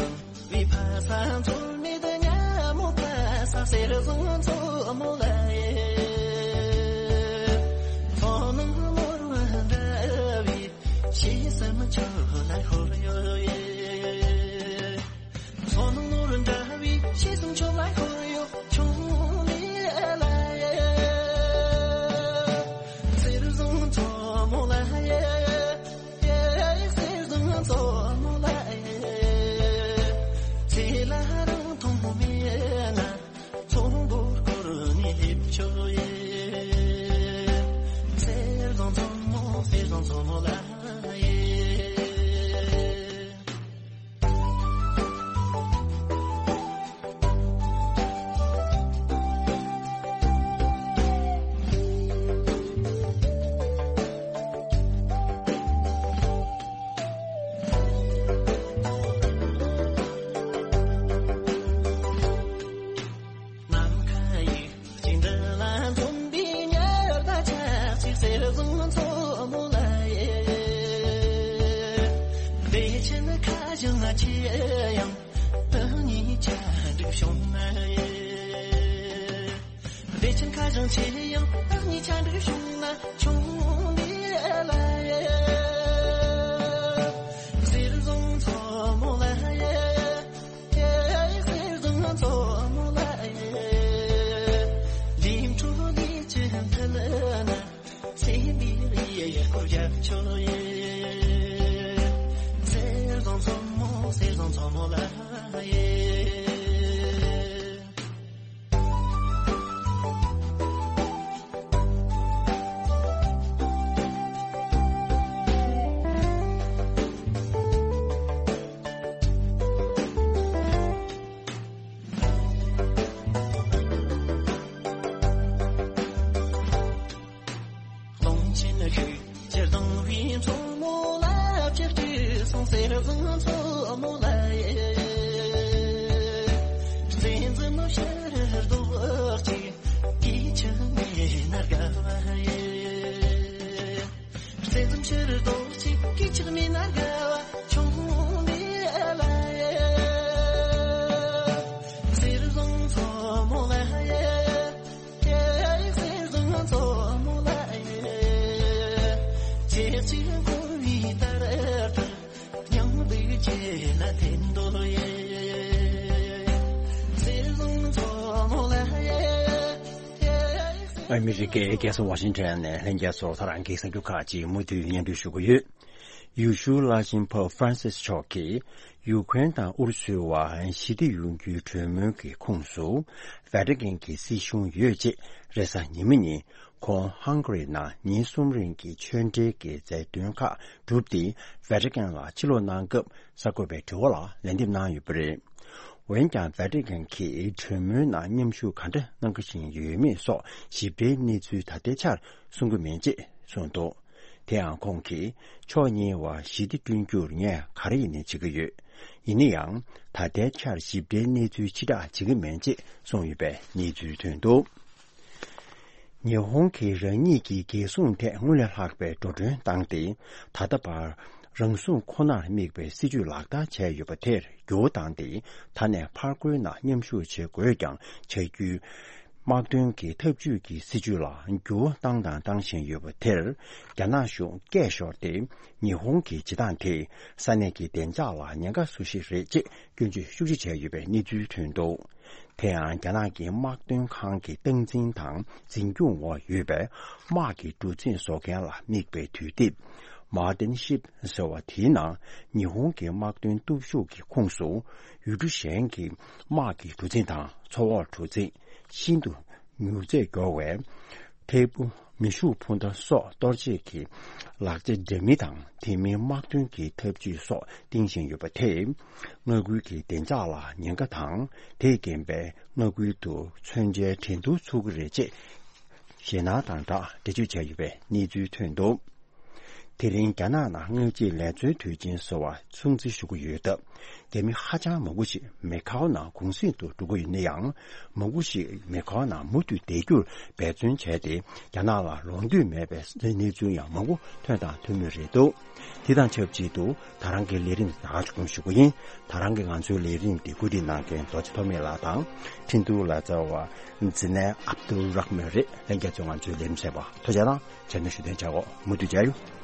བའི་ཕ་ས། འཚོ་མེད་ཉ་མོ་ཕ་ས། གསེར་བཟང་མཚོ་མོ་ལ་ཡེ། མཚོ་ནང་ནོར་བུ་འདྲ་བའི་ཕྱི་སེམས་ཆུ་ལ་ཤོར་ཡོད་ཡེ། མཚོ་ནང་ནོར་བུ་འདྲ་བའི་ཕྱི་སེམས་ཆུ་ལ་ཤོར་ཡོད་ཆུང་ལི་ལ་ཡེ། གསེར་བཟང་མཚོ་མོ་ལ་ཡེ། གསེར་བཟང་མཚོ་མོ་ལ་ཡེ། ཚེ་ལ་རང་མཐོང་མེད་ན་མཚོ་མགོ་སྐོར་ནས་སླེབས་ཆོག་ཡེ། གསེར་བཟང་མཚོ་མོ་གསེར་བཟང་མཚོ་མོ་ལ་ཡེ། ནམ་མཁའ་ཡི་གཅིག་འདྲ་ལ་འཛོམས་པའི་ཉི་ཟླ་ཆགས་ཤིག་གསེར་བཟང་མཚོ་མོ་ལ་ཡེ། བདེ་ཆེན་ཁ་བྱང་ཆེ་ཡང་བདག་ཉིད་ཆ་འགྲིག་བྱུང་ན་ཡེ། བདེ་ཆེན་ཁ་བྱང་ཆེ་ཡང་བདག་ཉིད་ཆ་འགྲིག་བྱུང་ན་ཆུང་འདི་ལ་ཡེ། གསེར་བཟང་མཚོ་མོ་ལ་ཡེ། གསེར་བཟང་མཚོ་མོ་ལ་ཡེ། ལིང་ཁྲོ་ལི་ཅི་ཐལ་ན། ཚེ་འདིར་ཡེ་ཡེ་སྐོར་རྒྱབ་ཆོག་ཡེ། གསེར་བཟང་མཚོ་མོ་གསེར་བཟང་མཚོ་མོ་ལ་ཡེ། ཀློང་ཆེན་ཤུགས་ཀྱིས་ལྡང་བའི་མཚོ་མོ་ལ་ཕྱག་བྲིས་སོང་། གསེར་བཟང་མཚོ་མོ་ལ་ཡེ། བཙན་འཛུལ་ནོ་ཕྱིར་ལྡོག་ཅིག་སྐད་ཆ་མེད་ན་དགའ་བ་ཡེ། བཙན་འཛུལ་ཕྱིར་ལྡོག་ཅིག་སྐད་ཆ་མེད་ན་དགའ་བ་ཆུང་འདི་ལ་ཡེ། གསེར་བཟང་མཚོ་མོ་ལ་ཡེ། གསེར་བཟང་མཚོ་མོ་ལ་ཡེ། ཁྱེད་ཀྱིས་བསྐོར་བའི་ལྟར་ལྟར་སྙིང་སྡུག་ཆེ་ལ་འཐེན་འདོད་ཡེ། གསེར་བཟང་མཚོ་མོ་ལ་ཡེ། ཨ་མི་རི་ཀའི་རྒྱལ་ས་ཝ་ཤིང་ཊོན་ནས་ལྷན་རྒྱས་ཚོར་ཐོ་རངས་ཀྱི་གསར་འགྱུར་ཁག་ཅིག་མུ་མཐུད་སྙན་སྒྲོན་ཞུ་གི་ཡོད། ཡེ་ཤུའི་བླ་ཆེན་པོབ་ཧྥ་རན་སིས་མཆོག་གིས་ཡུཀ་རེན་དང་ཨུ་རུ་སུའི་བར་ཞི་བདེ་ཡོང་རྒྱུའི་གྲོས་མོལ་གྱི་ཁོངས་སུ་ཝེ་ཏི་ཀན་གྱི་སྲིད་གཞུང་ཡོད་ཅེས་རེས་གཟའ་ཉི་མ་ཉིན་ཁོང་ཧང་གྷ་རི་ནང་ཉིན་གསུམ་རིང་གི་ཆོས་འབྲེལ་གྱི་མཛད་དོན་ཁག་གྲུབ་སྟེ་ཝེ་ཏི་ཀན་ལ་ཕྱིར་ལོག་གནང་སྐབས་གསར་འགོད་པའི་དྲི་བ་ལ་ལན་འདེབས་གནང་ཡོད་པ་རེད། འོན་ཀྱང་ཝེ་ཏི་ཀན་གྱིས་གྲོས་མོལ་ནང་མཉམ་ཞུགས་ག་འདྲ་གནང་བཞིན་ཡོད་མེད་སོགས་ཞིབ་ཕྲའི་གནས་ཚུལ་ད་ལྟའི་ཆར་གསུང་གི་མེད་ཅེས་གསུངས་འདུག་དེ་ཡང་ཁོང་གིས་ཕྱོགས་གཉིས་བར་ཞི་བདེ་བསྐྲུན་རྒྱུར་ངས་ག་རེ་ཡིན་ནའི་བྱེད་ཀྱི་ཡོད། ཡིན་ན་ཡང་ད་ལྟའི་ཆར་ཞིབ་ཕྲའི་གནས་ཚུལ་ཕྱི་བསྒྲགས་བྱེད་ཀྱི་མེད་ཅེས་གསུངས་ཡོད་པའི་གནས་ཚུལ་ཐོན་འདུག་ཉི་ཧོང་གིས་རང་ཉིད་ཀྱི་རྒྱལ་སྲུང་ཐད་སྔོན་ལས་ལྷག་པའི་འགྲོ་གྲོན་བཏང་སྟེ་ད་ལྟ་བར་རང་སྲུང་ཁོ་ནར་དམིགས་པའི་སྲིད་ཇུས་ལག་བསྟར་བྱས་ཡོད་པ་དེར་འགྱུར་བ་བཏང་སྟེ་ད་ནས་ཕར་རྒོལ་ནང་མཉམ་ཞུགས་བྱེད་དགོས་ཀྱང་བྱ་རྒྱུའི་དམག་དོན་གྱི་འཐབ་ཇུས་ཀྱི་སྲིད་ཇུས་ལ་འགྱུར་བ་བཏང་དང་བཏང་བཞིན་ཡོད་པ་དེར་རྒྱ་ནག་གཞུང་སྐད་ཤོར་ཏེ་ཉི་ཧོང་གི་བྱེད་སྟངས་དེས་ས་གནས་ཀྱི་བདེ་འཇགས་ལ་ཉེན་ཁ་བཟོ་གཞི་རེད་ཅེས་སྐྱོན་བརྗོད་ཤུགས་ཆེ་བྱས་ཡོད་པའི་གནས་ཚུལ་ཐོན་འདུག་དེ་ཡང་རྒྱ་ནག་གི་དམག་དོན་ཁང་གི་སྟངས་འཛིན་དང་འཛིན་སྐྱོང་འོག་ཡོད་པའི་དམག་གི་གྲུ་གཟིངས་བཟོ་མཁན་ལ་དམིགས་པའི་དུས་དེབ་མར་ཏིན་ཤིབ་ཟེར་བ་དེའི་ནང་ཉི་ཧོང་གི་དམག་དོན་སྟོབས་ཤུགས་ཀྱི་ཁོངས་སུ་ཡུལ་གྲུ་གཞན་གྱི་དམག་གི་གྲུ་གཟིངས་དང་མཚོ་འོག་གྲུ་གཟིངས། ཤིན་ཏུ་མྱུར་ཚད་མགྱོགས་པའི་ཐད་འཕུར་མེ་ཤུགས་འཕུར་མདའ་སོགས་གཏོར་བྱེད་ཀྱི་ལག་ཆ་འདྲ་མིན་དང་དེ་མིན་དམག་དོན་གྱི་འཐབ་ཇུས་སོགས་བཏིང་བཞིན་ཡོད་པ་དེས་མངའ་ཁུལ་གྱི་བདེ་འཇགས་ལ་ཉེན་ཁ་དང་དེས་རྐྱེན་པས་མངའ་ཁུལ་དུ་མཚོན་ཆའི་འགྲན་བསྡུར་ཚུགས་ཀྱི་རེད་ཅེས་ཞེད་སྣང་དང་སྦྲགས་འགྲེལ་བརྗོད་བྱས་ཡོད་པའི་གནས་ཚུལ་ཐོན་འདུག་དེ་རིང་རྒྱ་ནག་ནང་སྔ་ཕྱི་ལས་བཟོའི་དུས་ཆེན་བཟོ་བ་སྲུང་བརྩི་ཞུ་གི་ཡོད་སྟབས། རྒྱ་མི་ཧ་ཅང་མང་པོ་ཞིག་མེ་ཁའོ་ནང་གུང་གསེང་དུ་འགྲོ་གི་ཡོད་ན་ཡང་། མང་པོ་ཞིག་མེ་ཁའོ་ནང་མུ་མཐུད་བསྡད་རྒྱུར་འབད་བརྩོན་བྱས་ཏེ། རྒྱ་ནག་ལ་ལོག་འདོད་མེད་པའི་གནས་ཚུལ་ཡང་མང་པོ་ཐོན་དང་ཐོན་མུས་རེད་འདུག་དེ་དང་ཆབས་ཅིག་ཏུ་ད་རང་གི་ལས་རིམ་ད་ག་ཞུ་གི་ཡིན། ད་རང་གི་ང་ཚོའི་ལས་རིམ་འདི་གོ་སྒྲིག་གནང་མཁན་རྡོ་རྗེ་ཐོགས་མེད་ལགས་དང་། འཕྲིན་གཏོང་ལག་རྩལ་བ་ཛི་ནའི་ཨབ་དུལ་རག་མན་རེད། ལྷན་རྒྱས་ཚོས་ང་ཚོའི་ལས་རིམ་གསན་པར་ཐུགས་རྗེ་དང་། རྗེས་མའི་ཞུ་དོན་བྱ་འོག་མུ་མཐུད་མཇལ་ཡོང་།